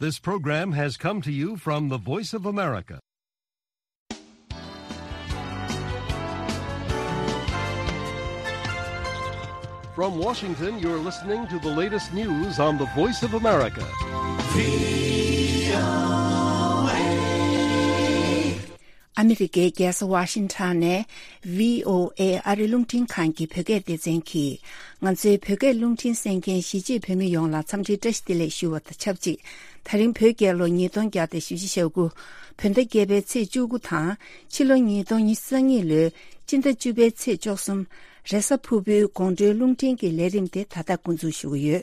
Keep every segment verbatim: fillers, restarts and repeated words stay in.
This program has come to you from the Voice of America. From Washington, you're listening to the latest news on the Voice of America. ཨ་མི་རི་ཀའི་རྒྱལ་ས་ཝ་ཤིང་ཊོན་ནས་བྷི་ཨོ་ཨེ་ཨ་རི་རླུང་འཕྲིན་ཁང་གི་བོད་སྐད་སྡེ་ཚན་གྱིས། ང་ཚོའི་བོད་སྐད་རླུང་འཕྲིན་གསན་མཁན་གཞིས་བྱེས་བོད་མི་ཡོངས་ལ་འཚམས་འདྲིའི་བཀྲ་ཤིས་བདེ་ལེགས་ཞུ་བ་དང་ཆབས་ཅིག་ད་རིང་བོད་རྒྱལ་ལོ་ཉིས་སྟོང་བརྒྱ་དང་བཞི་བཅུ་ཞེ་དགུ། བོད་ཟླ་བརྒྱད་པའི་ཚེས་བཅུ་དགུ་དང་། ཕྱི་ལོ་ཉིས་སྟོང་ཉི་ཤུ་རྩ་གཉིས་ལོའི་སྤྱི་ཟླ་བཅུ་པའི་ཚེས་བཅུ་གསུམ། རེས་གཟའ་ཕུར་བུའི་དགོང་དྲོའི་རླུང་འཕྲིན་གྱི་ལས་རིམ་དེ་ད་ལྟ་འགོ་འཛུགས་ཞུ་གི་ཡོད།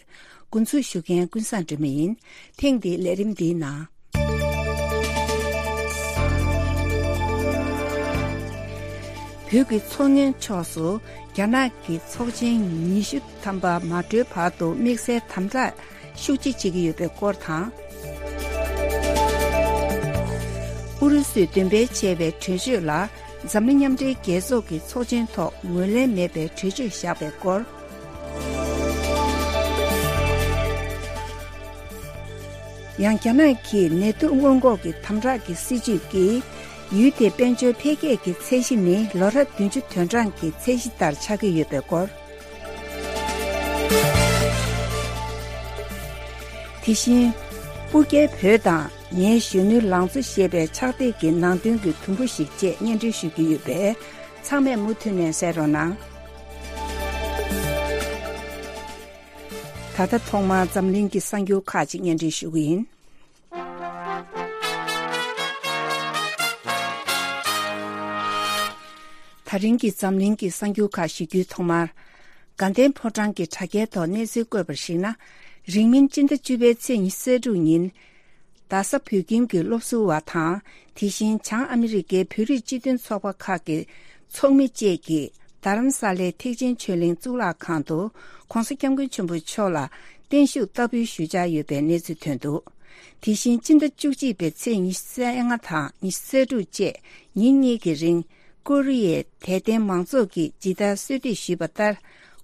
འགོ་འཛུགས་ཞུ་མཁན་ཀུན་བཟང་སྒྲོལ་མ་ཡིན། ཐེངས་འདིའི་ལས་རིམ་འདིའི་ནང་། བོད་ཀྱི་མཚོ་སྔོན་ཕྱོགས་སུ་རྒྱ་ནག་གི་ཚོགས་ཆེན་ཉི་ཤུ་ཐམ་པ་མ་གྲོལ་བར་དུ་དམིགས་བསལ་དམ་དྲག་ཤུགས་ཆེ་བྱེད་ཀྱི་ཡོད་པའི་སྐོར་དང་། ཨུ་རུ་སུས་འདོན་སྤེལ་བྱས་པའི་གྲོས་ཆོད་ལ་འཛམ་གླིང་མཉམ་འབྲེལ་རྒྱལ་ཚོགས་ཀྱི་ཚོགས་ཆེན་ཐོག་ངོས་ལེན་མེད་པའི་གྲོས་ཆོད་བཞག་པའི་སྐོར། ཡང་རྒྱ་ནག་གིས་ནེ་ཏུ་སྔོན་འགོག་གི་དམ་དྲག་གི་སྲིད་ཇུས་ཀྱིས་ཡུལ་དེའི་དཔལ་འབྱོར་འཕེལ་རྒྱས་ཀྱི་ཚད་གཞི་ནི་ལོ་རབས་བདུན་ཅུ་དོན་གྲངས་ཀྱི་ཚད་གཞི་ལྟར་ཆགས་ཀྱི་ཡོད་པའི་སྐོར། དེ་བཞིན། སྤུ་རྒྱལ་བོད་དང་ངའི་གཞོན་ནུའི་ལང་ཚོ་ཞེས་པའི་ཕྱག་དེབ་ཀྱི་ནང་དོན་གྱི་དུམ་བུ་ཞིག་བཅས་སྙན་སྒྲོན་ཞུ་རྒྱུ་ཡོད་པས། ཚང་མས་མུ་མཐུད་ནས་གསན་རོགས་གནང་། ད་ལྟ་ཐོག་མར་འཛམ་གླིང་གི་གསར་འགྱུར་ཁག་ཅིག་སྙན་སྒྲོན་ཞུ་གི་ཡིན། ད་རིང་གི་འཛམ་གླིང་གི་གསར་འགྱུར་ཁག་ཞུ་རྒྱུའི་ཐོག་མར། དགའ་ལྡན་ཕོ་བྲང་གི་དྲ་རྒྱའི་ཐོག་གནས་ཚུལ་བཀོད་པར་གཞིགས་ན། རིང་མིན་སྤྱི་ཟླ་བཅུ་པའི་ཚེས་ཉི་ཤུ་རྩ་དྲུག་ཉིན། རྡ་ས་བོད་ཁྱིམ་གྱི་སློབ་ཟུར་བ་དང་། དེ་བཞིན་བྱང་ཨ་མི་རི་ཀའི་བོད་རིགས་སྤྱི་མཐུན་ཚོགས་པ་ཁག་གི་ཚོགས་མི་བཅས་ཀྱིས། རྡ་རམ་ས་ལའི་ཐེག་ཆེན་ཆོས་གླིང་གཙུག་ལག་ཁང་དུ་༸གོང་ས་༸སྐྱབས་མགོན་ཆེན་པོ་མཆོག་ལ་བརྟན་བཞུགས་བསྟར་འབུལ་ཞུ་འཆར་ཡོད་པའི་གནས་ཚུལ་ཐོན་འདུག་དེ་བཞིན་སྤྱི་ཟླ་བཅུ་གཅིག་པའི་ཚེས་ཉི་ཤུ་རྩ་ལྔ་དང་ཉི་ཤུ་རྩ་དྲུག་བཅས་ཉིན་གཉིས་ཀྱི་རིང་། ཀོ་རི་ཡའི་དད་ལྡན་མང་ཚོགས་ཀྱིས་ཇི་ལྟར་གསོལ་འདེབས་ཞུས་པ་ལྟར།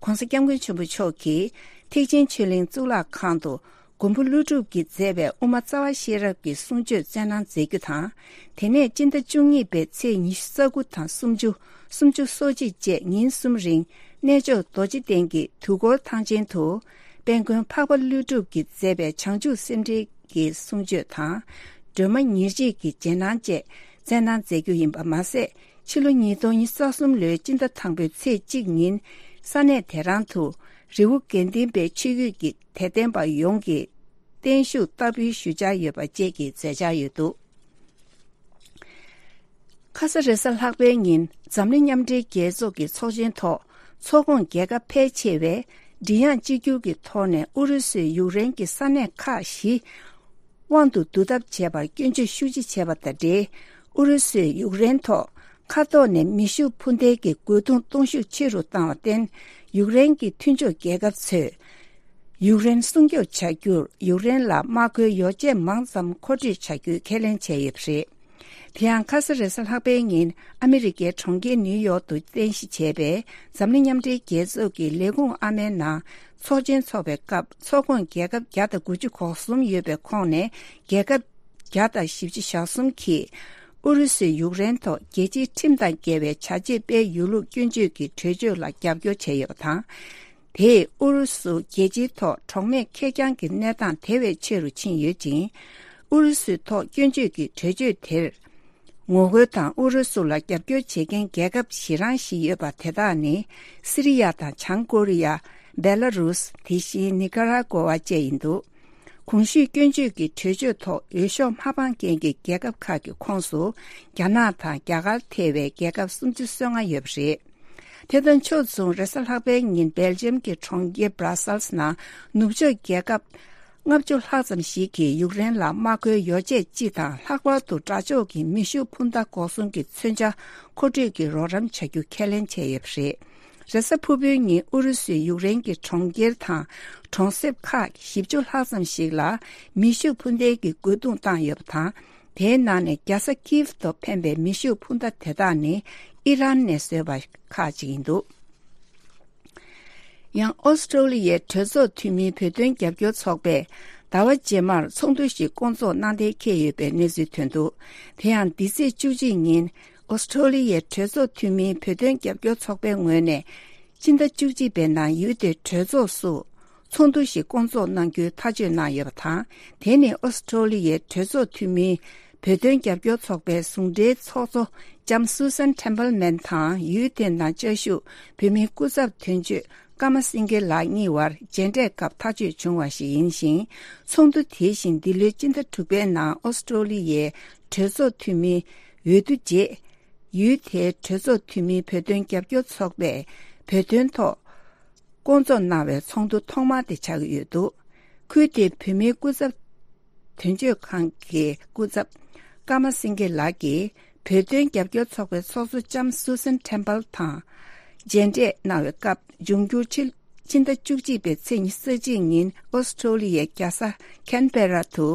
༸གོང་ས་༸སྐྱབས་མགོན་ཆེན་པོ་མཆོག་གིས་ཐེག་ཆེན་ཆོས་གླིང་གཙུག་ལག་ཁང་དུ། མགོན་པོ་ཀླུ་སྒྲུབ་ཀྱིས་མཛད་པའི་དབུ་མ་རྩ་བ་ཤེས་རབ་ཀྱི་གསུང་ཆོས་སྩལ་གནང་མཛད་རྒྱུ་དང་། དེ་ནས་སྤྱི་ཟླ་བཅུ་གཉིས་པའི་ཚེས་ཉི་ཤུ་རྩ་དགུ་དང་སུམ་ཅུ། སུམ་ཅུ་སོ་གཅིག་བཅས་ཉིན་གསུམ་རིང་། གནས་མཆོག་རྡོ་རྗེ་གདན་གྱི་དུས་འཁོར་ཐང་ཆེན་དུ། དཔལ་མགོན་འཕགས་པ་ཀླུ་སྒྲུབ་ཀྱིས་མཛད་པའི་བྱང་ཆུབ་སེམས་འགྲེལ་གྱི་གསུང་ཆོས་དང་། སྒྲོལ་མ་ཉེར་གཅིག་གི་རྗེས་གནང་བཅས་སྩལ་གནང་མཛད་རྒྱུ་ཡིན་པ་མ་ཟད། ཕྱི་ལོ་ཉིས་སྟོང་ཉི་ཤུ་རྩ་གསུམ་ལོའི་སྤྱི་ཟླ་དང་པོའི་ཚེས་གཅིག་ཉིན། ས་གནས་དེ་རང་དུ། རི་བོ་དགེ་ལྡན་པའི་ཆོས་བརྒྱུད་ཀྱི་དད་ལྡན་པ་ཡོངས་ཀྱིས་བརྟན་བཞུགས་བསྟར་འབུལ་ཞུ་འཆར་ཡོད་པ་བཅས་ཀྱི་མཛད་འཆར་ཡོད་འདུག་ཁ་ས་རེས་གཟའ་ལྷག་པའི་ཉིན་འཛམ་གླིང་མཉམ་འབྲེལ་རྒྱལ་ཚོགས་ཀྱི་ཚོགས་ཆེན་ཐོག་ཚོགས་ཁོངས་རྒྱལ་ཁབ་ཕལ་ཆེ་བས་མགྲིན་དབྱངས་གཅིག་གྱུར་གྱི་ཐོག་ནས་ཨུ་རུ་སུས་ཡུཀ་རེན་གྱི་ས་གནས་ཁག་བཞི་དབང་དུ་བསྡུ་ཐབས་བྱས་པར་སྐྱོན་བརྗོད་ཤུགས་ཆེ་བྱས་པ་དང་འབྲེལ། ཨུ་རུ་སུས་ཡུཀ་རེན་ཐོག་མཁའ་ཐོག་ནས་མེ་ཤུགས་འཕུར་མདེལ་གྱི་རྒོལ་རྡུང་གཏོང་ཤུགས་ཆེ་རུ་བཏང་བར་བརྟེན། ཡུཀ་རེན་གྱི་མཐུན་ཕྱོགས་རྒྱལ་ཁབ་ཚོས་ཡུཀ་རེན་སྲུང་སྐྱོབ་བྱ་རྒྱུར་ཡུཀ་རེན་ལ་དམག་མཁོའི་ཡོ་བྱད་མང་ཙམ་མཁོ་སྤྲོད་བྱ་རྒྱུའི་ཁས་ལེན་བྱས་ཡོད་པ་རེད། དེ་ཡང་ཁ་ས་རེས་གཟའ་ལྷག་པའི་ཉིན་ཨ་མི་རི་ཀའི་གྲོང་ཁྱེར་ནིའུ་ཡོག་ཏུ་རྟེན་གཞི་བྱས་པའི་འཛམ་གླིང་མཉམ་འབྲེལ་རྒྱལ་ཚོགས་ཀྱི་ལས་ཁུངས་ཨ་མའི་ནང་ཚོགས་ཆེན་འཚོགས་པའི་སྐབས། ཚོགས་ཁོངས་རྒྱལ་ཁབ་བརྒྱ་དང་དགུ་བཅུ་གོ་གསུམ་ཡོད་པའི་ཁོངས་ནས་རྒྱལ་ཁབ་བརྒྱ་དང་བཞི་བཅུ་ཞེ་གསུམ་གྱིས་ཨུ་རུ་སུས་ཡུཀ་རེན་ཐོག་རྒྱལ་སྤྱིའི་ཁྲིམས་དང་འགལ་བའི་བྱ་བྱེད་སྤེལ་ཡོད་ལུགས་སྐྱོན་བརྗོད་ཀྱི་གྲོས་ཆོད་ལ་རྒྱབ་སྐྱོར་བྱས་ཡོད་པ་དང་། དེས་ཨུ་རུ་སུ་རྒྱལ་སྤྱིའི་ཐོག་གྲོགས་མེད་ཁེར་རྐྱང་གི་གནས་སྟངས་དེ་བས་ཆེ་རུ་ཕྱིན་ཡོད་ཅིང་། ཨུ་རུ་སུའི་ཐོག་སྐྱོན་བརྗོད་ཀྱི་གྲོས་ཆོད་དེར་ངོ་རྒོལ་དང་ཨུ་རུ་སུ་ལ་རྒྱབ་སྐྱོར་བྱེད་མཁན་རྒྱལ་ཁབ་བཞི་རང་བཞི་ཡོད་པ་དེ་དག་ནི། སི་རི་ཡ་དང་བྱང་ཀོ་རི་ཡ། སྦེ་ལ་རུས། དེ་བཞིན་ནི་ཀ་ར་ཀོ་ཝ་བཅས་ཡིན་འདུག་གོང་ཞུས་སྐྱོན་བརྗོད་ཀྱི་གྲོས་ཆོད་ཐོག་འོས་ཤོག་མ་འཕངས་མཁན་གྱི་རྒྱལ་ཁབ་ཁག་གི་ཁོངས་སུ། རྒྱ་ནག་དང་རྒྱ་གར་ཐེ་བའི་རྒྱལ་ཁབ་སུམ་ཅུ་སོ་ལྔ་ཡོད་པ་རེད། དེ་དང་ཕྱོགས་མཚུངས། རེས་གཟའ་ལྷག་པའི་ཉིན་སྦེལ་ཇམ་གྱི་གྲོང་ཁྱེར་སྦྲ་སལ་ནང་ནུབ་ཕྱོགས་རྒྱལ་ཁབ་ལྔ་བཅུ་ལྷག་ཙམ་ཞིག་གིས་ཡུཀ་རེན་ལ་དམག་མཁོའི་ཡོ་བྱད་སྤྱི་དང་ལྷག་པར་དུ་དགྲ་ཕྱོགས་ཀྱི་མེ་ཤུགས་འཕུར་མདའ་འགོག་སྲུང་གི་མཚོན་ཆ་མཁོ་སྤྲོད་ཀྱི་རོགས་རམ་བྱ་རྒྱུ་ཁས་ལེན་བྱས་ཡོད་པ་རེད། རེས་གཟའ་ཕུར་བུའི་ཉིན་ཨུ་རུ་སུས་ཡུཀ་རེན་གྱི་གྲོང་ཁྱེར་དང་གྲོང་གསེབ་ཁག་བཞི་བཅུ་ལྷག་ཙམ་ཞིག་ལ་མེ་ཤུགས་འཕུར་མདེལ་གྱི་རྒོལ་རྡུང་བཏང་ཡོད་པ་དང་། དེའི་ནང་ནས་རྒྱལ་ས་ཀིབ་ཏུ་འཕེན་པའི་མེ་ཤུགས་འཕུར་མདའ་དེ་དག་ནི་ཨི་རན་ནས་བཟོས་པ་ཁག་ཅིག་ཡིན་འདུག་ཡང་ཨོ་སི་ཀྲོ་ལི་ཡའི་གྲོས་ཚོགས་འཐུས་མིའི་བོད་དོན་རྒྱབ་སྐྱོར་ཚོགས་པས་ ཟླ་བ་རྗེས་མར་ཚོགས་འདུ་ཞིག་བསྐོང་ཚོགས་གནང་གཏན་འཁེལ་ཡོད་པའི་གནས་ཚུལ་ཐོན་འདུག་དེ་ཡང་འདི་ཚེས་བཅུ་གཅིག་ཉིན་ཨོ་སི་ཁྲོ་ལི་ཡའི་གྲོས་ཚོགས་འཐུས་མིའི་བོད་དོན་རྒྱབ་སྐྱོར་ཚོགས་པའི་ངོས་ནས་སྤྱི་ཟླ་བཅུ་གཅིག་པའི་ནང་ཡུལ་དེའི་གྲོས་ཚོགས་སུ་ཚོགས་འདུ་ཞིག་བསྐོང་ཚོགས་གནང་རྒྱུའི་ཐག་གཅོད་གནང་ཡོད་པ་དང་། དེ་ནི་ཨོ་སི་ཁྲོ་ལི་ཡའི་གྲོས་ཚོགས་འཐུས་མིའི་བོད་དོན་རྒྱབ་སྐྱོར་ཚོགས་པའི་ཟུང་འབྲེལ་ཚོགས་གཙོ་ལྕམ་སུ་སན་ཐེམ་པལ་མན་དང་ཡུལ་དེ་ནང་བཅའ་བཞུགས་བོད་མིའི་སྐུ་ཚབ་དོན་གཅོད་ཀརྨ་སེང་གེ་ལགས་གཉིས་བར་མཇལ་འཕྲད་སྐབས་ཐག་གཅོད་བྱུང་བ་ཞིག་ཡིན་ཞིང་། ཚོགས་འདུ་དེ་བཞིན་འདི་ལོའི་སྤྱི་ཟླ་དྲུག་པའི་ནང་ཨོ་སི་ཁྲོ་ལི་ཡའི་གྲོས་ཚོགས་འཐུས་མིའི་འོས་བསྡུ་རྗེས། ཡུལ་དེའི་གྲོས་ཚོགས་འཐུས་མིའི་བོད་དོན་རྒྱབ་སྐྱོར་ཚོགས་པས་བོད་དོན་ཐོག་བསྐོང་ཚོགས་གནང་བའི་ཚོགས་འདུ་ཐོག་མ་དེ་ཆགས་ཀྱི་ཡོད་འདུག་ཁུལ་དེའི་བོད་མིའི་སྐུ་ཚབ་དོན་གཅོད་ཁང་གི་སྐུ་ཚབ་ཀརྨ་སེང་གེ་ལགས་ཀྱིས་བོད་དོན་རྒྱབ་སྐྱོར་ཚོགས་པའི་ཚོགས་གཙོ་ལྕམ་སུ་སན་ཐེམ་པལ་དང་མཇལ་འཕྲད་གནང་བའི་སྐབས། འབྱུང་འགྱུར་ཕྱི་ཕྱི་ཟླ་བཅུ་གཅིག་པའི་ཚེས་ཉི་ཤུ་རྩ་གཅིག་ཉིན་ཨོ་སི་ཁྲོ་ལི་ཡའི་རྒྱལ་ས་ཁན་བེ་ར་དུ་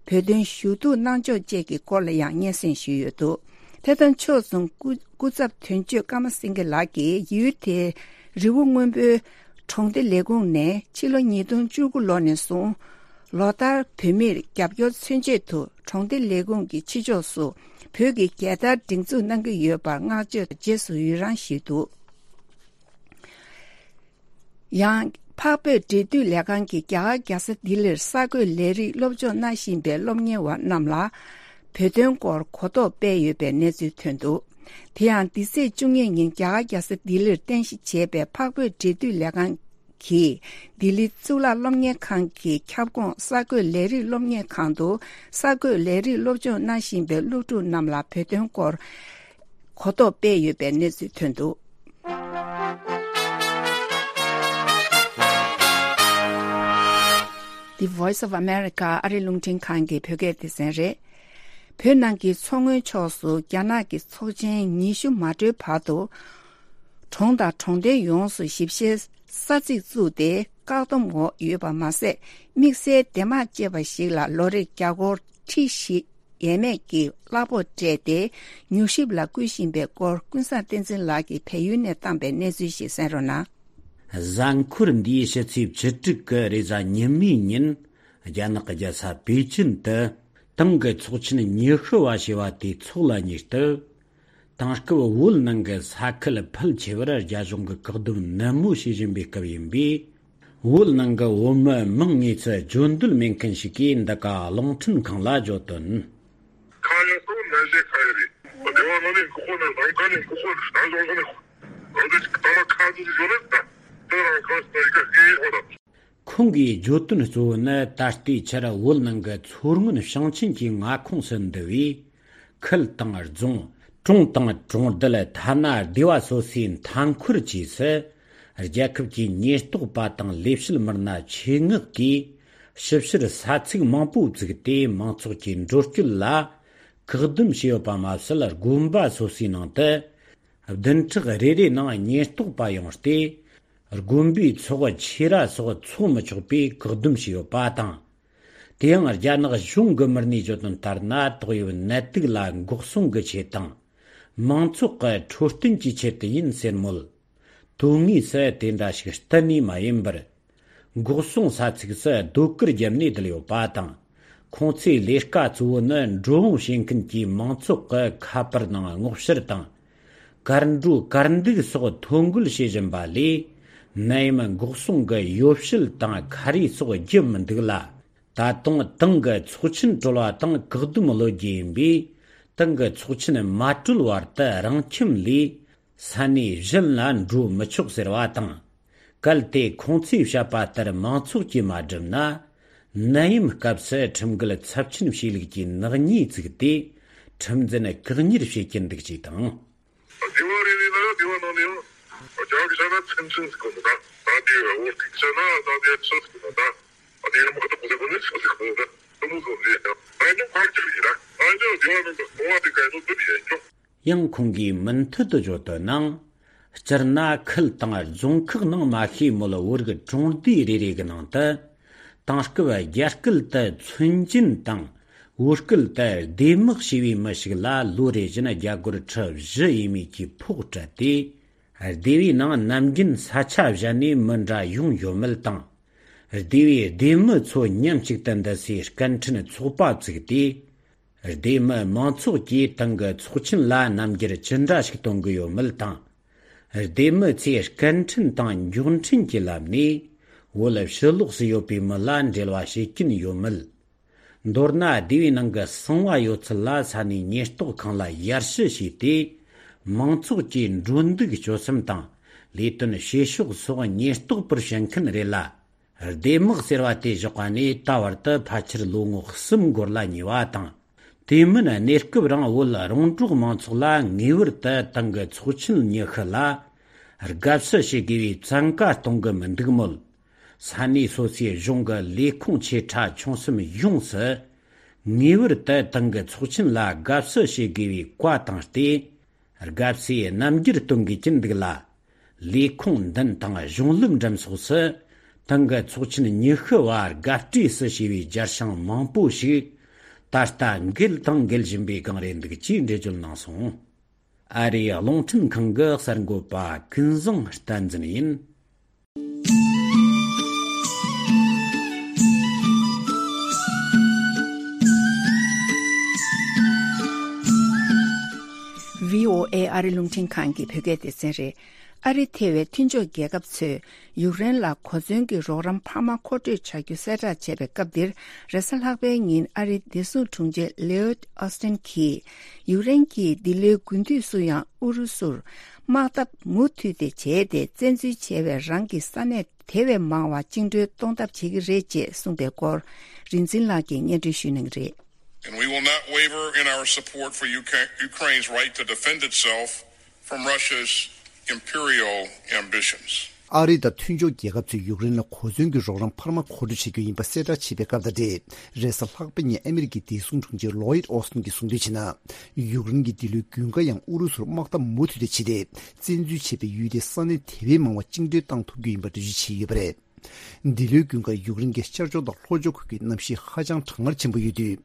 བོད་དོན་ཞུ་གཏུག་གནང་ཕྱོགས་བཅས་ཀྱི་སྐོར་ལ་ཡང་སྙན་སེང་ཞུས་ཡོད་འདུག་དེ་དང་ཕྱོགས་མཚུངས་སྐུ་སྐུ་ཚབ་དོན་གཅོད་ཀརྨ་སེང་གེ་ལགས་ཀྱིས་ཡུལ་དེའི་རི་བོ་སྔོན་པོའི་གྲོང་སྡེ་ལས་ཁུངས་ནས་ཕྱི་ལོ་ཉིས་སྟོང་བཅུ་དགུ་ལོ་ནས་བཟུང་ལོ་ལྟར་བོད་མིར་རྒྱབ་སྐྱོར་མཚོན་ཆེད་དུ་གྲོང་སྡེ་ལས་ཁུངས་ཀྱི་ཕྱི་ཕྱོགས་སུ་བོད་ཀྱི་རྒྱལ་དར་སྒྲེང་འཛུགས་གནང་གི་ཡོད་པར་བསྔགས་བརྗོད་རྗེས་སུ་ཡི་རང་ཞུས་འདུག་ཡང་། འཕགས་བོད་འབྲེལ་མཐུད་ལས་ཁང་གིས་རྒྱ་གར་རྒྱལ་ས་ལྡི་ལིར་གསར་འགོད་ལས་རིགས་སློབ་སྦྱོང་གནང་བཞིན་པའི་སློབ་གཉེར་བ་རྣམས་ལ་བོད་དོན་སྐོར་གོ་རྟོགས་སྤེལ་ཡོད་པའི་གནས་ཚུལ་ཐོན་འདུག་དེ་ཡང་འདི་ཚེས་བཅུ་གཉིས་ཉིན་རྒྱ་གར་རྒྱལ་ས་ལྡི་ལིར་རྟེན་གཞི་བྱས་པའི་འཕགས་བོད་འབྲེལ་མཐུད་ལས་ཁང་གིས་ལྡི་ལི་གཙུག་ལག་སློབ་གཉེར་ཁང་གི་ཁྱབ་ཁོངས་གསར་འགོད་ལས་རིགས་སློབ་གཉེར་ཁང་དུ་གསར་འགོད་ལས་རིགས་སློབ་སྦྱོང་གནང་བཞིན་པའི་སློབ་ཕྲུག་རྣམས་ལ་བོད་དོན་སྐོར་གོ་རྟོགས་སྤེལ་ཡོད་པའི་གནས་ཚུལ་ཐོན་འདུག The Voice of America ཨ་རི་རླུང་འཕྲིན་ཁང་གི་བོད་སྐད་སྡེ་ཚན་རེད། བོད་ནང་གི་མཚོ་སྔོན་ཕྱོགས་སུ་རྒྱ་ནག་གི་ཚོགས་ཆེན་ཉི་ཤུ་མ་གྲོལ་བར་དུ། གྲོང་དང་གྲོང་རྡལ་ཡོངས་སུ་ཞིབ་བཤེར་ས་ཚིགས་བཙུགས་ཏེ། བཀག་སྡོམ་འོག་ཡོད་པ་མ་ཟད། དམིགས་བསལ་སྡེ་དམངས་བཅས་པ་ཞིག་ལ་ལོ་རེར་རྒྱ་སྒོར་ཁྲི་བཞི་ཡས་མས་ཀྱི་གླ་ཕོགས་སྤྲད་དེ། མྱུལ་ཞིབ་ལ་བསྐུལ་བཞིན་པའི་སྐོར། ཀུན་བཟང་བསྟན་འཛིན་ལགས་ཀྱིས་བལ་ཡུལ་ནས་བཏང་པའི་གནས་ཚུལ་ཞིག་གསན་རོགས་གནང་། གཟའ་འཁོར་འདིའི་ཕྱི་ཚེས་བཅུ་དྲུག་གི་རེས་གཟའ་ཉི་མའི་ཉིན། རྒྱ་ནག་གི་རྒྱལ་ས་པེ་ཅིན་དུ། ཏང་གི་ཚོགས་ཆེན་ཉི་ཤུ་བ་ཞེས་པ་དེའི་ཚོགས་ལ་ཉེ་སྟབས། དེང་སྐབས་བོད་ནང་གི་ས་ཁུལ་ཕལ་ཆེ་བར་རྒྱ་གཞུང་གིས་བཀག་སྡོམ་ནན་མོ་བྱེད་བཞིན་པའི་སྐབས་ཡིན་པས། བོད་ནང་གི་བོད་མི་མང་ངོས་སུ་བརྗོད་འདོད་མེད་མཁན་ཞིག་གིས་འདི་ག་རླུང་འཕྲིན་ཁང་ལ་བརྗོད་དོན། ཁ་ཡ་སོ་ནན་ཞེ་ཁ་ཡ་རེད། སྡེ་བ་ནང་ནས་ཁོ་ཁོ་ནས་རང་ཁ་ནས་ཁོ་ཁོ་ནས་རང་སོང་ནས་ཁོ་རང་ཚོ་ཞིག་ཐ་མ་ཁ་ཚོ་ཞིག་ཡོད་རེད་ད། དེ་རང་ཁ་སོ་ཡི་ག་སྐད་ཡིག་ཧོ་ད། ཁོང་གིས་བརྗོད་དོན་གཙོ་བོ་ནི་ད་ལྟའི་ཆར་བོད་ནང་གི་མཚོ་སྔོན་ཞིང་ཆེན་གྱི་མངའ་ཁོངས་སུ་འདུ་བའི་ཁུལ་དང་རྫོང་། གྲོང་དང་གྲོང་རྡལ། ཐ་ན་སྡེ་བ་སོ་སོའི་མཐའ་འཁོར་བཅས་སུ། རྒྱལ་ཁབ་ཀྱི་ཉེན་རྟོག་པ་དང་ལས་བྱེད་མི་སྣ་ཆེད་མངགས་ཀྱིས་ཞིབ་བཤེར་ས་ཚིགས་མང་པོ་བཙུགས་ཏེ། མང་ཚོགས་ཀྱི་འགྲོ་སྐྱོད་ལ་བཀག་སྡོམ་བྱས་ཡོད་པ་མ་ཟད། དགོན་པ་སོ་སོའི་ནང་དུ་བདུན་ཕྲག་རེ་རེའི་ནང་ཉེན་རྟོག་པ་ཡོང་སྟེ། དགོན་པའི་ཚོགས་ཆེ་ར་སོགས་འཚོགས་མི་ཆོག་པའི་བཀག་སྡོམ་བྱས་ཡོད་པ་དང་། དེ་ཡང་རྒྱ་ནག་གཞུང་གི་མི་སྣས་བརྗོད་དོན་ལྟར་ན། ཏོག་དབྱིབས་ནད་དུག་ལ་འགོག་སྲུང་གི་ཆེད་དང་། མང་ཚོགས་ཀྱི་འཕྲོད་བསྟེན་གྱི་ཆེད་དུ་ཡིན་ཟེར་མོད། དོན་དངོས་སུ་དེ་འདྲ་ཞིག་གཏན་ནས་མ་ཡིན་པར། འགོག་སྲུང་ས་ཚིགས་སུ་ཟློས་གར་བརྒྱབ་ནས་བསྡད་ཡོད་པ་དང་། ཁོང་ཚོའི་ལས་ཀ་གཙོ་བོ་ནི་འགྲོ་འོང་བྱེད་མཁན་གྱི་མང་ཚོགས་ཀྱི་ཁ་པར་ནང་སྔོག་བཤེར་དང་། ཀར་འགྲོ་ཀར་འདུག་སོགས་ཐོ་འགོད་བྱེད་བཞིན་པ་ལས། ནད་ཡམས་འགོག་སྲུང་གི་ཡོ་བྱད་དང་ཁ་རས་སོགས་བརྒྱབ་མི་འདུག་ལ། ད་དུང་ཏང་གི་ཚོགས་ཆེན་གྲོལ་བ་དང་བཀག་སྡོམ་གློད་རྒྱུ་ཡིན་པས། ཏང་གི་ཚོགས་ཆེན་མ་གྲོལ་བར་དུ་རང་ཁྱིམ་ལས་ས་གནས་གཞན་ལ་འགྲོ་མི་ཆོག་ཟེར་བ་དང་། གལ་ཏེ་ཁོང་ཚོས་བཤད་པ་ལྟར་མང་ཚོགས་ཀྱིས་མ་བསྒྲུབས་ན། ནད་ཡམས་སྐབས་སུ་ཁྲིམས་འགལ་ཚབས་ཆེན་བྱས་ལུགས་ཀྱི་ནག་ཉེས་བཙུགས་ཏེ། ཁྲིམས་འཛིན་བཀག་ཉར་བྱེད་ཀྱི་འདུག་ཅེས་དང་། སྡེ་བ་རེ་རེ་ལ་སྡེ་བ་ནང་ནས་ཡང་རྒྱ་གི་ཆ་ན་ཚན་ཆུང་ཟེར་གོ་ནོ་ད། ད་དེ་བོད་ཀྱི་ཆ་ན་ད་དེ་ཆུ་ཟེར་གོ་ནོ་ད། ད་དེ་ནི་མ་གཏོགས་ཟེར་གོ་ནི་ཆུ་ཟེར་གོ་ནོ་ད། དེ་མོ་ཟེར་རེད་ཡ། ད་ནི་ཕར་ཅིག་ཡིན་ན་ང་ཚོ་སྡེ་བ་ནང་དུ་གསོ་བ་དེ་ག་ཡིན་ནོ་དེ་ཡིན་ཀྱང་། ཡང་ཁོང་གིས་མུ་མཐུད་དུ་བརྗོད་དོན་ནང་། སྤྱིར་ན་ཁུལ་དང་རྫོང་ཁག་ནང་མ་ཤེས་མོད་བོད་རིགས་གྲོང་སྡེ་རེ་རེ་གི་ནང་དུ། དེང་སྐབས་རྒྱ་སྐད་དུ་ཚོན་ཅན་དང་བོད་སྐད་དུ་སྡེ་དམག་ཞེས་པའི་མི་ཞིག་ལ་ལོ་རེ་བཞིན་རྒྱ་སྒོར་ཁྲི་བཞི་ཡས་མས་ཀྱི་ཕོགས་སྤྲད་དེ། སྡེ་བའི་ནང་ནམ་རྒྱུན་ས་ཆ་གཞན་ནས་མི་འདྲ་ཡོང་ཡོད་མེད་དང་། སྡེ་བའི་སྡེ་མི་ཚོ་མཉམ་གཅིག་ཏུ་འདུ་སའི་སྐད་འཕྲིན་ཚོགས་པ་བཙུགས་ཏེ། སྡེ་མི་མང་ཚོགས་ཀྱིས་ཏང་གི་ཚོགས་ཆེན་ལ་རྣམ་འགྱུར་ཅི་འདྲ་ཞིག་གཏོང་གི་ཡོད་མེད་དང་། སྡེ་མི་ཚོས་སྐད་འཕྲིན་དང་མགྱོགས་འཕྲིན་གྱི་ལམ་ནས་བོད་ཕྱི་ལོགས་སུ་ཡོད་པའི་མི་ལ་འབྲེལ་བ་བྱེད་ཀྱིན་ཡོད་མེད། མདོར་ན་སྡེ་བའི་ནང་གི་གསང་བ་ཡོད་ཚད་ལ་ས་གནས་ཉེན་རྟོག་ཁང་ལ་ཡར་ཞུ་བྱས་ཏེ། མང་ཚོགས་ཀྱི་འགྲོ་འདུག་སྤྱོད་གསུམ་དང་ལས་དོན་བྱེད་ཕྱོགས་སོགས་ཉེན་རྟོག་པར་བྱེད་མཁན་རེད་ལ། སྡེ་དམག་ཟེར་བ་དེ་བཞག་པ་ནས་ད་བར་དུ་ཕལ་ཆེར་ལོ་ངོ་གསུམ་འགོར་ལ་ཉེ་བ་དང་། དེ་མིན་གནས་སྐབས་རིང་བོད་རོང་འབྲོག་མང་ཚོགས་ལ་ངེས་པར་དུ་ཏང་གི་ཚོགས་ཆེན་ཉི་ཤུ་ལ་དགའ་བསུ་བྱེད་དགོས་པའི་བཙན་བཀའ་གཏོང་གི་མི་འདུག་མོད། ས་གནས་སོ་སོའི་གཞུང་གི་ལས་ཁུངས་ཆེ་ཕྲ་ཆུང་གསུམ་ཡོངས་སུ་ངེས་པར་དུ་ཏང་གི་ཚོགས་ཆེན་ལ་དགའ་བསུ་བྱེད་དགོས་པའི་བཀའ་བཏང་སྟེ། དགའ་བསུའི་རྣམ་འགྱུར་སྟོན་དགོས་ཀྱི་འདུག་ལ། ལས་ཁུངས་མདུན་དང་གཞུང་ལམ་འགྲམ་སོགས་སུ་ཏང་གི་ཚོགས་ཆེན་ཉི་ཤུ་བ་དགའ་སྤྲོས་སུ་བྱས་པའི་སྦྱར་བྱང་མང་པོ་ཞིག་ད་ལྟ་འགུལ་དང་འགུལ་བཞིན་པའི་སྒང་རེད་འདུག་ཅེས་འགྲེལ་བརྗོད་གནང་སོང་། ཨ་རིའི་རླུང་འཕྲིན་ཁང་གི་གསར་འགོད་པ་ཀུན་བཟང་བསྟན་འཛིན་ཡིན། བྷི་ཨོ་ཨེ་ཨ་རི་རླུང་འཕྲིན་ཁང་གི་བོད་སྐད་སྡེ་ཚན་རེད། ཨ་རི་ཐེ་བའི་མཐུན་ཕྱོགས་རྒྱལ་ཁབ་ཚོས་ཡུཀ་རེན་ལ་གོ་མཚོན་གྱི་རོགས་རམ་འཕར་མ་མཁོ་སྤྲོད་བྱ་རྒྱུ་གསལ་བསྒྲགས་བྱས་པའི་སྐབས་འདིར། རེས་གཟའ་ལྷག་པའི་ཉིན་ཨ་རིའི་བདེ་སྲུང་དྲུང་ཆེ་ལེའོད་ཨོ་སྟིན་གྱིས། ཡུཀ་རེན་གྱིས་འདི་ལོའི་དགུན་དུས་སུ་ཡང་ཨུ་རུ་སུར་དམག་འཐབ་མུ་མཐུད་དེ་བྱས་ཏེ། བཙན་འཛུལ་བྱས་པའི་རང་གི་ས་གནས་དེ་བས་མང་བ་བཅིངས་འགྲོལ་གཏོང་ཐབས་བྱེད་ཀྱི་རེད་ཅེས་གསུངས་པའི་སྐོར། རིག་འཛིན་ལགས་ཀྱིས་སྙན་སྒྲོན་ཞུ་གནང་གི་རེད། And we will not waver in our support for Uka- Ukraine's right to defend itself from Russia's imperial ambitions. ཨ་རི་དང་མཐུན་ཕྱོགས་རྒྱལ་ཁབ་ཚོས་ཡུཀ་རེན་ལ་གོ་མཚོན་གྱི་རོགས་རམ་འཕར་མ་མཁོ་སྤྲོད་བྱེད་རྒྱུ་ཡིན་པ་གསལ་བསྒྲགས་བྱས་པའི་སྐབས་དང་འབྲེལ། རེས་གཟའ་ལྷག་པའི་ཉིན་ཨ་མི་རི་ཀའི་བདེ་སྲུང་དྲུང་ཆེ་ལོའིད་ཨོ་སྟིན་གྱིས་གསུངས་དོན་བྱས་ན། ཡུཀ་རེན་གྱིས་འདི་ལོའི་དགུན་ཁ་ཡང་ཨུ་རུ་སུར་དམག་འཐབ་མུ་མཐུད་དེ་བྱས་ཏེ། བཙན་འཛུལ་བྱས་པའི་ཡུལ་དེའི་ས་གནས་དེ་བས་མང་བ་བཅིངས་འགྲོལ་བཏང་ཐུབ་རྒྱུ་ཡིན་པ་འགྲེལ་བརྗོད་བྱས་ཡོད་པ་རེད། འདི་ལོའི་དགུན་ཁར་ཡུཀ་རེན་གྱི་ཤར་ཕྱོགས་དང་ལྷོ་ཕྱོགས་ཁུལ་གྱི་གནམ་གཤིས་ཧ་ཅང་གྲང་ངར་ཆེན་པོ་ཡོད་དུས།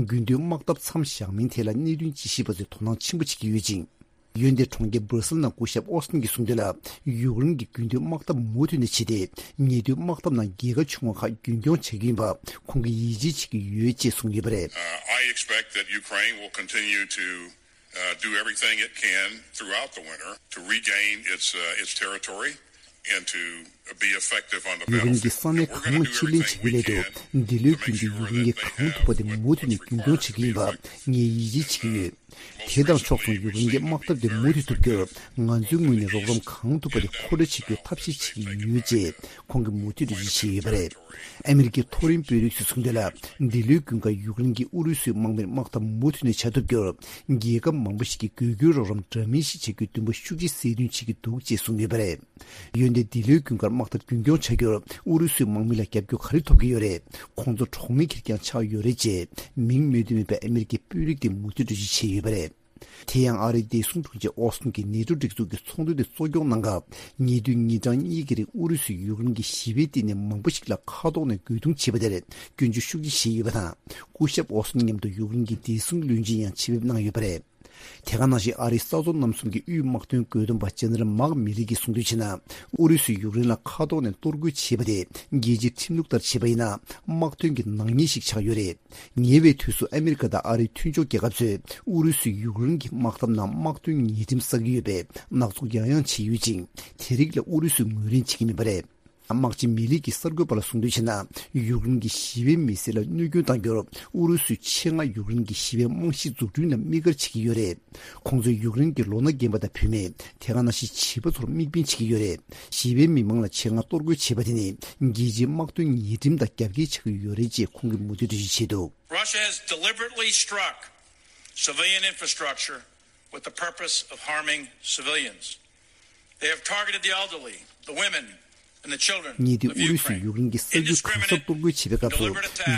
དགུན་དུས་དམག་འཐབ་མཚམས་བཞག་མིན་ཐད་ལ་གནད་དོན་དཔྱད་ཞིབ་པ་ཚོས་དོ་སྣང་ཆེན་པོ་བྱེད་ཀྱི་ཡོད་ཅིང་། འོན་ཏེ་གྲོང་ཁྱེར་སྦར་སིལ་ནང་སྐུ་ཞབས་ཨོ་སྟིན་གྱིས་གསུངས་དོན་ལ། ཡུཀ་རེན་གྱིས་དགུན་དུས་དམག་འཐབ་མུ་མཐུད་ནས་བྱས་ཏེ། ཉེ་དུས་དམག་འཐབ་ནང་རྒྱལ་ཁ་བྱུང་བ་ཁག་རྒྱུན་སྐྱོང་བྱ་རྒྱུ་ཡིན་པ་ཁོང་གིས་ཡིད་ཆེས་བྱེད་ཀྱི་ཡོད་ཅེས་གསུངས་ཡོད་པ་རེད། Uh, I expect that Ukraine will continue to, uh, do everything it can throughout the winter to regain its, uh, its territory and to be effective on the battlefield. ཡུཀ་རེན་གྱིས་ས་གནས་གང་མང་ཕྱིར་ལེན་བྱེད་ཀྱི་སླད་དུ། འདི་ལོའི་དགུན་དུ་ཡུཀ་རེན་གྱིས་གང་ཐུབ་པ་དེ་མུ་མཐུད་ནས་རྒྱུན་སྐྱོང་བྱེད་ཀྱི་ཡིན་པ་ངས་ཡིད་ཆེས་བྱེད་ཀྱི་ཡོད། དེ་དང་ཕྱོགས་མཚུངས་ཡུཀ་རེན་གྱི་དམག་འཐབ་དེ་མུ་མཐུད་ཐུབ་རྒྱུར་ང་ཚོའི་ངོས་ནས་རོགས་རམ་གང་ཐུབ་པ་དེ་མཁོ་སྤྲོད་བྱེད་རྒྱུར་ཐབས་ཤེས་བྱེད་ཀྱི་ཡོད་ཅེས་ཁོང་གིས་མུ་མཐུད་འགྲེལ་བརྗོད་བྱས་ཡོད་པ་རེད། ཨ་མི་རི་ཀའི་མཐོ་རིམ་དཔོན་རིགས་ཚོས་གསུངས་དོན་ལ། འདི་ལོའི་དགུན་ཁར་ཡུཀ་རེན་གྱིས་ཨུ་རུ་སུའི་དམག་མིར་དམག་འཐབ་མུ་མཐུད་ནས་བྱ་ཐུབ་རྒྱུར། རྒྱལ་ཁབ་མང་པོ་ཞིག་གིས་དགོས་མཁོའི་རོགས་རམ་འདྲ་མིན་ཞིག་བྱ་རྒྱུའི་འདུན་པ་ཤུགས་ཆེ་སད་རྒྱུན་བྱེད་ཀྱི་འདུག་ཅེས་གསུངས་ཡོད་པ་རེད། འོན་ཏེ་འདི་ལོའི་དགུན་ཁར་དམག་འཐབ་རྒྱུན་སྐྱོང་བྱ་རྒྱུར་ཨུ་རུ་སུའི་དམག་མི་ལ་རྒྱབ་སྐྱོར་ག་རེ་ཐོབ་ཀྱི་ཡོད་རེད། ཁོང་ཚོ་གྲོགས་མེད་ཁེར་རྐྱང་ཆགས་ཡོད་རེད་ཅེས་མིང་སྨོས་འདུན་མེད་པའི་ཨ་མི་རི་ཀའི་དཔོན་རིགས་དེས་མུ་མཐུད་འགྲེལ་བརྗོད་བྱས་ཡོད་པ་རེད། དེ་ཡང་ཨ་རིའི་བདེ་སྲུང་དྲུང་ཆེ་ཨོ་སྟིན་གྱིས་ནེ་ཏོ་སྒྲིག་འཛུགས་ཀྱི་ཚོགས་འདུ་དེ་གཙོ་སྐྱོང་གནང་སྐབས། ཉེ་དུས་ཉིན་གྲངས་གཉིས་ཀྱི་རིང་ཨུ་རུ་སུས་ཡུཀ་རེན་གྱི་ཞི་བའི་སྟེང་ནས་མང་པོ་ཞིག་ལ་མཁའ་ཐོག་ནས་རྒོལ་རྡུང་བྱས་པ་དེར་སྐྱོན་བརྗོད་ཤུགས་ཆེ་བྱས་ཡོད་པ་དང་། སྐུ་ཞབས་ཨོ་སྟིན་མཉམ་དུ་ཡུཀ་རེན་གྱི་བདེ་སྲུང་བློན་ཆེན་ཡང་ཆེད་ཕེབས་གནང་ཡོད་པ་རེད། དེ་ག་ནང་བཞིན་ཨ་རིའི་ས་ཕྱོགས་རྣམ་གསུམ་གྱི་དབུས་དམག་དོན་བཀོད་འདོམས་པ་ཇེ་ནེ་རལ་མཱག་མི་ལི་གིས་གསུངས་དོན་བྱས་ན། ཨུ་རུ་སུས་ཡུཀ་རེན་ལ་མཁའ་ཐོག་ནས་གཏོར་རྒོལ་བྱས་པ་དེ་རྒྱལ་སྤྱིའི་ཁྲིམས་ལུགས་ལྟར་བྱས་པ་ཡིན་ན། དམག་དོན་གྱི་ནག་ཉེས་ཤིག་ཆགས་ཡོད་རེད། ཉེ་བའི་དུས་སུ་ཨ་མི་རི་ཀ་དང་ཨ་རིའི་མཐུན་ཕྱོགས་རྒྱལ་ཁབ་ཚོས་ཨུ་རུ་སུས་ཡུཀ་རེན་གྱི་དམག་འཐབ་ནང་དམག་དོན་ཉེས་ཁྲིམས་བསགས་ཀྱི་ཡོད་པའི་ནག་ཚོགས་ཡང་ཡང་བྱས་ཡོད་ཅིང་། དེ་རིགས་ལ་ཨུ་རུ་སུས་ངོས་ལེན་བྱེད་ཀྱི་མེད་པ་རེད། དམག་སྤྱི་མི་ལི་གིས་གསར་འགོད་པ་ལ་གསུངས་དོན་བྱས་ན། ཡུཀ་རེན་གྱི་ཞི་བའི་མི་སེར་ལ་གནོད་སྐྱོན་བཏང་རྒྱུར་ཨུ་རུ་སུས་ཆེད་མངགས་ཡུཀ་རེན་གྱི་ཞི་བའི་རྨང་གཞི་འཛུགས་སྐྲུན་ལ་དམིགས་བཀར་བྱེད་ཀྱི་ཡོད་རེད། ཁོང་ཚོས་ཡུཀ་རེན་གྱི་ལོ་ན་རྒན་པ་དང་བུད་མེད། དེ་ག་ནང་བཞིན་བྱིས་པ་ཚོར་དམིགས་འབེན་བྱེད་ཀྱི་ཡོད་རེད། ཞི་བའི་མི་མང་ལ་ཆེད་མངགས་གཏོར་རྒོལ་བྱས་པ་དེ་ནི་རྒྱལ་སྤྱིའི་དམག་དོན་ཉེས་ཁྲིམས་དང་རྒྱབ་འགལ་ཆགས་ཀྱི་ཡོད་རེད་ཅེས་ཁོང་གིས་མུ་མཐུད་འགྲེལ་བརྗོད་བྱས་འདུག Russia has deliberately struck civilian infrastructure with the purpose of harming civilians. They have targeted the elderly, the women, and the children of Ukraine. ཉེ་དུས་ཨུ་རུ་སུས་ཡུཀ་རེན་གྱི་ས་ཁུལ་གང་སར་གཏོར་རྒོལ་བྱས་པའི་སྐབས་སུ།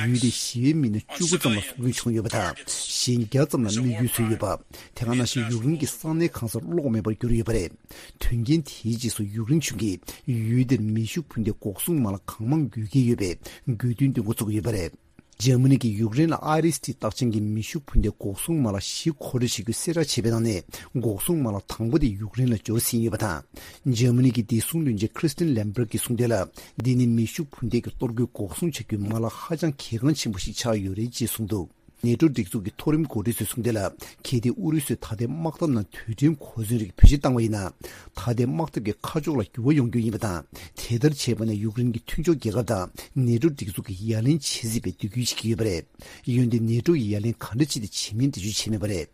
ཡུལ་དེའི་ཞི་བའི་མི་སྣ་བཅུ་དགུ་ཙམ་ལ་སྲོག་སྐྱོན་བྱུང་ཡོད་པ་དང་། གཞན་བརྒྱ་ཙམ་ལ་རྨས་སྐྱོན་བཟོས་ཡོད་པ། དེ་ག་ནང་བཞིན་ཡུཀ་རེན་གྱི་ས་གནས་གང་སར་གློག་མེད་པར་གྱུར་ཡོད་པ་རེད། དོན་རྐྱེན་དེའི་རྗེས་སུ་ཡུཀ་རེན་གཞུང་གིས་ཡུལ་དེར་མེ་ཤུགས་འཕུར་མདའི་འགོག་སྲུང་མ་ལག་གང་མང་དགོས་ཀྱི་ཡོད་པའི་དགོས་འདུན་འདོན་འགོ་བཙུགས་ཡོད་པ་རེད། འཇར་མ་ནི་གིས་ཡུཀ་རེན་ལ་ཨའི་རི་སི་ཊི་རྟགས་ཅན་གྱི་མེ་ཤུགས་འཕུར་མདའི་འགོག་སྲུང་མ་ལག་བཞི་མཁོ་སྤྲོད་བྱེད་རྒྱུའི་གསལ་བསྒྲགས་བྱས་པའི་ནང་ནས། འགོག་སྲུང་མ་ལག་དང་པོ་དེ་ཡུཀ་རེན་ལ་འབྱོར་ཟིན་ཡོད་པ་དང་། འཇར་མ་ནི་གི་བདེ་སྲུང་བློན་ཆེན་ཁྲི་སྟིན་ལེམ་བྷར་གྱིས་གསུངས་དོན་ལ། འདི་ནི་མེ་ཤུགས་འཕུར་མདའི་གི་གཏོར་རྒོལ་འགོག་སྲུང་བྱ་རྒྱུའི་མ་ལག་ཧ་ཅང་གལ་འགངས་ཆེན་པོ་ཞིག་ཆགས་ཡོད་རེད་ཅེས་གསུངས་འདུག་ནེ་ཊོ་སྒྲིག་འཛུགས་ཀྱི་མཐོ་རིམ་འགོ་ཁྲིད་ཚོས་གསུངས་དོན་ལ། གལ་ཏེ་ཨུ་རུ་སུས་ད་ལྟའི་དམག་འཐབ་ནང་དུས་དྲན་གོ་མཚོན་རིགས་བེད་སྤྱོད་བཏང་བ་ཡིན་ན། ད་ལྟའི་དམག་འཐབ་ཀྱི་ཁ་ཕྱོགས་ལ་འགྱུར་བ་ཡོང་རྒྱུ་ཡིན་པ་དང་། དེ་ལྟར་བྱས་པ་ན་ཡུཀ་རེན་གྱི་མཐུན་ཕྱོགས་རྒྱལ་ཁབ་དང་ནེ་ཊོ་སྒྲིག་འཛུགས་ཀྱི་ཡ་ལན་བྱེད་སྲིད་པའི་འདོད་སྐུལ་བྱེད་ཀྱི་ཡོད་པ་རེད། འོན་ཏེ་ནེ་ཊོ་ཡིས་ཡ་ལན་ག་འདྲ་ཅིག་དེ་བྱེད་མིན་འགྲེལ་བརྗོད་བྱས་མེད་པ་རེད།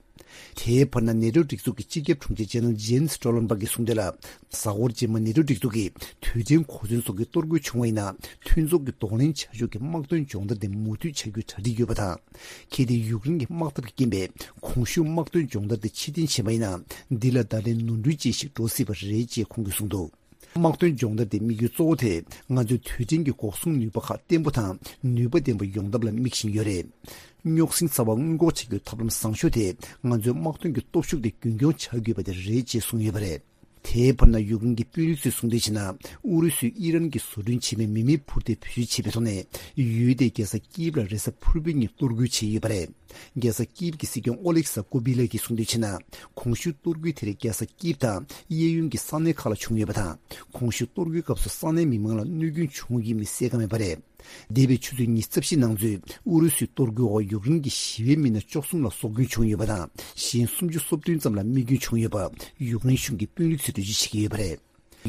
དེའི་བར་ན་ནེ་ཊོ་སྒྲིག་འཛུགས་ཀྱི་སྤྱི་ཁྱབ་དྲུང་ཆེ་ཇེ་ནེ་རལ་ཇེན་སི་སྟོལ་ཊེན་བྷག་གིས་གསུངས་དོན་ལ། གཟའ་འཁོར་རྗེས་མ་ནེ་ཊོ་སྒྲིག་འཛུགས་ཀྱིས་དུས་དྲན་གོ་མཚོན་སོགས་ཀྱི་གཏོར་རྒོལ་བྱུང་བ་ཡིན་ན། མཐུན་ཚོགས་ཀྱི་གདོང་ལེན་བྱ་ཕྱོགས་ཀྱི་དམག་དོན་སྦྱོང་བརྡར་དེ་མུ་མཐུད་བྱ་རྒྱུའི་གྲ་སྒྲིག་ཡོད་པ་དང་། གལ་ཏེ་ཡུཀ་རེན་གྱི་དམག་འཐབ་ཀྱི་རྐྱེན་པས་གོང་ཞུས་དམག་དོན་སྦྱོང་བརྡར་དེ་ཕྱིར་འཐེན་བྱས་པ་ཡིན་ན། འདི་ལ་བརྡ་ལན་ནོར་འཁྲུལ་ཅན་ཞིག་འགྲོ་སྲིད་པ་རེད་ཅེས་ཁོང་གིས་གསུངས་འདུག་དམག་དོན་སྦྱོང་བརྡར་དེའི་དམིགས་ཡུལ་གཙོ་བོ་དེ། ང་ཚོའི་དུས་དྲན་གྱི་འགོག་སྲུང་ནུས་པ་ཁག་བརྟན་པོ་དང་ནུས་པ་ལྡན་པ་ཡོང་ཐབས་ལ་དམིགས་བཞིན་ཡོད་རེད། རྙོག་ཟིང་ཚ་བ་སྔོན་འགོག་བྱེད་རྒྱུའི་ཐབས་ལམ་བཟང་ཤོས་དེ། ང་ཚོའི་དམག་དོན་གྱི་སྟོབས་ཤུགས་དེ་རྒྱུན་འཁྱོངས་བྱ་དགོས་པ་དེ་རེད་ཅེས་གསུངས་ཡོད་པ་རེད། དེའི་བར་ན་ཡུཀ་རེན་གྱི་དཔོན་རིགས་ཚོས་གསུངས་དོན་བྱས་ན། ཨུ་རུ་སུས་ཨི་རན་གྱིས་བཟོ་སྐྲུན་བྱས་པའི་མི་མེད་འཕུར་མདེལ་བེད་སྤྱོད་བྱས་པའི་ཐོག་ནས། ཡུལ་དེའི་རྒྱལ་ས་ཀིབ་ལ་རེས་གཟའ་ཕུར་བུའི་ཉིན་གཏོར་རྒོལ་བྱས་ཡོད་པ་རེད། རྒྱལ་ས་ཀིབ་ཀྱི་སྲིད་སྐྱོང་ཨོ་ལེག་ས་ཀོ་བི་ལ་གིས་གསུངས་དོན་བྱས་ན། གོང་ཞུས་གཏོར་རྒོལ་དེ་རིགས་རྒྱལ་ས་ཀིབ་དང་གཡས་གཡོན་གྱི་ས་གནས་ཁག་ལ་བྱུང་ཡོད་པ་དང་། གོང་ཞུས་གཏོར་རྒོལ་སྐབས་སུ་ས་གནས་མི་མང་ལ་གནོད་སྐྱོན་བྱུང་ཡོད་མེད་གསལ་ཁ་མེད་པ་རེད། འདས་པའི་ཆུ་ཚོད་ཉི་ཤུ་རྩ་བཞི་ནང་ཚུད་ཨུ་རུ་སུའི་གཏོར་རྒོལ་འོག་ཡུཀ་རེན་གྱི་ཞི་བའི་མི་སྣ་བཅུ་གསུམ་ལ་སྲོག་སྐྱོན་བྱུང་ཡོད་པ་དང་། གཞན་སུམ་ཅུ་སོ་བདུན་ཙམ་ལ་རྨས་སྐྱོན་བྱུང་ཡོད་པ་ཡུཀ་རེན་གཞུང་གི་དཔོན་རིགས་ཚོས་འགྲེལ་བརྗོད་བྱེད་ཀྱི་ཡོད་པ་རེད།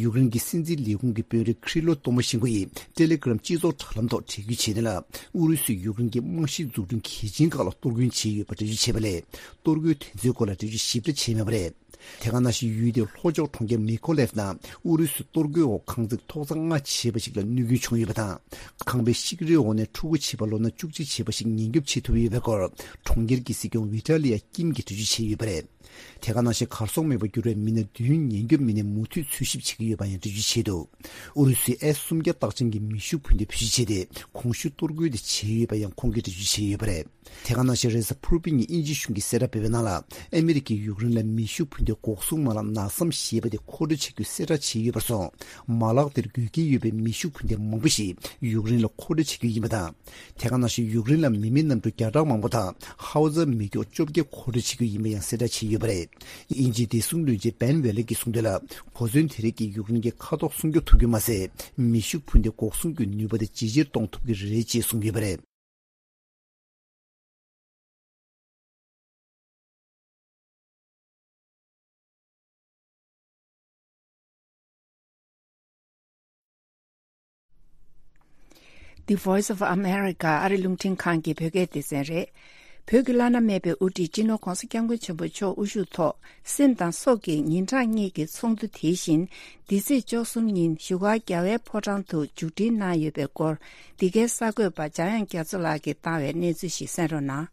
ཡུཀ་རེན་གྱི་སྲིད་འཛིན་ལས་ཁུངས་ཀྱི་དཔོན་རིགས་ཁྲི་ལོ་ཏོ་མོ་ཤིན་ཀོ་ཡིས་ཊེ་ལེ་གྷི་རམ་སྤྱི་ཚོགས་དྲ་ལམ་ཐོག་འབྲི་འགོད་བྱས་དོན་ལ། ཨུ་རུ་སུས་ཡུཀ་རེན་གྱི་རྨང་གཞིའི་འཛུགས་སྐྲུན་གལ་ཆེན་ཁག་ལ་གཏོར་སྐྱོན་བྱས་ཡོད་པ་འགྲེལ་བརྗོད་བྱས་པ་ལས། གཏོར་རྒོལ་དེ་ཚོའི་སྐོར་ལ་འགྲེལ་བརྗོད་ཞིབ་ཕྲ་བྱས་མེད་པ་རེད། དེ་ག་ནང་བཞིན་ཡུལ་དེའི་ལྷོ་ཕྱོགས་གྲོང་ཁྱེར་མི་ཁོ་ལེབ་ནང་ཨུ་རུ་སུའི་གཏོར་རྒོལ་འོག་ཁང་བརྩེགས་ཐོག་བརྩེགས་ལྔ་བྱས་པ་ཞིག་ལ་གནོད་སྐྱོན་བྱུང་ཡོད་པ་དང་། ཁང་པའི་ཤིག་རིལ་འོག་ནས་ཕྲུ་གུ་བྱིས་པ་ལོ་ན་བཅུ་གཅིག་བྱས་པ་ཞིག་ཉེན་སྐྱོབ་བྱེད་ཐུབ་ཡོད་པའི་སྐོར་གྲོང་ཁྱེར་གྱི་སྲིད་སྐྱོང་ཝི་ཏཱ་ལི་ཡ་ཀིམ་གྱིས་འགྲེལ་བརྗོད་བྱས་ཡོད་པ་རེད། དེ་ག་ནང་བཞིན་གར་སོང་མེད་པར་གྱུར་བའི་མི་སྣ་བདུན་ཉེན་སྐྱོབ་མི་སྣས་མུ་མཐུད་འཚོལ་ཞིབ་བྱེད་ཀྱི་ཡོད་པ་ཡང་འགྲེལ་བརྗོད་བྱས་འདུག་ཨུ་རུ་སུས་ཨེ་སུམ་བརྒྱ་རྟགས་ཅན་གྱི་མེ་ཤུགས་འཕུར་མདེལ་བེད་སྤྱོད་བྱས་ཏེ། གོང་ཞུས་གཏོར་རྒོལ་དེ་བྱས་ཡོད་པ་ཡང་ཁོང་གིས་འགྲེལ་བརྗོད་བྱས་ཡོད་པ་རེད། དེ་ག་ནང་བཞིན་རེས་གཟའ་ཕུར་བུའི་ཉིན་དབྱིན་ཇིའི་གཞུང་གིས་གསལ་བསྒྲགས་སྤེལ་བའི་ནང་ལ། ཨ་མི་རི་ཀས་ཡུཀ་རེན་ལ་མེ་ཤུགས་འཕུར་མདེལ་འགོག་སྲུང་མ་ལག་ནག་སམ་ཞེས་པ་དེ་མཁོ་སྤྲོད་བྱ་རྒྱུའི་གསལ་བསྒྲགས་བྱས་ཡོད་པར་སོང་། མ་ལག་དེར་དགོས་གལ་ཡོད་པའི་མེ་ཤུགས་འཕུར་མདེལ་མང་པོ་ཞིག་ཡུཀ་རེན་ལ་མཁོ་སྤྲོད་བྱ་རྒྱུ་ཡིན་པ་དང་། དེ་ག་ནང་བཞིན་ཡུཀ་རེན་ལ་མི་མེད་གནམ་གྲུ་བརྒྱ་ཕྲག་མང་པོ་དང་ཧའོ་ཙར་མེ་སྒྱོགས་བཅོ་བརྒྱད་མཁོ་སྤྲོད་བྱེད་རྒྱུ་ཡིན་པ་ཡང་གསལ་བསྒྲགས་བྱས་ཡོད་པ་རེད། དབྱིན་ཇིའི་བདེ་སྲུང་བློན་ཆེན་བན་ཝེ་ལེ་གིས་གསུངས་དོན་ལ། གོ་མཚོན་དེ་རིགས་ཀྱིས་ཡུཀ་རེན་གྱི་མཁའ་ཐོག་སྲུང་སྐྱོབ་ཐུབ་རྒྱུ་མ་ཟད། མེ་ཤུགས་འཕུར་མདེལ་འགོག་སྲུང་གི་ནུས་པ་དེ་ཇེ་ཆེར་གཏོང་ཐུབ་ཀྱི་རེད་ཅེས་གསུངས་ཡོད་པ་རེད། The Voice of America ཨ་རི་རླུང་འཕྲིན་ཁང་གི་བོད་སྐད་སྡེ་ཚན་རེད། བོད་ཀྱི་བླ་ན་མེད་པའི་དབུ་ཁྲིད་སྤྱི་ནོར་༧གོང་ས་༧སྐྱབས་མགོན་ཆེན་པོ་མཆོག་དབུ་བཞུགས་ཐོག་སེམས་དང་སྲོག་གི་ཉིན་གྲངས་གཉིས་ཀྱི་ཚོགས་འདུ་དེ་བཞིན་འདི་ཚེས་བཅུ་གསུམ་ཉིན་བཞུགས་སྒར་རྒྱལ་བའི་ཕོ་བྲང་དུ་མཇུག་སྒྲིལ་གནང་ཡོད་པའི་སྐོར། འདི་གའི་གསར་འགོད་པ་འཇམ་དབྱངས་རྒྱ་མཚོ་ལགས་ཀྱིས་བཏང་བའི་གནས་ཚུལ་ཞིག་གསན་རོགས་གནང་།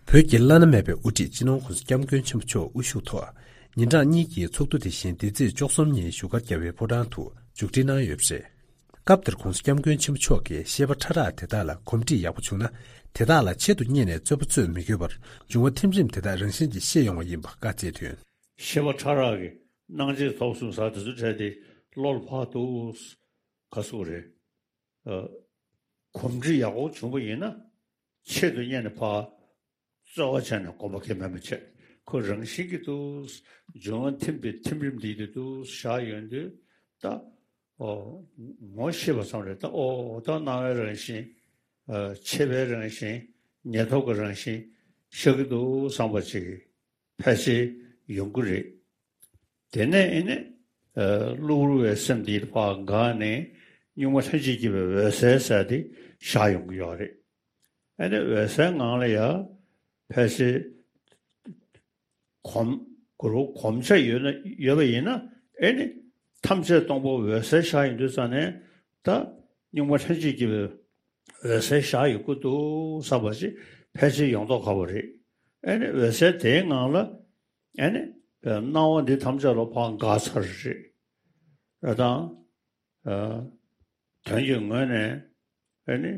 བོད་ཀྱི་བླ་ན་མེད་པའི་དབུ་ཁྲིད་སྤྱི་ནོར་༧གོང་ས་༧སྐྱབས་མགོན་ཆེན་པོ་མཆོག་དབུ་བཞུགས་ཐོག་ཉིན་གྲངས་གཉིས་ཀྱི་ཚོགས་འདུ་དེ་བཞིན་འདི་ཚེས་བཅུ་གསུམ་ཉིན་བཞུགས་སྒར་རྒྱལ་བའི་ཕོ་བྲང་དུ་མཇུག་སྒྲིལ་གནང་ཡོད་པ་རེད། སྐབས་དེར་༧གོང་ས་༧སྐྱབས་མགོན་ཆེན་པོ་མཆོག་གིས་བཤད་པ་ཕྲ་རགས་དེ་དག་ལ་གོམས་འདྲིས་ཡག་པོ་བྱུང་ན། དེ་དག་ལ་ཆེད་དུ་གཉེར་ནས་རྩོད་པ་རྩོད་མི་དགོས་པར་འབྱུང་བ་ཐིམ་རིམ་དེ་དག་རང་བཞིན་གྱིས་ཤེས་ཡོང་བ་ཡིན་པ་བཀའ་སྩལ་དོན། བཤད་པ་ཕྲ་རགས་ཀྱི་སྣང་མཆེད་ཐོབ་གསུངས་ས་དེ་ཚོ་བྲལ་ཏེ་བློ་ལ་ཕར་འདུག་ག་སུ་རེད། ཨ། གོམས་འདྲིས་ཡག་པོ་བྱུང་བ་ཡིན་ན། ཆེད་དུ་གཉེར་ནས་ཕར་རྩོད་པ་བྱས་ནས་གོམ་པ་འཁེལ་མེད་པ་བྱས། ཁོ་རང་བཞིན་གྱིས་འདུག་འབྱུང་བ་ཐིམ་པའི་ཐིམ་རིམ་འདི་དེ་འདུག་བཞག་ཡོང་དུས་ད། ཨོ། ངོ་ཤེས་པ་ཙམ་རེད་ད། ཨོ་ད་སྣང་བའི་རང་བཞིན། ཨ། མཆེད་པའི་རང་བཞིན། ཉེ་ཐོག་གི་རང་བཞིན་ཤར་གྱི་འདུག་བསམ་པ་ཅིག་ཕལ་ཆེར་ཡོང་གི་རེད། དེ་ནས་ཨེ་ནི། ཨ། གློ་བུར་བའི་སེམས་འདི་ཕར་འགགས་ནས་གཉུག་མ་ལྷན་ཅིག་སྐྱེས་པའི་འོད་གསལ་ཟེར་དེ་ཤར་ཡོང་གི་ཡོད་རེད། ཨེ་ནི་འོད་གསལ་ངང་ལ་ཡ་ཕལ་ཆེར་གོམས་གོམས་ཆ་ཡོད་ན་ཡོད་པ་ཡིན་ན། ཨེ་ནི་ཐམས་ཅད་སྟོང་པ་འོད་གསལ་ཤར་ཡོང་དུས་ཙང་ནས་ད་གཉུག་མ་ལྷན་ཅིག་སྐྱེས་པའི་འོད་གསལ་ཤར་ཡོང་གི་འདུག་བསམ་པ་ཞིག་ཕལ་ཆེར་ཡོང་མདོག་ཁ་པོ་རེད། ཨེ་ནི་འོད་གསལ་དེའི་ངང་ལ་ཨེ་ནི་སྣང་བ་འདི་ཐམས་ཅད་ལ་ཕར་འགགས་ཚར་རེད། ཨ་དང་། ཨ། དོན་གྱི་ངོས་ནས་ཨེ་ནི་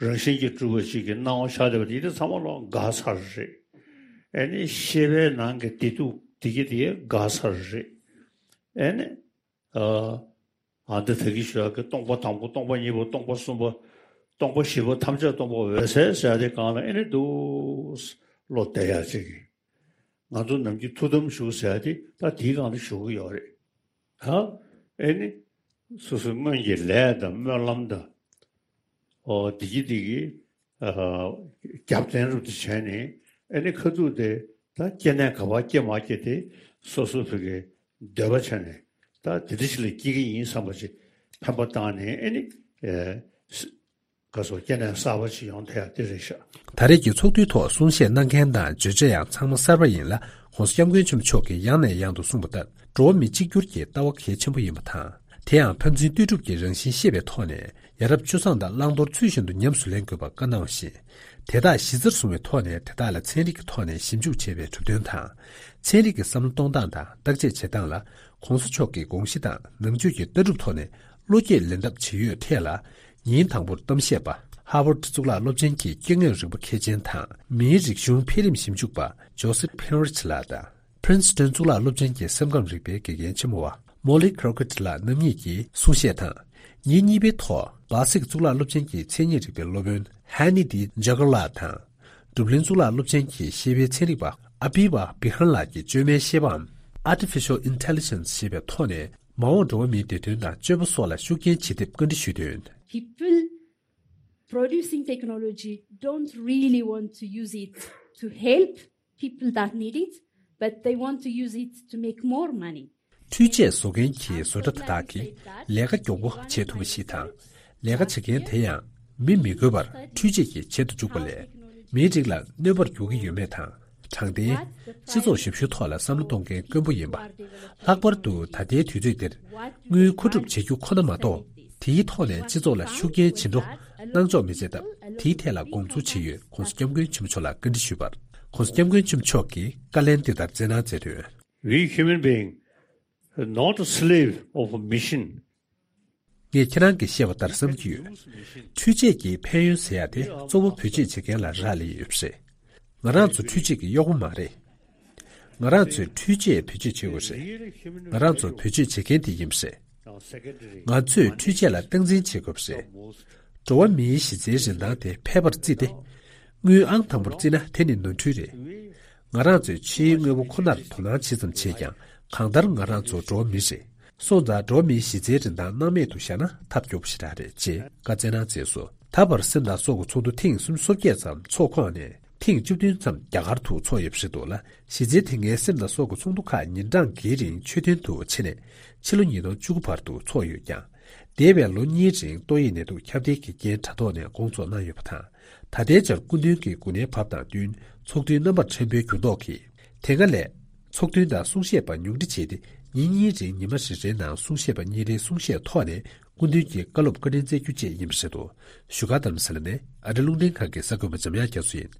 རང་བཞིན་གྱིས་གྲུབ་པ་ཞིག་གི་སྣང་བ་ཤར་བསྡད་པ་དེ་དེ་ཚང་མ་ལ་འགགས་ཚར་རེད། ཨེ་ནི་ཤེས་པའི་ནང་གི་བདེ་སྡུག་དེ་གི་དེ་འགགས་ཚར་རེད། ཨེ་ནི། ཨ། ཨ། འདི་ད་གིན་ཞུ་ཡག་གི་སྟོང་པ་དང་པོ། སྟོང་པ་ཉིས་པ། སྟོང་པ་གསུམ་པ། སྟོང་པ་བཞི་པོ་ཐམས་ཅད་སྟོང་པ་འོད་གསལ་ཟེར་ཡ་དེ་སྒང་ལ་ཨེ་ནི་འདུག་བློ་གཏད་ཡ་ཅིག་ང་ཚོ་ནམ་རྒྱུན་ཐུགས་དམ་བཞུགས་ཟེར་ཡ་དེ་ད་དེའི་སྒང་ལ་བཞུགས་ཀྱི་ཡོད་རེད། ད་ཨེ་ནི་སོ་སོའི་སྔོན་གྱི་ལས་དང་སྨོན་ལམ་དང་། ཨོ་བདེ་སྐྱིད་བདེ་སྐྱིད། ཨ། རྒྱབ་རྟེན་རུ་དེ་བྱས་ནས་ཨེ་ནི་ཁ་ཐུག་དེ་ད་སྐྱེ་གནས་ག་པར་སྐྱེ་མ་སྐྱེ་དེ་སོ་སོ་བོད་ཀྱི་འདོད་པ་བྱས་ནས་ད་དེ་འདྲ་ཞིག་ལ་སྐྱེ་གི་ཡིན་བསམ་པ་ཅིག་འཕེན་པ་བཏང་ནས་ཨེ་ནི། ཨེ། ག་སོ་སྐྱེ་གནས་གསར་པ་ཞིག་ཡོང་ཐལ་དེ་རེད་ཤག་ད་རེས་ཀྱི་ཚོགས་འདུའི་ཐོག་གསུང་བཤད་གནང་མཁན་དང་བརྗོད་བྱ་ཡང་ཚང་མ་གསར་པ་ཡིན་ལ། ྋགོང་ས་ྋསྐྱབས་མགོན་ཆེན་པོ་མཆོག་གིས་ཡང་ནས་ཡང་དུ་གསུངས་པ་ལྟར། འགྲོ་བ་མི་གཅིག་གྱུར་གྱི་ལྟ་བ་གལ་ཆེན་པོ་ཡིན་པ་དང་། དེ་ཡང་ཕན་ཚུན་ལྟོས་གྲུབ་ཀྱི་རང་བཞིན་ཤེས་པའི་ཐོག་ནས། ཡ་རབས་སྤྱོད་བཟང་དང་བླང་དོར་ཚུལ་བཞིན་དུ་ཉམས་སུ་ལེན་དགོས་པ་བཀའ་གནང་བ་བཞིན། དེ་དག་གཞི་རྩར་བཟུང་བའི་ཐོག་ནས་དེ་དག་ལ་ཚན་རིག་གི་ཐོག་ནས་ཞིབ་འཇུག་བྱས་པའི་གྲུབ་དོན་དང་། ཚན་རིག་གི་བསམ་བློ་གཏོང་སྟངས་དང་བརྟག་དཔྱད་བྱེད་སྟངས་ལ། ྋགོང་ས་མཆོག་གི་དགོངས་གཞི་དང་ནང་ཆོས་ཀྱི་ལྟ་གྲུབ་ཐོག་ནས། བློ་སྐྱེད་ལེན་ཐབས་ཇི་ཡོད་ཐད་ལ། ཉིན་དང་པོར་གཏམ་བཤད་པ། ཧར་ཝརཌ་གཙུག་ལག་སློབ་ཆེན་གྱི་སྐྱེ་དངོས་རིག་པ་མཁས་ཅན་དང་མིའི་རིག་གཞུང་འཕེལ་རིམ་ཞིབ་འཇུག་པ་ཇོ་སེབ་ཧེན་རིཆ་ལགས་དང་། པྲིན་སི་ཊོན་གཙུག་ལག་སློབ་ཆེན་གྱི་སེམས་ཁམས་རིག་པའི་དགེ་རྒན་ཆེན་མོ་བ་མོ་ལི་ཁྲོ་ཀེཊ་ལགས་རྣམ་གཉིས་ཀྱིས་གསུང་བཤད་དང་། ཉིན་གཉིས་པའི་ཐོག་གྷ་ཟིག་གཙུག་ལག་སློབ་ཆེན་གྱི་མཚན་ཉིད་རིག་པའི་སློབ་དཔོན་ཧ་ནི་ཏི་ཇ་གར་ལགས་དང་། འབྲུག་གླིང་གཙུག་ལག་སློབ་ཆེན་གྱི་ཤེས་དཔལ་ཚན་རིག་པ་ཨ་པི་བ་བི་ཧན་ལགས་ཀྱིས་བཅོས་མའི་ཤེས་པའམ། Artificial Intelligence ཞེས་པའི་ཐོག་ནས་མ་འོངས་འགྲོ་བ་མིའི་བདེ་དོན་དང་སྤྱོད་པ་སོགས་ལ་ཤུགས་རྐྱེན་ཇི་ཐེབས་བཀའ་འདྲི་ཞུས་དོན། People producing technology don't really want to use it to help people that need it, but they want to use it to make more money. འཕྲུལ་ཆས་བཟོ་མཁན་གྱི་བཟོ་གྲྭ་དེ་དག་གིས་ལས་ཀ་མགྱོགས་པོ་བྱེད་ཐུབ་པ་ཞིག་དང་། ལས་ཀ་བྱེད་མཁན་དེ་ཡང་མི་མི་དགོས་པར་འཕྲུལ་ཆས་ཀྱིས་བྱེད་དུ་འཇུག་པ་ལས། མིའི་རིགས་ལ་གནོད་པར་འགྱུར་གྱི་ཡོད་མེད་དང་། དྲང་བདེན། སྤྱི་ཚོགས་ཞབས་ཞུའི་ཐོག་ལ་བསམ་བློ་གཏོང་མཁན་དཀོན་པོ་ཡིན་པ། ལྷག་པར་དུ་ད་ལྟའི་དུས་ཚོད་འདིར། དངུལ་མཁོ་སྒྲུབ་བྱེད་རྒྱུ་ཁོ་ན་མ་གཏོགས། དེའི་ཐོག་ནས་སྤྱི་ཚོགས་ལ་ཤུགས་རྐྱེན་ཇི་འགྲོ་གནང་ཆོག་མི་བྱེད་སྟབས། དེའི་ཐད་ལ་དགོངས་ཚུལ་ཇི་ཡོད་ྋགོང་ས་ྋསྐྱབས་མགོན་ཆེན་པོ་མཆོག་ལ་བཀའ་འདྲི་ཞུས་པར། ྋགོང་ས་ྋསྐྱབས་མགོན་ཆེན་པོ་མཆོག་གིས་བཀའ་ལན་འདི་ལྟར་སྩལ་གནང་མཛད་དོན། We human being are not a slave of a machine. ངས་ཁྱེད་རང་གིས་བཤད་པ་ལྟར་བསམ་གྱི་ཡོད། འཕྲུལ་ཆས་ཀྱི་ཕན་ཡོན་ཟེར་ཡ་དེ་གཙོ་བོ་བེད་སྤྱོད་བྱེད་མཁན་ལ་རག་ལས་ཡོད་པ་རེད། ང་རང་ཚོ་འཕྲུལ་ཆས་ཀྱི་གཡོག་པོ་མ་རེད། ང་རང་ཚོས་འཕྲུལ་ཆས་བེད་སྤྱོད་བྱེད་དགོས་རེད། ང་རང་ཚོ་བེད་སྤྱོད་བྱེད་མཁན་དེ་ཡིན་པ་རེད། ང་ཚོས་འཕྲུལ་ཆས་ལ་སྟངས་འཛིན་བྱེད་དགོས་པ་རེད། འགྲོ་བ་མིའི་གཞི་རྩའི་རིན་ཐང་དེ་ཕལ་པར་བརྩིས་ཏེ། དངུལ་ཨང་དང་པོར་བརྩིས་ན་དེ་ནི་ནོར་འཁྲུལ་རེད། ང་རང་ཚོས་ཕྱིའི་དངོས་པོ་ཁོ་ནར་དོ་སྣང་ཇི་ཙམ་བྱས་ཀྱང་། གང་ལྟར་ང་རང་ཚོ་འགྲོ་བ་མི་རེད། སོང་ཙང་འགྲོ་བ་མིའི་གཞི་རྩའི་རིན་ཐང་སྣང་མེད་དུ་བཞག་ན་ཐབས་སྐྱོ་པོ་ཞེ་དྲག་རེད་ཅེས་བཀའ་སྩལ་གནང་མཛད་སོང་། ད་བར་སེམས་དང་སྲོག་གི་ཚོགས་འདུ་ཐེངས་སུམ་ཅུ་སོ་བརྒྱད་ཙམ་ཚོགས་ཁོངས་ནས་ཐེངས་བཅུ་བདུན་ཙམ་རྒྱ་གར་དུ་ཚོགས་ཡོད་པ་རེད་འདུག་ལ། གཞི་རྩའི་དེ་སྔའི་སེམས་དང་སྲོག་གི་ཚོགས་འདུ་ཁག་ཉིན་གྲངས་འགའི་རིང་ཆོས་དོན་དུ་ཕྱེ་ནས་ཕྱི་ལོ་ཉིས་སྟོང་བཅུ་དགུ་བར་དུ་ཚོགས་ཡོད་ཀྱང་། འདས་པའི་ལོ་གཉིས་རིང་ཏོག་དབྱིབས་ནད་དུག་ཁྱབ་གདལ་གྱི་རྐྱེན་དྲ་ཐོག་ནས་དགོངས་རྫོགས་གནང་ཡོད་པ་དང་། ད་ལྟའི་ཆར་སྐུ་མདུན་གྱི་འགོ་ནད་བབས་དང་བསྟུན་ཚོགས་འདུའི་རྣམ་པ་ཕྲན་བུའི་འགྱུར་ལྡོག་གིས། དེ་སྔ་ལས་ཚོགས་ཐུན་དང་གསུང་བཤད་པ་ཉུང་འཕྲི་བྱས་ཏེ། ཉིན་གཉིས་རིང་ཉི་མ་རེ་རེའི་ནང་གསུང་བཤད་པ་གཉིས་རེའི་གསུང་བཤད་ཐོག་ནས་སྐུ་མདུན་གྱི་བཀའ་སློབ་བཀའ་དྲིན་སྩལ་རྒྱུ་བཅས་ཡིན་པ་རེད་འདུག་བཞུགས་སྒར་རྡ་རམ་ས་ལ་ནས་ཨ་རི་རླུང་འཕྲིན་ཁང་གི་གསར་འགོད་པ་འཇམ་དབྱངས་རྒྱ་མཚོ་ཡིན།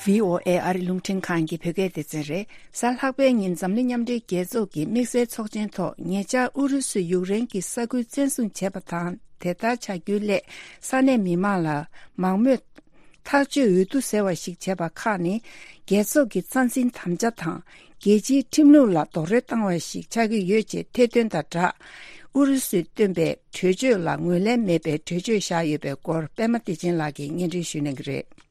ཝི་ཨོ་ཨེ་ཨ་རི་རླུང་འཕྲིན་ཁང་གི་བོད་སྐད་སྡེ་ཚན་རེད། གཟའ་ལྷག་པའི་ཉིན་འཛམ་གླིང་མཉམ་འབྲེལ་རྒྱལ་ཚོགས་ཀྱི་དམིགས་བསལ་ཚོགས་ཆེན་ཐོག་ཉེ་ཆར་ཨུ་རུ་སུས་ཡུཀ་རེན་གྱི་ས་ཁུལ་བཙན་བཟུང་བྱས་པ་དང་དེ་ལྟར་བྱ་རྒྱུའི་སླད་ས་གནས་མི་མང་ལ་མང་མོས་ཐག་གཅོད་འོས་བསྡུ་ཟེར་བ་ཞིག་བྱས་པ་ཁག་ནི་རྒྱལ་ཚོགས་ཀྱི་རྩ་འཛིན་དམ་བཅའ་དང་རྒྱལ་སྤྱིའི་ཁྲིམས་ལུགས་ལ་རྡོག་རོལ་བཏང་བ་ཞིག་ཆགས་ཀྱི་ཡོད་ཅེས་ཐེར་འདོན་དང་སྦྲགས། ཨུ་རུ་སུས་བཏོན་པའི་གྲོས་ཆོད་ལ་ངོས་ལེན་མེད་པའི་གྲོས་ཆོད་བཞག་ཡོད་པའི་སྐོར་པད་མ་བདེ་ཆེན་ལགས་ཀྱིས་སྙན་སྒྲོན་ཞུ་གནང་གི་རེད།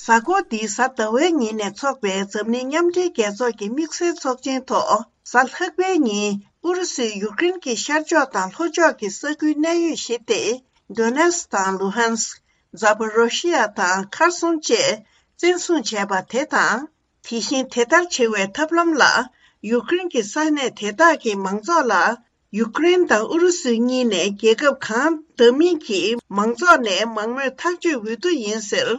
གཟའ་འཁོར་འདིའི་གཟའ་ཟླ་བའི་ཉིན་ནས་འཚོགས་པའི་འཛམ་གླིང་མཉམ་འབྲེལ་རྒྱལ་ཚོགས་ཀྱི་དམིགས་བསལ་ཚོགས་ཆེན་ཐོག་གཟའ་ལྷག་པའི་ཉིན་ཨུ་རུ་སུས་ཡུཀ་རེན་གྱི་ཤར་ཕྱོགས་དང་ལྷོ་ཕྱོགས་ཀྱི་ས་ཁུལ་གནད་ཡོད་བཞི་སྟེ། དོ་ནེ་སི་དང་ལུ་ཧན་སི། ཛ་པོ་རོ་ཤི་ཡ་དང་ཁར་སོང་བཅས་བཙན་བཟུང་བྱས་པ་དེ་དང་། དེ་བཞིན་དེ་ལྟར་བྱེད་པའི་ཐབས་ལམ་ལ་ཡུཀ་རེན་གྱི་ས་གནས་དེ་དག་གི་མང་ཚོགས་ལ་ཡུཀ་རེན་དང་ཨུ་རུ་སུ་གཉིས་ནས་རྒྱལ་ཁབ་གང་བདམས་མིན་གྱི་མང་ཚོགས་ནས་མང་མོས་ཐག་གཅོད་འོས་བསྡུ་ཡིན་ཟེར་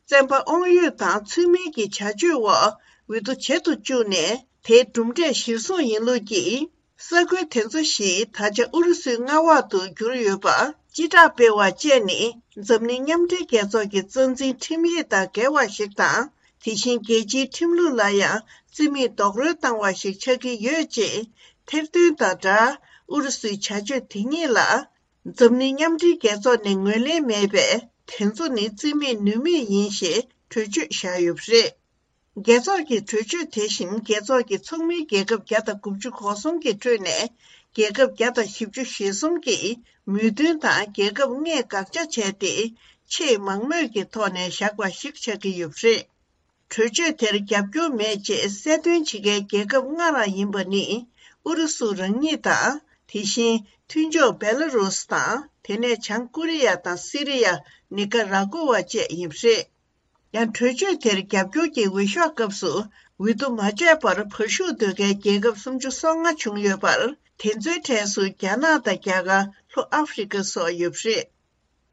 བཙན་པ་དབང་ཡོད་དང་ཚུལ་མིན་གྱི་བྱ་སྤྱོད་འོག་འོས་བསྡུ་བྱེད་དུ་བཅུག་ནས་དེའི་གྲུབ་འབྲས་གཞིར་བཟུང་ཡིན་ལུགས་ཀྱིས། ས་ཁུལ་དེ་ཚོ་ཞིག་ད་ཆ་ཨུ་རུ་སུའི་མངའ་འོག་ཏུ་གྱུར་ཡོད་པ། སྤྱི་བསྒྲགས་སྤེལ་བ་བཅས་ནི་འཛམ་གླིང་མཉམ་འབྲེལ་རྒྱལ་ཚོགས་ཀྱི་རྩ་འཛིན་ཁྲིམས་ཡིག་དང་འགལ་བ་ཞིག་དང་། དེ་བཞིན་རྒྱལ་སྤྱིའི་ཁྲིམས་ལུགས་ལ་ཡང་རྩིས་མེད་རྡོག་རོལ་བཏང་བ་ཞིག་ཆགས་ཀྱི་ཡོད་ཅེས་ཐེར་འདོན་དང་སྦྲགས། ཨུ་རུ་སུའི་བྱ་སྤྱོད་དེ་ཉིད་ལ་འཛམ་གླིང་མཉམ་འབྲེལ་རྒྱལ་ཚོགས་ནས་ངོས་ལེན་མེད་པས། དེ་ཚོ་ནི་རྩིས་མེད་ནུས་མེད་ཡིན་ཞེས་གྲོས་ཆོད་བཞག་ཡོད་པ་རེད། རྒྱལ་ཚོགས་ཀྱི་གྲོས་ཆོད་དེ་བཞིན་རྒྱལ་ཚོགས་ཀྱི་ཚོགས་མིའི་རྒྱལ་ཁབ་བརྒྱ་དང་དགུ་བཅུ་གོ་གསུམ་གྱི་ཁྲོད་ནས་རྒྱལ་ཁབ་བརྒྱ་དང་བཞི་བཅུ་ཞེ་གསུམ་གྱིས་མོས་མཐུན་དང་རྒྱལ་ཁབ་ལྔས་དགག་བྱ་བྱས་ཏེ། ཆེས་མང་མོས་ཀྱི་ཐོག་ནས་བཞག་པ་ཞིག་ཆགས་ཀྱི་ཡོད་པ་རེད། གྲོས་ཆོད་དེར་རྒྱབ་སྐྱོར་མེད་ཅེས་གསལ་སྟོན་བྱེད་མཁན་རྒྱལ་ཁབ་ལྔ་རང་ཡིན་པ་ནི། ཨུ་རུ་སུ་རང་ཉིད་དང་། དེ་བཞིན་མཐུན་ཕྱོགས་བེ་ལ་རུ་སི་དང་། དེ་ནས་བྱང་ཀོ་རི་ཡ་དང་སི་རི་ཡ། ནི་ཀ་ར་ཀོ་བ་བཅས་ཡིན་པ་རེད། ཡང་གྲོས་ཆོད་དེར་རྒྱབ་སྐྱོར་གྱི་འོས་ཤོག་སྐབས་སུ་འོས་བསྡུ་མ་བྱས་པར་བར་ཞུགས་འདོད་མཁན་རྒྱལ་ཁབ་སུམ་ཅུ་སོ་ལྔ་བྱུང་ཡོད་པར། དེ་ཚོའི་གྲས་སུ་རྒྱ་ནག་དང་རྒྱ་གར། ལྷོ་ཨ་ཧྥེ་རི་ཁ་སོགས་ཡོད་པ་རེད།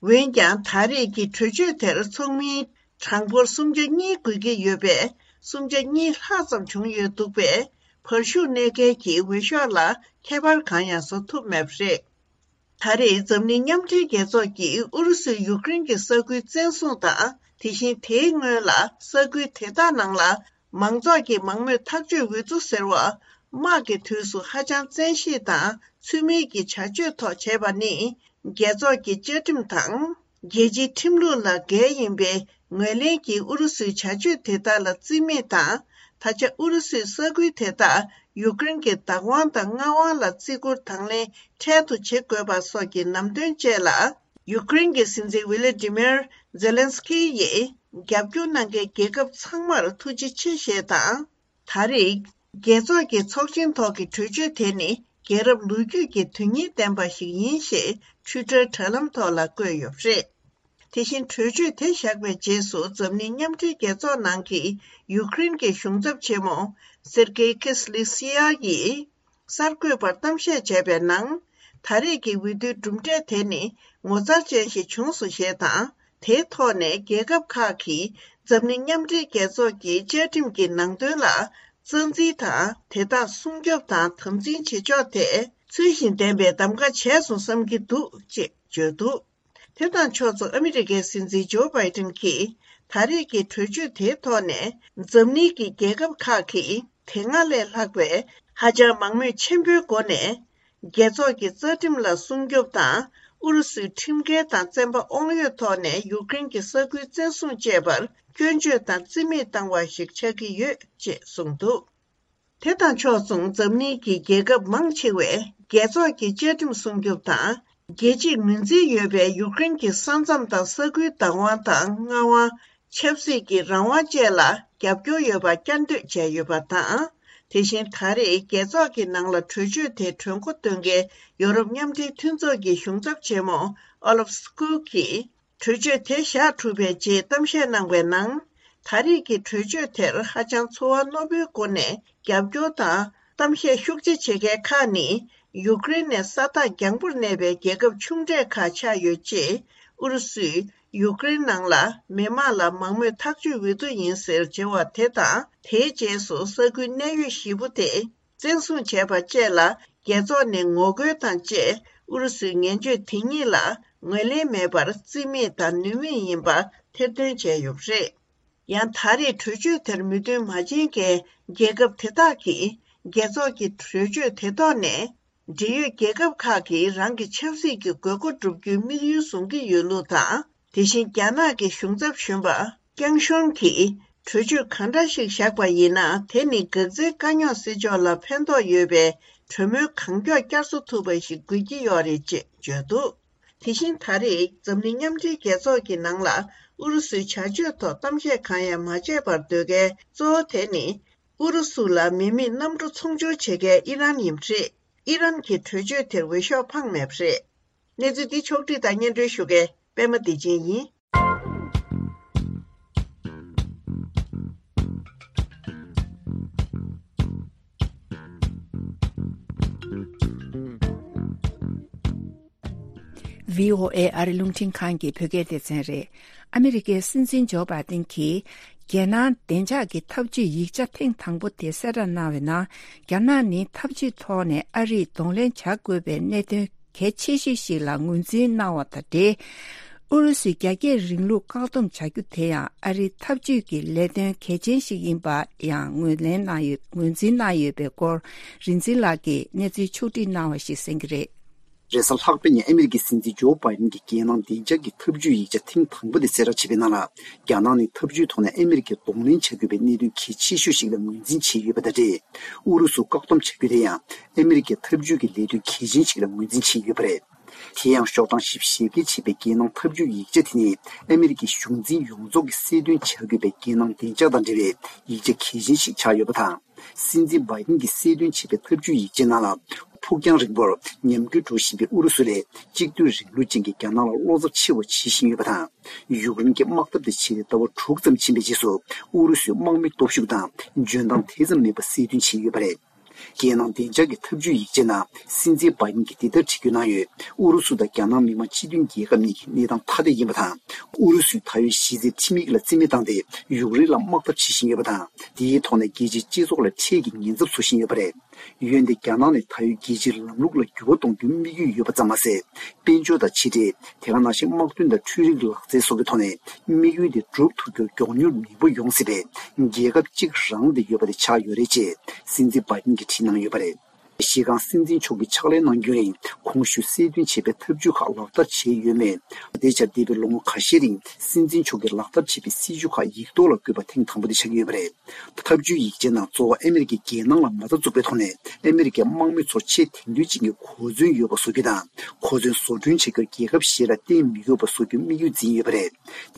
འོན་ཀྱང་། ད་རེས་ཀྱི་གྲོས་ཆོད་དེར་ཚོགས་མིའི་གྲངས་འབོར་སུམ་ཆ་གཉིས་དགོས་ཀྱི་ཡོད་པས། སུམ་ཆ་གཉིས་ལྷག་ཙམ་བྱུང་ཡོད་འདུག་པས། བར་ཞུགས་གནས་མཁན་གྱི་འོས་ཤོག་ལ་ཁྱད་པར་གང་ཡང་བཟོ་ཐུབ་མེད་པ་རེད། ད་རེས་འཛམ་གླིང་མཉམ་འབྲེལ་རྒྱལ་ཚོགས་ཀྱིས་ཨུ་རུ་སུས་ཡུཀ་རེན་གྱི་ས་ཁུལ་བཙན་བཟུང་དང་། དེ་བཞིན་དེའི་སྔོན་ལ་ས་ཁུལ་དེ་དག་ནང་ལ་མང་ཚོགས་ཀྱི་མང་མོས་ཐག་གཅོད་འོས་བསྡུ་ཟེར་བ། དམག་གི་དུས་སུ་ཧ་ཅང་བཙན་ཤེད་དང་ཚུལ་མིན་གྱི་བྱ་སྤྱོད་ཐོག་བྱས་པ་ནི། རྒྱལ་ཚོགས་ཀྱི་བཅའ་ཁྲིམས་དང་། རྒྱལ་སྤྱིའི་ཁྲིམས་ལུགས་ལ་འགལ་ཡིན་པའི་ངོས་ལེན་གྱིས་ཨུ་རུ་སུའི་བྱ་སྤྱོད་དེ་དག་ལ་རྩིས་མེད་དང་། ད་ཆ་ཨུ་རུ་སུས་ས་ཁུལ་དེ་དག་ཡུཀ་རེན་གྱི་བདག་དབང་དང་མངའ་དབང་ལ་བརྩི་བཀུར་དང་ལེན་འཕྲལ་དུ་བྱེད་དགོས་པ་སོགས་ཀྱི་ལམ་སྟོན་བཅས་ལ། ཡུཀ་རེན་གྱི་སྲིད་འཛིན་ཝི་ལི་ཏི་མིར་ཛེ་ལན་སི་ཁི་ཡིས། རྒྱབ་སྐྱོར་གནང་མཁན་རྒྱལ་ཁབ་ཚང་མར་ཐུགས་རྗེ་ཆེ་ཞེས་དང་། ད་རེས། རྒྱལ་ཚོགས་ཀྱི་ཚོགས་ཆེན་ཐོག་གི་གྲོས་ཆོད་དེ་ནི། རྒྱལ་རབས་ལོ་རྒྱུས་ཀྱི་དོན་སྙིང་ལྡན་པ་ཞིག་ཡིན་ཞེས། ཊུའི་ཊར་དྲ་ལམ་ཐོག་ལ་བཀོད་ཡོད་པ་རེད། དེ་བཞིན་གྲོས་ཆོད་དེ་བཞག་པའི་རྗེས་སུ། འཛམ་གླིང་མཉམ་འབྲེལ་རྒྱལ་ཚོགས་ནང་གི་ཡུཀ་རེན་གྱི་གཞུང་ཚབ་ཆེན་མོ། སེར་ཀེ་ཁི་སི་ལི་སི་ཡ་ཡིས། གསར་འགོད་པར་གཏམ་བཤད་བྱས་པའི་ནང་། ད་རེས་ཀྱི་འོས་བསྡུའི་གྲུབ་འབྲས་དེ་ནི་ངོ་མཚར་ཅན་ཞིག་བྱུང་སོང་ཞེས་དང་། དེའི་ཐོག་ནས་རྒྱལ་ཁབ་ཁག་གིས་འཛམ་གླིང་མཉམ་འབྲེལ་རྒྱལ་ཚོགས་ཀྱི་བཅའ་ཁྲིམས་ཀྱི་ནང་དོན་ལ་རྩ་འཛིན་དང་། དེ་དག་སྲུང་སྐྱོབ་དང་དམ་འཛིན་བྱེད་ཕྱོགས་དེ་ཚུལ་བཞིན་ལྡན་པའི་གདམ་ག་བྱས་སོང་བསམ་གྱི་འདུག་ཅེས་བརྗོད་འདུག། དེ་དང་ཕྱོགས་མཚུངས། ཨ་མི་རི་ཀའི་སྲིད་འཛིན་ཇོ་བྷའི་ཏིན་གྱིས་ད་རེས་ཀྱི་གྲོས་ཆོད་དེའི་ཐོག་ནས། འཛམ་གླིང་གི་རྒྱལ་ཁབ་ཁག་གིས་དེ་སྔ་ལས་ལྷག་པའི་ཧ་ཅང་མང་མོས་ཆེན་པོའི་སྒོ་ནས། རྒྱལ་ཚོགས་ཀྱི་རྩ་ཁྲིམས་ལ་སྲུང་སྐྱོབ་དང་། ཨུ་རུ་སུའི་ཁྲིམས་འགལ་དང་བཙན་པ་དབང་ཡོད་ཐོག་ནས་ཡུཀ་རེན་གྱི་ས་ཁུལ་བཙན་བཟུང་བཅས་པར་སྐྱོན་བརྗོད་དང་རྩིས་མེད་བཏང་བ་ཞིག་ཆགས་ཀྱི་ཡོད་ཅེས་གསུངས་འདུག། དེ་དང་ཕྱོགས་མཚུངས། འཛམ་གླིང་གི་རྒྱལ་ཁབ་མང་ཆེ་བས་རྒྱལ་ཚོགས་ཀྱི་བཅའ་ཁྲིམས་སྲུང་སྐྱོབ་དང་། རྒྱལ་སྤྱིའི་ངོས་འཛིན་ཡོད་པའི་ཡུཀ་རེན་གྱི་ས་མཚམས་དང་ས་ཁུལ་བདག་དབང་དང་། མངའ་དབང་། ཆབ་སྲིད་ཀྱི་རང་དབང་བཅས་ལ་རྒྱབ་སྐྱོར་ཡོད་པ་བསྐྱར་ཟློས་བྱས་ཡོད་པ་དང་། དེ་བཞིན་ད་རེས་རྒྱལ་ཚོགས་ཀྱི་ནང་ལ་གྲོས་ཆོད་དེ་གྲོས་འགོ་འདོན་མཁན་ཡོ་རོབ་མཉམ་འབྲེལ་མཐུན་ཚོགས་ཀྱི་གཞུང་ཚབ་ཆེན་མོ་ཨོ་ལབ་སི་ཀུལ་གྱིས། གྲོས་ཆོད་དེ་བཞག་གྲུབ་པའི་རྗེས་གཏམ་བཤད་གནང་བའི་ནང་། ད་རེས་ཀྱི་གྲོས་ཆོད་དེར་ཧ་ཅང་ཚོར་བ་རྣོ་པོའི་སྒོ་ནས་རྒྱབ་སྐྱོར་དང་གཏམ་བཤད་ཤུགས་ཆེ་བྱེད་མཁན་ཁག་ནི། ཡུཀ་རེན་ནས་ས་ཐག་རྒྱང་པོར་གནས་པའི་རྒྱལ་ཁབ་ཆུང་གྲས་ཁག་ཆགས་ཡོད་ཅེས། ཨུ་རུ་སུས་ཡུཀ་རེན་ནང་ལ་མི་དམངས་ལ་མང་མོས་ཐག་གཅོད་འོས་བསྡུ་ཡིན་ཟེར་བྱ་བ་དེ་དང་། དེའི་རྗེས་སུ་ས་ཁུལ་གནད་ཡོད་བཞི་པོ་དེ། བཙན་བཟུང་བྱས་པ་བཅས་ལ་རྒྱལ་ཚོགས་ནས་ངོ་རྒོལ་དང་བཅས། ཨུ་རུ་སུའི་ངན་བྱུས་དེ་གཉིས་ལ་ངོས་ལེན་མེད་པར་རྩིས་མེད་དང་ནུས་མེད་ཡིན་པ་ཐེར་འདོན་བྱས་ཡོད་པ་རེད། ཡང་ད་རེས་གྲོས་ཆོད་དེར་མོས་མཐུན་མ་བྱེད་མཁན་རྒྱལ་ཁབ་དེ་དག་གིས་རྒྱལ་ཚོགས་ཀྱི་གྲོས་ཆོད་དེ་ཐོག་ནས། འབྲེལ་ཡོད་རྒྱལ་ཁབ་ཁག་གིས་རང་གི་ཆབ་སྲིད་ཀྱི་དགོས་མཁོ་བསྒྲུབ་རྒྱུའི་དམིགས་ཡུལ་བཟུང་གི་ཡོད་ལུགས་དང་། དེ་བཞིན་རྒྱ་ནག་གི་གཞུང་ཚབ་གཞོན་པ་ཀེང་ཤོན་གྱིས། གྲོས་ཆོད་གང་འདྲ་ཞིག་བཞག་པ་ཡིན་ན། དེ་ནི་འགག་རྩའི་དཀའ་རྙོག་སེལ་ཕྱོགས་ལ་ཕན་ཐོགས་ཡོད་པའི་གྲོས་མོལ་གང་མགྱོགས་བསྐྱར་གསོ་ཐུབ་པ་ཞིག་དགོས་ཀྱི་ཡོད་རེད་ཅེས་བརྗོད་འདུག། དེ་བཞིན་ད་རེས་འཛམ་གླིང་མཉམ་འབྲེལ་རྒྱལ་ཚོགས་ཀྱི་ནང་ལ་ཨུ་རུ་སུའི་བྱ་སྤྱོད་ཐོག་གཏམ་བཤད་གང་ཡང་མ་བྱས་པར་སྡོད་མཁན་གཙོ་བོ་དེ་ནི། ཨུ་རུ་སུ་ལ་མི་མེད་གནམ་གྲུ་ཚོང་སྦྱོར་བྱེད་མཁན་ཨི་རན་ཡིན་པ་རེད། ཨི་རན་གྱི་གྲོས་ཆོད་དེར་འོས་ཤོག་འཕངས་མེད་པ་རེད། གནས་ཚུལ་འདི་ཕྱོགས་བསྒྲིགས་དང་སྙན་སྒྲོན་ཞུ་མཁན་པད་མ་བདེ་ཆེན་ཡིན། བྷི་ཨོ་ཨེ་ཨ་རི་རླུང་འཕྲིན་ཁང་གི་བོད་སྐད་སྡེ་ཚན་རེད། ཨ་མི་རི་ཀའི་སྲིད་འཛིན་ཇོ་བྷའི་ཏིན་གྱིས། རྒྱལ་ནང་བདེ་འཇགས་ཀྱི་ཐབས་ཇུས་ཡིག་ཆ་ཐེངས་དང་པོ་དེ་གསལ་བསྒྲགས་གནང་བའི་ནང་། རྒྱ་ནག་ནི་ཐབས་ཇུས་ཐོག་ནས་ཨ་རིས་གདོང་ལེན་བྱ་དགོས་པའི་གནད་དོན་གལ་ཆེ་ཤོས་ཤིག་ལ་ངོས་འཛིན་གནང་བ་དང་འབྲེལ། ཨུ་རུ་སུའི་རྒྱ་སྐྱེད་རིང་ལུགས་བཀག་སྡོམ་བྱ་རྒྱུ་དེ་ཡང་ཨ་རིའི་ཐབས་ཇུས་ཀྱི་ལས་དོན་གལ་ཆེན་ཞིག་ཡིན་པ་ཡང་ངོས་ལེན་གནང་ཡོད། ངོས་འཛིན་གནང་ཡོད་པའི་སྐོར་རིག་འཛིན་ལགས་ཀྱིས་གནས་ཚུལ་ཕྱོགས་བསྒྲིགས་གནང་བ་ཞིག་གསན་གྱི་རེད། རེས་གཟའ་ལྷག་པའི་ཉིན་ཨ་མི་རི་ཀའི་སྲིད་འཛིན་ཇོ་བྷའི་ཌེན་གྱིས་རྒྱལ་ནང་བདེ་འཇགས་ཀྱི་ཐབས་ཇུས་ཡིག་ཆ་ཐེངས་དང་པོ་དེ་གསལ་བསྒྲགས་བྱས་པའི་ནང་ལ། རྒྱ་ནག་ནི་ཐབས་ཇུས་ཐོག་ནས་ཨ་མི་རི་ཀས་གདོང་ལེན་བྱ་དགོས་པའི་གནད་དོན་གལ་ཆེ་ཤོས་ཤིག་ལ་ངོས་འཛིན་བྱས་ཡོད་པ་དང་འབྲེལ། ཨུ་རུ་སུ་བཀག་སྡོམ་བྱ་རྒྱུ་དེ་ཡང་ཨ་མི་རི་ཀའི་ཐབས་ཇུས་ཀྱི་ལས་དོན་གལ་ཆེན་ཞིག་ལ་ངོས་འཛིན་བྱས་ཡོད་པ་རེད། དེ་ཡང་ཤོག་གྲངས་བཞི་བཅུ་ཞེ་བརྒྱད་བྱས་པའི་རྒྱལ་ནང་ཐབས་ཇུས་ཡིག་ཆ་དེ་ནི་ཨ་མི་རི་ཀའི་གཞུང་འཛིན་ཡོངས་རྫོགས་ཀྱིས་གསལ་སྟོན་བྱ་དགོས་པའི་རྒྱལ་ནང་བདེ་འཇགས་དང་འབྲེལ་བའི་ཡིག་ཆ་གལ་ཆེན་ཞིག་ཆགས་ཡོད་པ་དང་། སྲིད་འཛིན་བྷའི་ཌེན་གྱིས་གསལ་སྟོན་བྱས་པའི་ཐབས་ཇུས་ཡིག་ཆའི་ནང་ལ། ཕུགས་རྒྱང་རིང་པོར་ཉམས་རྒུད་འགྲོ་བཞིན་པའི་ཨུ་རུ་སུ་ལས་གཅིག་སྡུད་རིང་ལུགས་ཅན་གྱི་རྒྱ་ནག་ལ་བློ་འཚབ་ཆེ་བ་བྱེད་བཞིན་ཡོད་པ་དང་། ཡུཀ་རེན་གྱི་དམག་འཐབ་དེ་བྱས་ཏེ་ཟླ་བ་དྲུག་ཙམ་ཕྱིན་པའི་རྗེས་སུ་ཨུ་རུ་སུའི་དམག་མི་སྟོབས་ཤུགས་དང་འཇོན་ཐང་དེ་ཙམ་མེད་པ་གསལ་སྟོན་བྱས་ཡོད་པ་རེད། རྒྱལ་ནང་བདེ་འཇགས་ཀྱི་ཐབས་ཇུས་ཡིག་ཆའི་ནང་སྲིད་འཛིན་བྷའི་ཌེན་གྱིས་འདི་ལྟར་བྲིས་རྒྱུ་གནང་ཡོད། ཨུ་རུ་སུ་དང་རྒྱ་ནག་མི་དམངས་སྤྱི་མཐུན་རྒྱལ་ཁབ་གཉིས་ཀྱི་གནས་སྟངས་ཐ་དད་ཡིན་པ་དང་། ཨུ་རུ་སུས་ད་ཡོད་གཞི་རྩའི་ཁྲིམས་ཡིག་ལ་རྩིས་མེད་བཏང་སྟེ་ཡུཀ་རེན་ལ་དམག་འཐབ་བྱེད་བཞིན་ཡོད་པ་དང་། འདིའི་ཐོག་ནས་རྒྱལ་སྤྱིའི་སྤྱི་ཚོགས་ལ་འཕྲལ་གྱི་ཉེན་ཚབས་བཟོ་བཞིན་ཡོད་པ་རེད། འོན་ཏེ་རྒྱ་ནག་ནི་ད་ཡོད་རྒྱལ་སྤྱིའི་ལམ་ལུགས་ལ་འགྱུར་བ་གཏོང་རྒྱུའི་དམིགས་ཡུལ་ཡོད་པ་ཙམ་མ་ཟད། དཔལ་འབྱོར་དང་ཕྱི་འབྲེལ། དེ་ག་ནང་བཞིན་དམག་དོན་དང་འཕྲུལ་རིག་ལག་རྩལ་སོགས་ཀྱི་ཐོག་ནས་དམིགས་ཡུལ་དེ་འགྲུབ་ཐུབ་རྒྱུར་མགྱོགས་མྱུར་ནུས་པ་ཡོང་སྲིད་པའི་རྒྱལ་ཁབ་གཅིག་རང་དུ་ཡོད་པ་དེ་ཆགས་ཡོད་རེད་ཅེས་སྲིད་འཛིན་བྷའི་ཌེན་གྱིས་བྲིས་གནང་ཡོད་པ་རེད། གཞི་རྐང་སྲིད་འཛིན་མཆོག་གིས་ཕྱག་ལས་གནང་རྒྱུན་རིང་གོང་ཞུས་གསལ་སྟོན་བྱས་པའི་ཐབས་ཇུས་ཁག་ལག་བསྟར་བྱས་ཡོད་མེད། དེ་ཆར་འདས་པའི་ལོ་ངོ་ཁ་ཤས་རིང་སྲིད་འཛིན་མཆོག་གིས་ལག་བསྟར་བྱས་པའི་སྲིད་ཇུས་ཁག་ཡིག་ཐོག་ལ་བཀོད་པ་ཐེངས་དང་པོ་དེ་ཆགས་ཀྱི་ཡོད་པ་རེད། ཐབས་ཇུས་ཡིག་ཆའི་ནང་གཙོ་བོ་ཨ་མི་རི་ཀའི་རྒྱལ་ནང་ལ་མ་རྩ་འཛུགས་པའི་ཐོག་ནས་ཨ་མི་རི་ཀའི་དམག་མི་ཚོར་ཆེས་དེང་དུས་ཅན་གྱི་གོ་མཚོན་ཡོད་པ་བཟོ་རྒྱུ་དང་། གོ་མཚོན་བཟོ་སྐྲུན་བྱ་རྒྱུར་རྒྱལ་ཁབ་གཞན་ལ་བརྟེན་མི་དགོས་པ་བཟོ་རྒྱུ་དམིགས་ཡུལ་འཛིན་ཡོད་པ་རེད།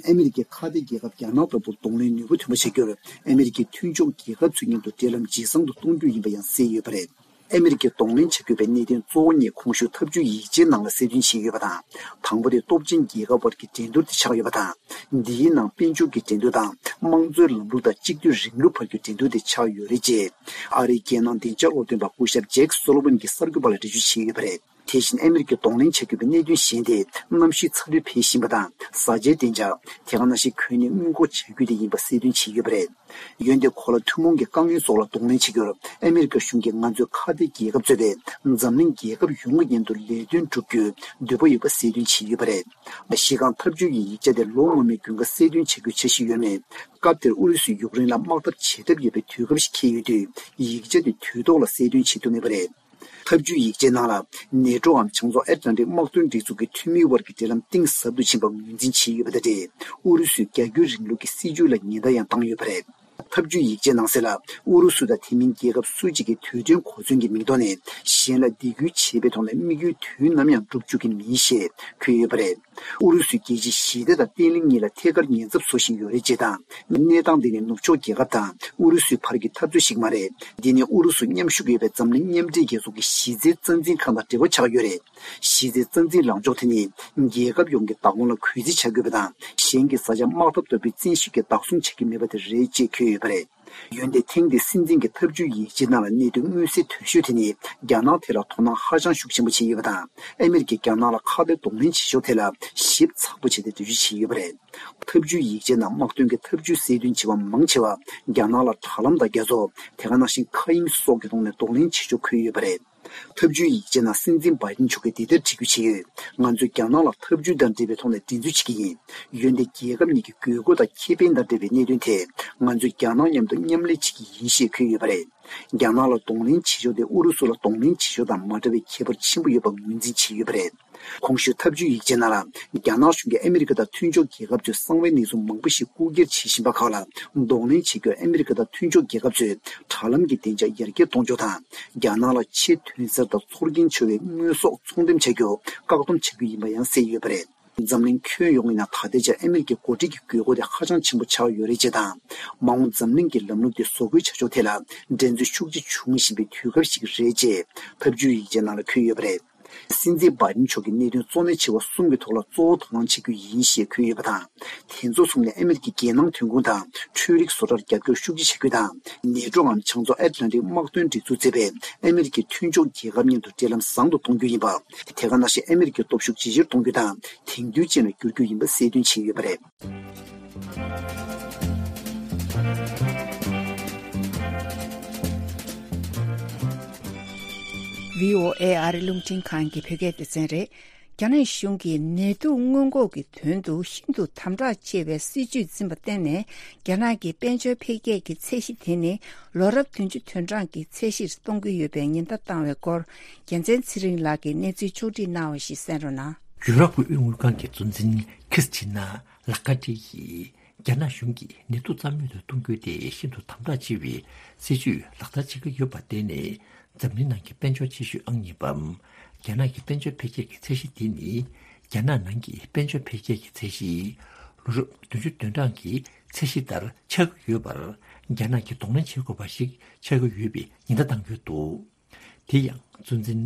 ཨ་མི་རི་ཀའི་ཁ་གཏད་རྒྱལ་ཁབ་རྒྱ་ནག་དང་པོར་གདོང་ལེན་ནུས་པ་ཐོན་པ་བྱ་རྒྱུར་ཨ་མི་རི་ཀའི་མཐུན་ཕྱོགས་རྒྱལ་ཁབ་ཚོའི་མཉམ་དུ་འབྲེལ་ལམ་ཇེ་བཟང་དུ་གཏོང་རྒྱུ་ཡིན་པ་ཡང་གསལ་ཡོད་པ་རེད། ཨ་མི་རི་ཀས་གདོང་ལེན་བྱ་དགོས་པའི་གནད་དོན་གཙོ་བོ་གཉིས་གོང་ཞུས་ཐབས་ཇུས་ཡིག་ཆའི་ནང་ལ་གསལ་སྟོན་བྱས་ཡོད་པ་དང་། དང་པོ་དེ་སྟོབས་ཆེན་རྒྱལ་ཁབ་དབར་གྱི་འགྲན་བསྡུར་དེ་ཆགས་ཡོད་པ་དང་། འདིའི་ནང་དཔལ་འབྱོར་གྱི་འགྲན་བསྡུར་དང་དམངས་གཙོའི་ལམ་ལུགས་དང་གཅིག་སྡུད་རིང་ལུགས་བར་གྱི་འགྲན་བསྡུར་དེ་ཆགས་ཡོད་རེད་ཅེས། ཨ་རིའི་རྒྱལ་ནང་བདེ་འཇགས་སློབ་སྟོན་པ་སྐུ་ཞབས་ཇེཀ་སོ་ལོ་ཝན་གྱིས་གསར་འགོད་པ་ལ་འགྲེལ་བརྗོད་བྱས་ཡོད་པ་རེད། དེ་བཞིན་ཨ་མི་རི་ཀས་གདོང་ལེན་བྱ་དགོས་པའི་གནད་དོན་གཞན་དེ་གནམ་གཤིས་ཚ་དྲོད་འཕེལ་བཞིན་པ་དང་བཟའ་བཅའི་བདེ་འཇགས། དེ་ག་ནང་བཞིན་གོ་གནས་སྔོན་འགོག་བྱ་རྒྱུ་དེ་ཡིན་པ་གསལ་སྟོན་བྱས་ཡོད་པ་རེད། འོན་ཏེ་གོ་ལ་ཐུན་མོང་གི་དཀའ་ངལ་སོགས་ལ་གདོང་ལེན་བྱེད་རྒྱུར་ཨ་མི་རི་ཀ་གཞུང་གིས་ང་ཚོའི་ཁ་གཏད་རྒྱལ་ཁབ་གཙོས་པའི་འཛམ་གླིང་རྒྱལ་ཁབ་ཡོངས་ཀྱི་མཉམ་དུ་ལས་དོན་བསྒྲུབ་རྒྱུའི་འདོད་པ་ཡོད་པ་གསལ་སྟོན་བྱས་ཡོད་པ་རེད། གཞི་རྐང་ཐབས་ཇུས་ཀྱི་ཡིག་ཆ་དེ་ལོ་སྔོན་མའི་དགུན་ཁ་གསལ་སྟོན་བྱ་རྒྱུའི་འཆར་གཞི་ཡོད་མེད། སྐབས་དེར་ཨུ་རུ་སུས་ཡུཀ་རེན་ལ་དམག་འཐབ་བྱེད་གྲབས་ཡོད་པའི་དུས་སྐབས་ཤིག་འཁེལ་ཡོད་དུས། ཡིག་ཆ་དེ་དུས་ཐོག་ལ་གསལ་སྟོན་བྱེད་ཐུབ་མེད་པ་རེད། ཐབས་ཇུས་ཡིག་ཆའི་ནང་ལ། ནེ་ཊོའམ་བྱང་ཕྱོགས་ཨེཊ་ལན་ཊིག་དམག་དོན་སྒྲིག་འཛུགས་ཀྱི་འཐུས་མིའི་དབར་གྱི་འབྲེལ་ལམ་གཏིང་ཟབ་ཏུ་ཕྱིན་པ་ངོས་འཛིན་བྱས་ཡོད་པ་དང་འབྲེལ། ཨུ་རུ་སུའི་རྒྱ་སྒྱུར་རིང་ལུགས་ཀྱི་སྲིད་བྱུས་ལ་ཉེན་བརྡ་ཡང་བཏང་ཡོད་པ་རེད། ཐབས་ཇུས་ཡིག་ཆའི་ནང་གསལ་ལ། ཨུ་རུ་སུ་དང་དེ་མིན་རྒྱལ་ཁབ་སུ་གཅིག་གིས་དུས་མཐུན་གོ་མཚོན་གྱི་མིང་ཐོག་ནས་གཞན་ལ་སྡིགས་སྐུལ་བྱེད་པའི་ཐོག་ནས་དམིགས་ཡུལ་དུས་ནམ་ཡང་འགྲུབ་བཅུག་གི་མིན་ཞེས་འཁོད་ཡོད་པ་རེད། ཨུ་རུ་སུས་རྒྱལ་སྤྱིའི་ཞི་བདེ་དང་བརྟན་ལྷིང་གཉིས་ལ་ཐད་ཀར་ཉེན་ཚབས་བཟོ་བཞིན་ཡོད་རེད་ཅེས་དང་། གནས་སྟངས་འདི་ནི་ནུབ་ཕྱོགས་རྒྱལ་ཁབ་དང་ཨུ་རུ་སུའི་བར་གྱི་འཐབ་རྩོད་ཞིག་མ་རེད། འདི་ནི་ཨུ་རུ་སུ་མཉམ་ཞུགས་ཡོད་པའི་འཛམ་གླིང་མཉམ་འབྲེལ་རྒྱལ་ཚོགས་ཀྱི་གཞི་རྩའི་རྩ་འཛིན་ཁང་དང་འབྲེལ་བ་ཆགས་ཡོད་རེད། གཞི་རྩའི་རྩ་འཛིན་ལངས་ཕྱོགས་དེ་ནི་རྒྱལ་ཁབ་ཡོངས་ཀྱི་བདག་དབང་ལ་གུས་བརྩི་བྱ་དགོས་པ་དང་། གཞན་གྱི་བཟའ་བཅའ་དམག་འཐབ་ལྟ་བུའི་བཙན་ཤེད་ཀྱིས་བདག་བཟུང་བྱ་རྒྱུ་མེད་པ་དེ་རེད་ཅེས་འཁོད་ཡོད་པ་རེད། འོན་ཏེ་ཐེངས་འདིའི་སྲིད་འཛིན་གྱི་ཐབས་ཇུས་ཡིག་ཆའི་ནང་ལ་གནད་དོན་མངོན་གསལ་དོད་ཤོས་དེ་ནི་རྒྱ་ནག་ཐད་ལ་དོ་སྣང་ཧ་ཅང་ཤུགས་ཆེན་པོ་བྱས་ཡོད་པ་དང་། ཨ་མི་རི་ཀས་རྒྱ་ནག་ལ་ཁ་གཏད་གདོང་ལེན་བྱེད་ཕྱོགས་ཐད་ལ་ཞིབ་ཚགས་པོ་བྱས་ཏེ་འགྲེལ་བརྗོད་བྱས་ཡོད་པ་རེད། ཐབས་ཇུས་ཡིག་ཆའི་ནང་དམག་དོན་གྱི་ཐབས་ཇུས་གསལ་སྟོན་བྱས་པ་མང་ཆེ་བ་རྒྱ་ནག་ལ་དྲ་ལམ་དང་རྒྱ་མཚོ། དེ་ག་ནང་བཞིན་མཁའ་དབྱིངས་སོགས་ཀྱི་ཐོག་ནས་གདོང་ལེན་བྱེད་ཕྱོགས་འཁོད་ཡོད་པ་རེད། ཐབས་ཇུས་ཡིག་ཆའི་ནང་སྲིད་འཛིན་བྷའི་ཌེན་མཆོག་གིས་འདི་ལྟར་འགྲེལ་བརྗོད་བྱས་ཡོད། ང་ཚོས་རྒྱ་ནག་ལ་ཐབས་ཇུས་དང་འབྲེལ་བའི་ཐོག་ནས་འགྲན་རྩོད་བྱེད་ཀྱི་ཡིན། འོན་ཏེ་རྒྱལ་ཁབ་གཉིས་ཀྱི་དགོས་མཁོ་དང་ཁེ་ཕན་དང་འབྲེལ་བའི་གནད་དོན་ཐད་ང་ཚོས་རྒྱ་ནག་མཉམ་དུ་མཉམ་ལས་བྱེད་ཀྱི་ཡིན་ཞེས་འཁོད་ཡོད་པ་རེད། རྒྱ་ནག་ལ་གདོང་ལེན་བྱེད་ཕྱོགས་དེ་ཨུ་རུ་སུ་ལ་གདོང་ལེན་བྱེད་ཕྱོགས་དང་མ་འདྲ་བའི་ཁྱད་པར་ཆེན་པོ་ཡོད་པ་ངོས་འཛིན་བྱས་ཡོད་པ་རེད། གོང་ཞུས་ཐབས་ཇུས་ཡིག་ཆའི་ནང་ལ། རྒྱ་ནག་གཞུང་གིས་ཨ་མི་རི་ཀ་དང་མཐུན་ཕྱོགས་རྒྱལ་ཁབ་ཚོའི་གསང་བའི་གནས་ཚུལ་མང་པོ་ཞིག་རྐུ་འཁྱེར་བྱེད་བཞིན་པ་ཁག་ལ་གདོང་ལེན་བྱེད་རྒྱུར་ཨ་མི་རི་ཀ་དང་མཐུན་ཕྱོགས་རྒྱལ་ཁབ་ཚོས་དྲ་ལམ་གྱི་བདེ་འཇགས་ཡར་རྒྱས་གཏོང་ཕྱོགས་དང་། རྒྱ་ནག་ལ་ཆེས་ཐོན་གསར་དང་ཚོར་སྐྱེན་ཆེ་བའི་དངོས་ཟོག་ཚོང་འགྲེམས་བྱ་རྒྱུ་བཀག་སྡོམ་བྱ་རྒྱུ་ཡིན་པ་ཡང་གསལ་ཡོད་པ་རེད། འཛམ་གླིང་ཁྱོན་ཡོངས་ཀྱི་ནང་ད་ལྟའི་ཆར་ཨ་མི་རི་ཀའི་འགོ་ཁྲིད་ཀྱི་དགོས་མཁོ་དེ་ཧ་ཅང་ཆེན་པོ་ཆགས་ཡོད་རེད་ཅེས་དང་། མ་འོངས་འཛམ་གླིང་གི་ལམ་ལུགས་དེ་བཟོ་འགོད་བྱ་ཕྱོགས་ཐད་ལ་འགྲན་རྩོད་ཤུགས་ཆེ་འབྱུང་བཞིན་པའི་དུས་སྐབས་ཤིག་རེད་ཅེས་ཐབས་ཇུས་ཡིག་ཆའི་ནང་ལ་འཁོད་ཡོད་པ་རེད། སྲིད་འཛིན་བྷའི་ཌེན་མཆོག་གིས་གནད་དོན་གཙོ་གནད་ཆེ་བ་གསུམ་གྱི་ཐོག་ལ་གཙོ་བོ་དོ་སྣང་བྱེད་རྒྱུ་ཡིན་ཞེས་འཁོད་ཡོད་པ་དང་། དེ་ཚོ་གསུམ་ནི་ཨ་མི་རི་ཀའི་རྒྱལ་ནང་ཐོན་ཁུངས་དང་འཕྲུལ་རིག་བཟོ་གྲྭར་རྒྱབ་སྐྱོར་ཤུགས་ཆེ་བྱ་རྒྱུ་དང་། ནེ་ཊོའམ་བྱང་མཚོ་ཨེཊ་ལན་ཊིག་དམག་དོན་སྒྲིག་འཛུགས་བརྩིས་པའི་ཨ་མི་རི་ཀའི་མཐུན་ཕྱོགས་རྒྱལ་ཁབ་མཉམ་དུ་འབྲེལ་ལམ་བཟང་དུ་གཏོང་རྒྱུ་ཡིན་པ། དེ་ག་ནང་བཞིན་ཨ་མི་རི་ཀའི་སྟོབས་ཤུགས་ཇེ་ཆེར་གཏོང་རྒྱུ་དང་དེང་དུས་ཅན་ལ་བསྒྱུར་རྒྱུ་ཡིན་པ་གསལ་སྟོན་བྱས་ཡོད་པ་རེད། བྷི་ཨོ་ཨེ་ཨ་རི་རླུང་འཕྲིན་ཁང་གི་བོད་སྐད་སྡེ་ཚན་རེད། རྒྱ་ནག་གཞུང་གིས་ནད་དུག་སྔོན་འགོག་གི་དོན་དུ་ཤིན་ཏུ་དམ་དྲག་ཆེ་བའི་སྲིད་ཇུས་འཛིན་པར་བརྟེན་ནས། རྒྱ་ནག་གི་དཔལ་འབྱོར་འཕེལ་རྒྱས་ཀྱི་ཚད་གཞི་དེ་ནི་ལོ་རབས་བདུན་ཅུ་དོན་གྲངས་ཀྱི་ཚད་གཞིར་གཏོང་གི་ཡོད་པའི་ཉེན་བརྡ་བཏང་བའི་སྐོར། རྒྱལ་མཚན་ཚེ་རིང་ལགས་ཀྱིས་གནས་ཚུལ་ཕྱོགས་སྒྲིག་གནང་བ་ཞིག་གསན་རོགས་གནང་། ཡུ་རོབ་ཀྱི་དབུས་དངུལ་ཁང་གི་གཙོ་འཛིན་ཁྲིས་ཅི་ན་ལ་ཀ་ཏི་ཡིས། རྒྱ་ནག་གཞུང་གིས་ནད་དུག་རྩ་མེད་དུ་གཏོང་རྒྱུ་དེ་ཤིན་ཏུ་དམ་དྲག་ཆེ་བའི་སྲིད་ཇུས་ལག་བསྟར་བྱེད་ཀྱི་ཡོད་པར་བརྟེན་ནས། འཛམ་གླིང་ནང་གི་དཔལ་འབྱོར་ཆེ་ཤོས་ཨང་གཉིས་པའམ། རྒྱ་ནག་གི་དཔལ་འབྱོར་འཕེལ་རྒྱས་ཀྱི་ཚད་གཞི་དེ་ནི། རྒྱ་ནག་ནང་གི་དཔལ་འབྱོར་འཕེལ་རྒྱས་ཀྱི་ཚད་གཞི། ལོ་རབས་བདུན་ཅུ་དོན་གྲངས་ཀྱི་ཚད་གཞི་ལྟར་ཆགས་ཀྱི་ཡོད་པར། རྒྱ་ནག་གིས་གདོང་ལེན་བྱེད་དགོས་པ་ཞིག་ཆགས་ཀྱི་ཡོད་པའི་ཉེན་བརྡ་བཏང་ཡོད་འདུག་དེ་ཡང་གཙོ་འཛིན་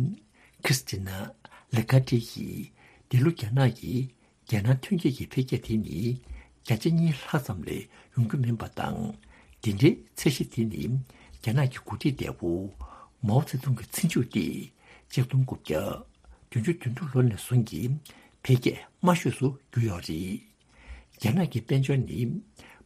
ཁྲིས་ཅི་ན་ལེ་གྷ་ཏི་ཡིས། འདི་ལོ་རྒྱ་ནག་གི་རྒྱལ་ནང་ཐོན་སྐྱེད་ཀྱི་འཕེལ་རྒྱས་དེ་ནི་བརྒྱ་ཆ་གཉིས་ལྷག་ཙམ་ལས་ཡོང་རྒྱུ་མིན་པ་དང་། འདི་འདྲའི་ཚད་གཞི་དེ་ནི་རྒྱ་ནག་གི་འགོ་ཁྲིད་འདས་པོ་མའོ་ཙེ་ཏུང་གི་ཚེ་མཇུག་སྟེ། ཆིག་སྟོང་དགུ་བརྒྱ་བདུན་ཅུ་དོན་དྲུག་ལོ་ནས་བཟུང་གི་འཕེལ་རྒྱས་དམའ་ཤོས་སུ་གྱུར་ཡོད་རེད། རྒྱ་ནག་གི་དཔལ་འབྱོར་ནི་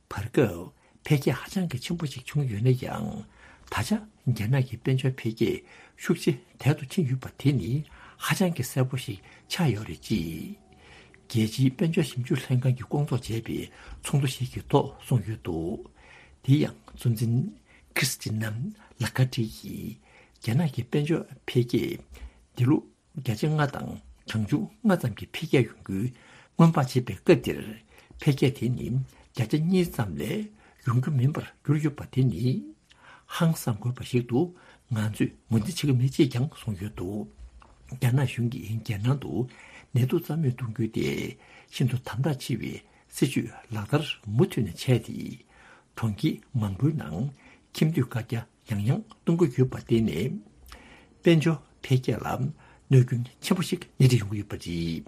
བར་སྐབས་འཕེལ་རྒྱས་ཧ་ཅང་གི་ཆེན་པོ་ཞིག་བྱུང་ཡོད་ན་ཡང་། ད་ཆ་རྒྱ་ནག་གི་དཔལ་འབྱོར་འཕེལ་རྒྱས་ཤུགས་ཆེ་དལ་དུ་ཕྱིན་ཡོད་པ་དེ་ནི་ཧ་ཅང་གི་གསལ་པོ་ཞིག་ཆགས་ཡོད་རེད། ཅེས་རྒྱལ་སྤྱིའི་དཔལ་འབྱོར་ཞིབ་འཇུག་ལྷན་ཁང་གིས་སྐོང་ཚོགས་བྱས་པའི་ཚོགས་འདུ་ཞིག་གི་ཐོག་གསུངས་ཡོད་འདུག་དེ་ཡང་གཙོ་འཛིན་ཁྲིས་ཅི་ན་ལ་ཀ་ཏི་ཡིས། རྒྱ་ནག་གི་དཔལ་འབྱོར་འཕེལ་རྒྱས་འདི་ལོ་བརྒྱ་ཆ་ལྔ་དང་གྲངས་ཆུང་ལྔ་ཙམ་གྱི་འཕེལ་རྒྱས་ཡོང་རྒྱུའི་སྔོན་དཔག་བྱེད་པའི་སྐབས་འདིར། འཕེལ་རྒྱས་དེ་ནི་བརྒྱ་ཆ་གཉིས་ཙམ་ལས་ཡོང་རྒྱུ་མིན་པར་གྱུར་ཡོད་པ་དེ་ནི་ཧང་སང་དགོས་པ་ཞིག་ཏུ་ང་ཚོས་ངོས་འཛིན་བྱེད་ཀྱི་མེད་ཅེས་ཀྱང་གསུངས་ཡོད་འདུག་རྒྱ་ནག་གཞུང་གིས་རྒྱལ་ནང་དུ་ནད་དུག་རྩ་མེད་གཏོང་རྒྱུ་དེ་ཤིན་ཏུ་དམ་དྲག་ཆེ་བའི་སྲིད་ཇུས་ལག་བསྟར་མུ་མཐུད་ནས་བྱས་ཏེ། གྲོང་ཁྱེར་མང་པོའི་ནང་ཁྱིམ་སྡོད་བཀའ་རྒྱ་ཡང་ཡང་གཏོང་གི་ཡོད་པ་དེ་ནས། དཔལ་འབྱོར་འཕེལ་རྒྱས་ལ་གནོད་སྐྱོན་ཆེན་པོ་ཞིག་སྣེ་ཁྲིད་ཡོང་གི་ཡོད་པ་རེད།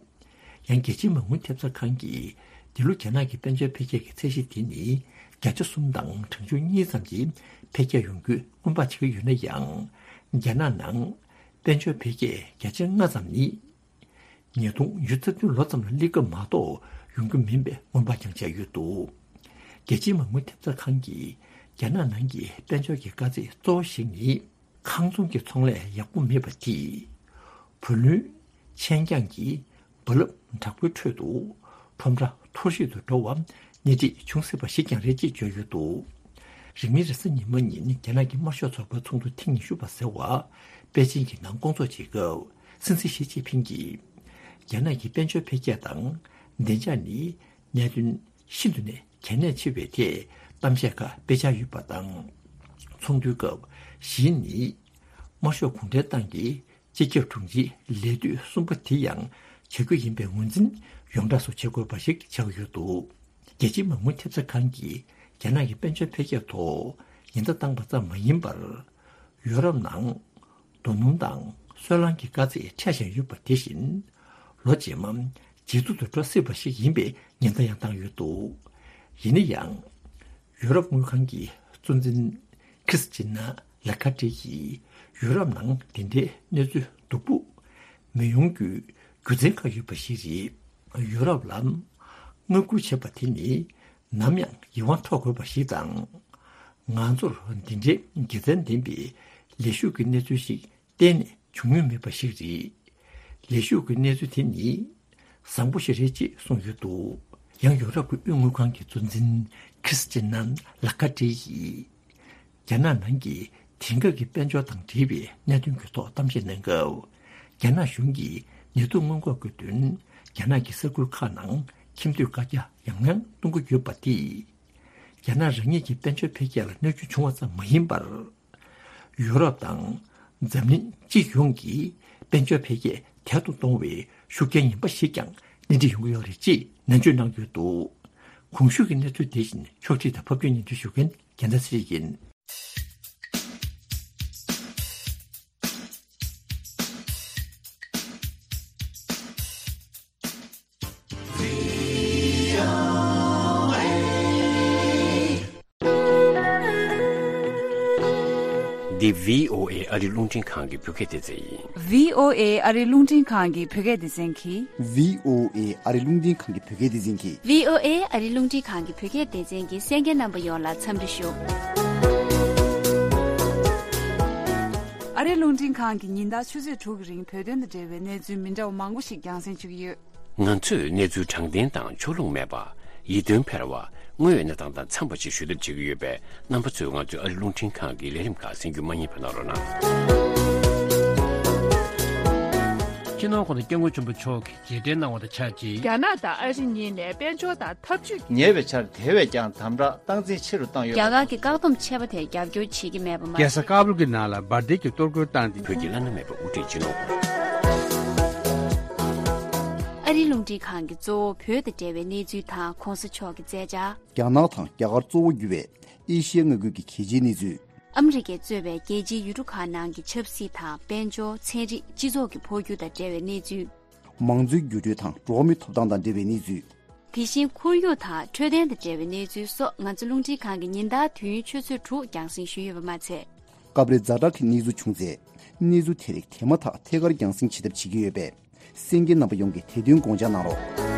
ཡང་རྒྱལ་སྤྱིའི་མ་དངུལ་ཐེབས་རྩ་ཁང་གིས། འདི་ལོ་རྒྱ་ནག་གི་དཔལ་འབྱོར་འཕེལ་རྒྱས་ཀྱི་ཚད་གཞི་དེ་ནི་བརྒྱ་ཆ་གསུམ་དང་གྲངས་ཆུང་གཉིས་ཙམ་གྱི་འཕེལ་རྒྱས་ཡོང་རྒྱུའི་སྔོན་དཔག་བྱེད་ཀྱི་ཡོད་ན་ཡང་། རྒྱ་ནག་ནང་དཔལ་འབྱོར་འཕེལ་རྒྱས་བརྒྱ་ཆ་ལྔ་ཙམ་ནི། ཉིས་སྟོང་ཉི་ཤུ་རྩ་བདུན་ལོ་ཙམ་ལ་སླེབས་སྐབས་མ་གཏོགས་ཡོང་རྒྱུ་མིན་པའི་སྔོན་དཔག་ཀྱང་བྱས་ཡོད་འདུག་རྒྱལ་སྤྱིའི་མ་དངུལ་ཐེབས་རྩ་ཁང་གིས་རྒྱ་ནག་ནང་གི་དཔལ་འབྱོར་གྱི་དཀའ་ཚེགས་གཙོ་བོ་ཞིག་ནི། ཁང་ཚོང་གི་ཚོང་ལས་ཡག་པོ་མེད་པ་དེས། བུ་ལོན་ཆད་འགྱངས་ཀྱིས་རྦ་རླབས་དྲག་པོའི་ཁྲོད་དུ་ཁྲོམ་ར་འཐོར་བཤིག་ཏུ་འགྲོ་བ་སྣེ་ཁྲིད་བྱུང་སྲིད་པ་ཞིག་ཀྱང་རེད་ཅེས་བརྗོད་ཡོད་འདུག་རིང་མིན་རེས་གཟའ་ཉི་མ་ཉིན་རྒྱ་ནག་གི་དམར་ཤོག་ཚོགས་པའི་ཚོགས་འདུ་ཐེངས་ཉི་ཤུ་པ་ཟེར་བ་པེ་ཅིང་གི་ནང་སྐོང་ཚོགས་བྱེད་སྐབས། སྲིད་འཛིན་ཞི་ཅིན་ཕིང་གིས། རྒྱ་ནག་གི་དཔལ་འབྱོར་འཕེལ་རྒྱས་དང་བདེ་འཇགས་ནི་གནད་དོན་ཤིན་ཏུ་ནས་གལ་གནད་ཆེ་བའི་ཐད་གཏམ་བཤད་ཁག་སྤེལ་འཆར་ཡོད་པ་དང་། ཚོགས་འདུའི་སྐབས་ཞི་ནི་དམར་ཤོག་གུང་ཁྲན་ཏང་གི་སྤྱི་ཁྱབ་དྲུང་ཆེའི་ལས་དུས་གསུམ་པ་དེ་ཡང་བྱ་རྒྱུ་ཡིན་པའི་ངོས་འཛིན་ཡོངས་གྲགས་སུ་བྱེད་དགོས་པ་ཞིག་ཆགས་ཡོད་འདུག་རྒྱལ་སྤྱིའི་མ་དངུལ་ཐེབས་རྩ་ཁང་གིས་རྒྱ་ནག་གི་དཔལ་འབྱོར་འཕེལ་རྒྱས་ཐོག་ཉེན་བརྡ་བཏང་པ་ཙམ་མ་ཡིན་པར། ཡུ་རོབ་ནང་རྡོ་སྣུམ་དང་སོལ་རླངས་ཀྱི་དཀའ་ཚེགས་འཕྲད་བཞིན་ཡོད་པ་དེ་བཞིན། ལོ་རྗེས་མ་ཇེ་སྡུག་ཏུ་འགྲོ་སྲིད་པ་ཞིག་ཡིན་པའི་ཉེན་བརྡ་ཡང་བཏང་ཡོད་འདུག་ཡིན་ན་ཡང་། ཡུ་རོབ་དངུལ་ཁང་གི་གཙོ་འཛིན་ཁྲིས་ཅི་ན་ལ་ཁ་ཏྲི་ཡིས་ཡུ་རོབ་ནང་དེ་འདྲའི་གནས་ཚུལ་སྡུག་པོ་མི་ཡོང་རྒྱུའི་རྒྱུ་མཚན་ཁག་ཡོད་པ་ཞིག་རེད། ཡུ་རོབ་ལ་བསྔགས་སྐུལ་བྱེད་པ་དེ་ནི་ནམ་ཡང་ཡིད་དབང་འཕྲོག་དགོས་པ་ཞིག་དང་། ང་ཚོར་འདི་འདྲའི་དགེ་མཚན་ལྡན་པའི་ལས་ཞུགས་ཀྱི་གནས་ཚུལ་ཞིག་གཏན་ནས་བྱུང་མྱོང་མེད་པ་ཞིག་རེད། ལས་ཞུགས་ཀྱི་གནས་ཚུལ་དེ་ནི་བཟང་པོ་ཞིག་རེད་ཅེས་གསུངས་ཡོད་འདུག་ཡང་ཡུ་རོབ་ཀྱི་དབུས་དངུལ་ཁང་གི་གཙོ་འཛིན་ཁྲིས་ཅི་ན་ལ་ཁ་ཏྲི་ཡིས། རྒྱ་ནག་ནང་གི་དེང་སྐབས་ཀྱི་དཔལ་འབྱོར་དང་འབྲེལ་བའི་གནད་དོན་གྱི་ཐོག་གཏམ་བཤད་གནང་སྐབས། རྒྱ་ནག་གཞུང་གིས་ནད་དུག་སྔོན་འགོག་གི་དོན་རྒྱ་ནག་གི་ས་ཁུལ་ཁག་ནང་ཁྱིམ་སྡོད་བཀའ་རྒྱ་ཡང་ཡང་གཏོང་གི་ཡོད་པ་དེས། རྒྱ་ནག་རང་ཉིད་ཀྱི་དཔལ་འབྱོར་འཕེལ་རྒྱས་ལ་གནོད་སྐྱོན་བྱུང་བ་ཙམ་མ་ཡིན་པར། ཡུ་རོབ་དང་འཛམ་གླིང་སྤྱི་ཡོངས་ཀྱི་དཔལ་འབྱོར་འཕེལ་རྒྱས་དལ་དུ་གཏོང་བའི་ཤུགས་རྐྱེན་ངན་པ་ཞིག་ཀྱང་སྣེ་ཁྲིད་ཡོང་གི་ཡོད་རེད་ཅེས་ནན་བརྗོད་གནང་ཡོད་འདུག་གོང་ཞུས་ཀྱི་གནས་ཚུལ་དེ་བཞིན་ཕྱོགས་སྒྲིག་དང་ཕབ་སྒྱུར་སྙན་སྒྲོན་ཞུ་མཁན་རྒྱལ་མཚན་ཚེ་རིང་ཡིན། འདི་བྷི་ཨོ་ཨེ་ཨ་རི་རླུང་འཕྲིན་ཁང་གི་བོད་སྐད་སྡེ་ཚན་ཡིན། བྷི་ཨོ་ཨེ་ཨ་རི་རླུང་འཕྲིན་ཁང་གི་བོད་སྐད་སྡེ་ཚན་གྱིས། བྷི་ཨོ་ཨེ་ཨ་རི་རླུང་འཕྲིན་ཁང་གི་བོད་སྐད་སྡེ་ཚན་གྱིས། བྷི་ཨོ་ཨེ་ཨ་རི་རླུང་འཕྲིན་ཁང་གི་བོད་སྐད་སྡེ་ཚན་གྱི་གསན་མཁན་རྣམ་པ་ཡོངས་ལ་འཚམས་འདྲི་ཞུ། ཨ་རིའི་རླུང་འཕྲིན་ཁང་གིས་ཉིན་ལྟར་ཆུ་ཚོད་དྲུག་གི་རིང་བོད་དོན་དང་འབྲེལ་བའི་གནས་ཚུལ་མི་འདྲ་བ་མང་པོ་ཞིག་རྒྱང་སྲིང་ཞུ་གི་ཡོད། ང་ཚོས་གནས་ཚུལ་དྲང་བདེན་དང་ཕྱོགས་ལྷུང་མེད་པ། ཡིད་རྟོན་འཕེར་བ། དངོས་ཡོད་གནས་སྟངས་དང་འཚམས་པ་ཞིག་ཞུ་ཐབས་བྱེད་ཀྱི་ཡོད་པས། རྣམ་པ་ཚོས་ང་ཚོའི་ཨ་རིའི་རླུང་འཕྲིན་ཁང་གི་ལས་རིམ་ཁག་གསན་རྒྱུ་མ་བསྙེལ་བ་གནང་རོགས་གནང་། སྤྱི་ནོར་༸གོང་ས་༸སྐྱབས་མགོན་ཆེན་པོ་མཆོག་གིས་རྗེས་དྲན་གནང་བ་དང་ཆབས་ཅིག་རྒྱ་ནག་དང་ཨ་རི་གཉིས་ནས་དཔལ་འབྱོར་དང་འཐབ་ཇུས་ཉེ་བའི་ཆར་དེ་བས་ཀྱང་དམ་དྲག་སྟངས་འཛིན་ཆེ་རུ་བཏང་ཡོད། རྒྱ་གར་གྱི་བཀག་སྡོམ་ཆད་པ་དེར་རྒྱབ་སྐྱོར་བྱེད་ཀྱི་མེད་པ་མ་རྒྱལ་ས་ཀ་བུལ་གྱི་ནང་ལ་འབར་མདེལ་གྱི་གཏོར་རྒོལ་བཏང་སྟེ། བོད་ཀྱི་བླ་ན་མེད་པའི་དབུ་ཁྲིད་སྤྱི་ནོར། ཨ་རིའི་རླུང་འཕྲིན་ཁང་གིས་གཙོ་བོ་བོད་དང་འབྲེལ་བའི་གནས་ཚུལ་དང་གོང་ས་མཆོག་གི་མཛད་འཆར། རྒྱ་ནག་དང་རྒྱ་གར་གཙོ་བོ་གྱུར་བའི་ཨེ་ཤི་ཡའི་མངའ་ཁུལ་གྱི་གལ་ཆེའི་གནས་ཚུལ། ཨ་མི་རི་ཀས་གཙོས་པའི་རྒྱལ་སྤྱིའི་ཡུལ་གྲུ་ཁག་ནང་གི་ཆབ་སྲིད་དང་དཔལ་འབྱོར། ཚན་རིག་སྤྱི་ཚོགས་ཀྱི་འཕོ་འགྱུར་དང་འབྲེལ་བའི་གནས་ཚུལ། མང་གཙོའི་འགྱུར་འགྲོས་དང་འགྲོ་བ་མིའི་ཐོབ་ཐང་དང་འབྲེལ་བའི་གནས་ཚུལ། དེ་བཞིན་ཁོར་ཡུག་དང་འཕྲོད་བསྟེན་དང་འབྲེལ་བའི་གནས་ཚུལ་སོགས་ང་ཚོ་རླུང་འཕྲིན་ཁང་གིས་ཉིན་ལྟར་དུས་ཡུན་ཆུ་ཚོད་དྲུག་རྒྱང་སྲིང་ཞུས་ཡོད་པ་མ་ཚད། སྐབས་རེ་ཛ་དྲག་གི་གནས་ཚུལ་བྱུང་ཚེ། གནས་ཚུལ་དེ་རིགས་དེ་མ་ཐག་ཐད་ཀར་རྒྱང་སྲིང་བྱེད་ཐབས་བྱེད་ཀྱི་ཡོད་པས། གསན་མཁན་རྣམ་པ་ཡོངས་ཀྱིས་དེ་དོན་དགོངས་འཇགས་གནང་རོགས།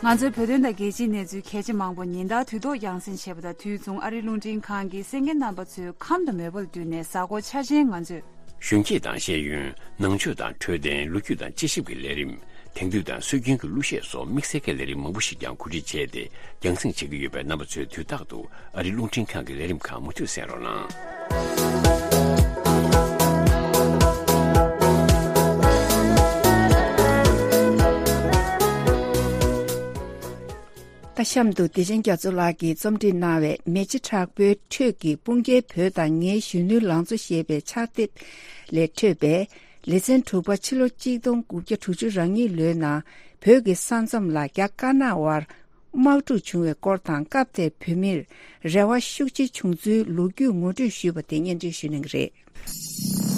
ང་ཚོའི་བོད་དོན་དང་རྒྱལ་སྤྱིའི་གནས་ཚུལ་གལ་ཆེ་མང་པོ་ཉིན་ལྟར་དུས་ཐོག་རྒྱང་སྲིང་བྱེད་པ་དང་དུས་མཚུངས་ཨ་རིའི་རླུང་འཕྲིན་ཁང་གིས་གསན་མཁན་རྣམ་པ་ཚོའི་ཁམས་དང་མོས་པ་ལ་བསྟུན་ནས་གཟའ་འཁོར་འཆར་ཅན་ང་ཚོས། གཞོན་སྐྱེས་དང་ཤེས་ཡོན། ནང་ཆོས་དང་འཕྲོད་བསྟེན། ལོ་རྒྱུས་དང་དཔྱད་ཞིབ་ཀྱི་ལས་རིམ། དེང་དུས་དང་སྲོལ་རྒྱུན་གྱི་གླུ་གཞས་སོགས་དམིགས་བསལ་གྱི་ལས་རིམ་མང་པོ་ཞིག་ཀྱང་གོ་སྒྲིག་བྱས་ཏེ་རྒྱང་སྲིང་བྱེད་ཀྱི་ཡོད་པས། རྣམ་པ་ཚོས་དུས་རྟག་ཏུ་ཨ་རིའི་རླུང་འཕྲིན་ཁང་གི་ལས་རིམ་ཁག་མུ་མཐུད་གསན་རོགས་གནང་། ད་གཤམ་དུ་བདེ་ཆེན་རྒྱ་མཚོ་ལགས་ཀྱིས་རྩོམ་སྒྲིག་གནང་བའི་མེ་ལྕེ་དྲག་པོའི་ཁྲོད་ཀྱི་སྤུན་ཀྱལ་བོད་དང་ངའི་གཞོན་ནུའི་ལང་ཚོ་ཞེས་པའི་ཕྱག་དེབ་ལས་འཕྲོས་པའི་ལེ་ཚན་དྲུག་པ་ཕྱི་ལོ་གཅིག་སྟོང་དགུ་བརྒྱ་དྲུག་ཅུ་རེ་གཉིས་ལོའི་ནང་བོད་ཀྱི་ས་མཚམས་ལ་རྒྱ་དཀར་ནག་དབར་དམག་འཁྲུག་བྱུང་བའི་སྐོར་དང་། སྐབས་དེར་བོད་མིར་རེ་བ་ཤུགས་ཆེ་བྱུང་ཚུལ་ལོ་རྒྱུས་ངོ་སྤྲོད་ཞུས་པ་དེ་སྙན་སྒྲོན་ཞུ་གནང་གི་རེད།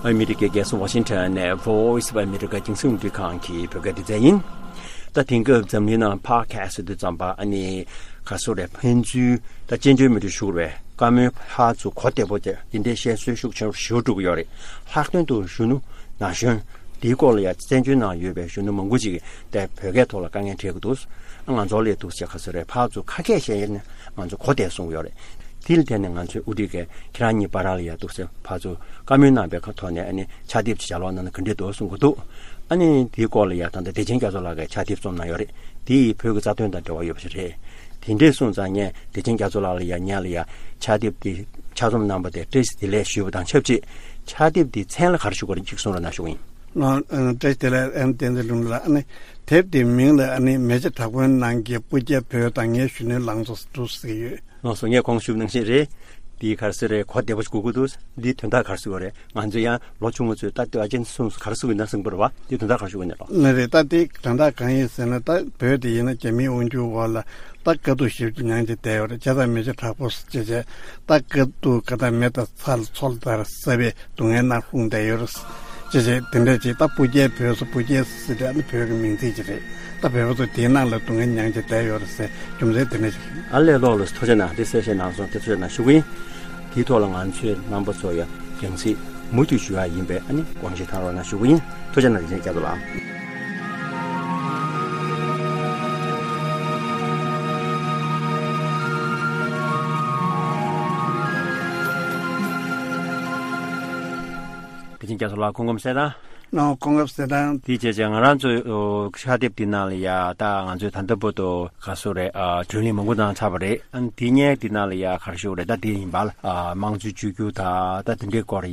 ཨ་མི་རི་ཀའི་རྒྱལ་ས་ཝ་ཤིང་ཊོན་ནས་Voice of America་རྒྱང་སྲིང་རླུང་འཕྲིན་ཁང་གི་བོད་སྐད་སྡེ་ཚན་ཡིན། ད་དེང་སྐབས་འཛམ་གླིང་ནང་podcast་དུ་བརྩམས་པ་ཨ་ནི་ག་སོ་རེད། ཕན་ཚུན་ད་བཅར་འདྲི་མི་འདྲི་ཞུ་དགོས་པའི་བཀའ་མོལ་ཕར་ཚུར་གོ་བདེ་པོ་དེ་འདི་འདྲའི་བཤད་སྲོལ་ཤུགས་ཆེན་པོ་ཞིག་འགྲོ་གི་ཡོད་རེད། ལྷག་དོན་དུ་གཞོན་ནུ་ན་གཞོན་འདིའི་སྐོར་ལ་ཡང་བཙན་བྱོལ་ནང་ཡོད་པའི་གཞོན་ནུ་མང་པོ་ཅིག་གིས་དེ་བོད་སྐད་ཐོག་ལ་དཀའ་ངལ་འཕྲད་ཀྱི་འདུག་ཨ་ང་ཚོ་ལས་འདུག་ཟེར་ག་སོ་རེད། ཕར་ཚུར་ཁ་སྐད་བཤད་ཡས་ནས་ང་ཚོ་གོ་བདེ་གསུང་གི་ཡོད་རེད། དེ་ལ་བརྟེན་ནས་ང་ཚོའི་དབུ་ཁྲིད་ཀྱིས་ཁྱེད་རང་གཉིས་བར་ལ་ཡ་འདུག་ཟེར་ཕར་ཚུར་བཀའ་མོལ་གནང་པའི་ཁ་ཐོག་ནས་ཨ་ནི་ཕྱག་དེབ་ཅིག་ལྗགས་ཀློག་གནང་ན་ག་འདྲས་འདུག་གསུང་གི་འདུག་ཨ་ནི་དེའི་སྐོར་ལ་ཡ་ད་ལྟ་བདེ་ཆེན་རྒྱ་མཚོ་ལགས་ཀྱིས་ཕྱག་དེབ་རྩོམ་གནང་ཡོད་རེད། དེ་ཡིས་བོད་ཀྱི་རྩ་དོན་དང་འབྲེལ་བ་ཡོད་པ་ཞིག་རེད། དེ་འདྲས་གསུངས་ཙང་ངས་བདེ་ཆེན་རྒྱ་མཚོ་ལགས་ལ་ཡ་ངས་ལ་ཡ་ཕྱག་དེབ་དེ་ཕྱག་རྩོམ་གནང་པ་དེ་བཀྲ་ཤིས་བདེ་ལེགས་ཞུས་པ་དང་ཆབས་ཅིག་ཕྱག་དེབ་དེའི་མཚན་ལ་ག་རེ་ཞུ་དགོས་རེད་ཅིག་གསུང་རོགས་གནང་ཞུ་གི་ཡིན། ང་བཀྲ་ཤིས་བདེ་ལེགས་ཨེམ་བསྟན་འཛིན་ལུང་ལ་ཨ་ནི་དེབ་དེའི་མིང་ལ་ཨ་ནི་མེ་ལྕེ་དྲག་པོའི་ནང་གི་སྤུ་རྒྱལ་བོད་དང་ངའི་གཞོན་ནུའི་ལང་ཚོ་འདུག་ཟེར་གྱི་ཡོད། ལགས་སོ། ངས་གོང་ཞུས་ནང་བཞིན་རེད། འདི་ག་རེ་ཟེར་རེད། གོ་བདེ་པོ་ཞིག་གོ་གི་འདུག་འདིའི་དོན་དག་ག་རེ་ཟེར་དགོས་རེད། ང་ཚོ་ཡང་ལོ་ཆུང་ངུ་ཚོས་ད་ལྟོས་ཨ་ཅན་གསུངས་ག་རེ་ཟེར་དགོས་ན་གསུངས་པ་རེད་བ། འདིའི་དོན་དག་ག་རེ་ཞུ་དགོས་ནས་ལོ། ལགས་རེད། ད་འདི་དོན་དག་གང་ཡིན་ཟེར་ན་ད་བོད་འདི་ཡིན་ན་རྒྱ་མིའི་དབང་སྒྱུར་འོག་ལ་ད་དཀའ་སྡུག་ཞེ་པོ་ཅིག་མྱངས་བྱས་བསྡད་ཡོད་རེད། བྱས་ཙང་མེ་ལྕེ་དྲག་པོ་ཟེར་བྱས་བྱས་ད་དཀའ་སྡུག་ག་ད་མེ་དང་ཚ་ལ་མཚོ་ལ་ད་ར་ས་བའི་སྡུག་བསྔལ་ནང་ལྷུང་བསྡད་ཡོད་རེད། ཅེས་བྱས་དེ་འདྲ་ཅིག་ད་སྤུ་རྒྱལ་བོད་ཟེར་སྤུ་རྒྱལ་ཟེར་དེ་ཨ་ནི་བོད་ཀྱི་མིང་ཚིག་ཅིག་རེད། ད་བོད་པ་ཚོ་དེའི་ནང་ལ་སྡུག་བསྔལ་མྱངས་བྱས་བསྡད་ཡོད་རེད་ཟེར་རྒྱུ་མཚན་དེ་འདྲ་ཅིག་རེད། ཨ་ལས་ལོག་ལ་ཐུགས་རྗེ་གནང་། དེ་གསལ་བཤད་གནང་སོང་། དེ་ཐུགས་རྗེ་གནང་ཞུ་གི་ཡིན། དེའི་ཐོག་ལ་ང་ཚོས་རྣམ་པ་ཚོ་ཡང་རྒྱང་སྲིང་མུ་མཐུད་ཞུ་ཡག་ཡིན་པས་ཨ་ནི་དགོངས་བཞེས་གནང་རོགས་གནང་ཞུ་གི་ཡིན། ཐུགས་རྗེ་གནང་། བདེ་ཆེན་རྒྱ་མཚོ་ལགས། བདེ་ཆེན་རྒྱ་མཚོ་ལགས་སྐུ་ཁམས་བཟང་། ཨོ། སྐུ་ཁམས་བཟང་། དེ་བྱས་བྱས་ང་རང་ཚོའི་ཨོ་ཕྱག་དེབ་འདི་ནང་ལ་ཡ་ད་ང་ཚོས་ད་ལྟ་བར་དུ་ག་ཚོད་རེད། ཨ་བརྒྱུད་ལམ་མང་པོ་གནང་ཚར་བ་རེད། ཨ་ནི་དེ་སྔོན་འདི་ནང་ལ་ཡ་ག་རེ་ཞུ་དགོས་རེད། ད་དེ་ཡིན་པ་ལ་ཨ་དམངས་གཙོའི་བཅོས་བསྒྱུར་དང་ད་དེ་འདྲའི་སྐོར་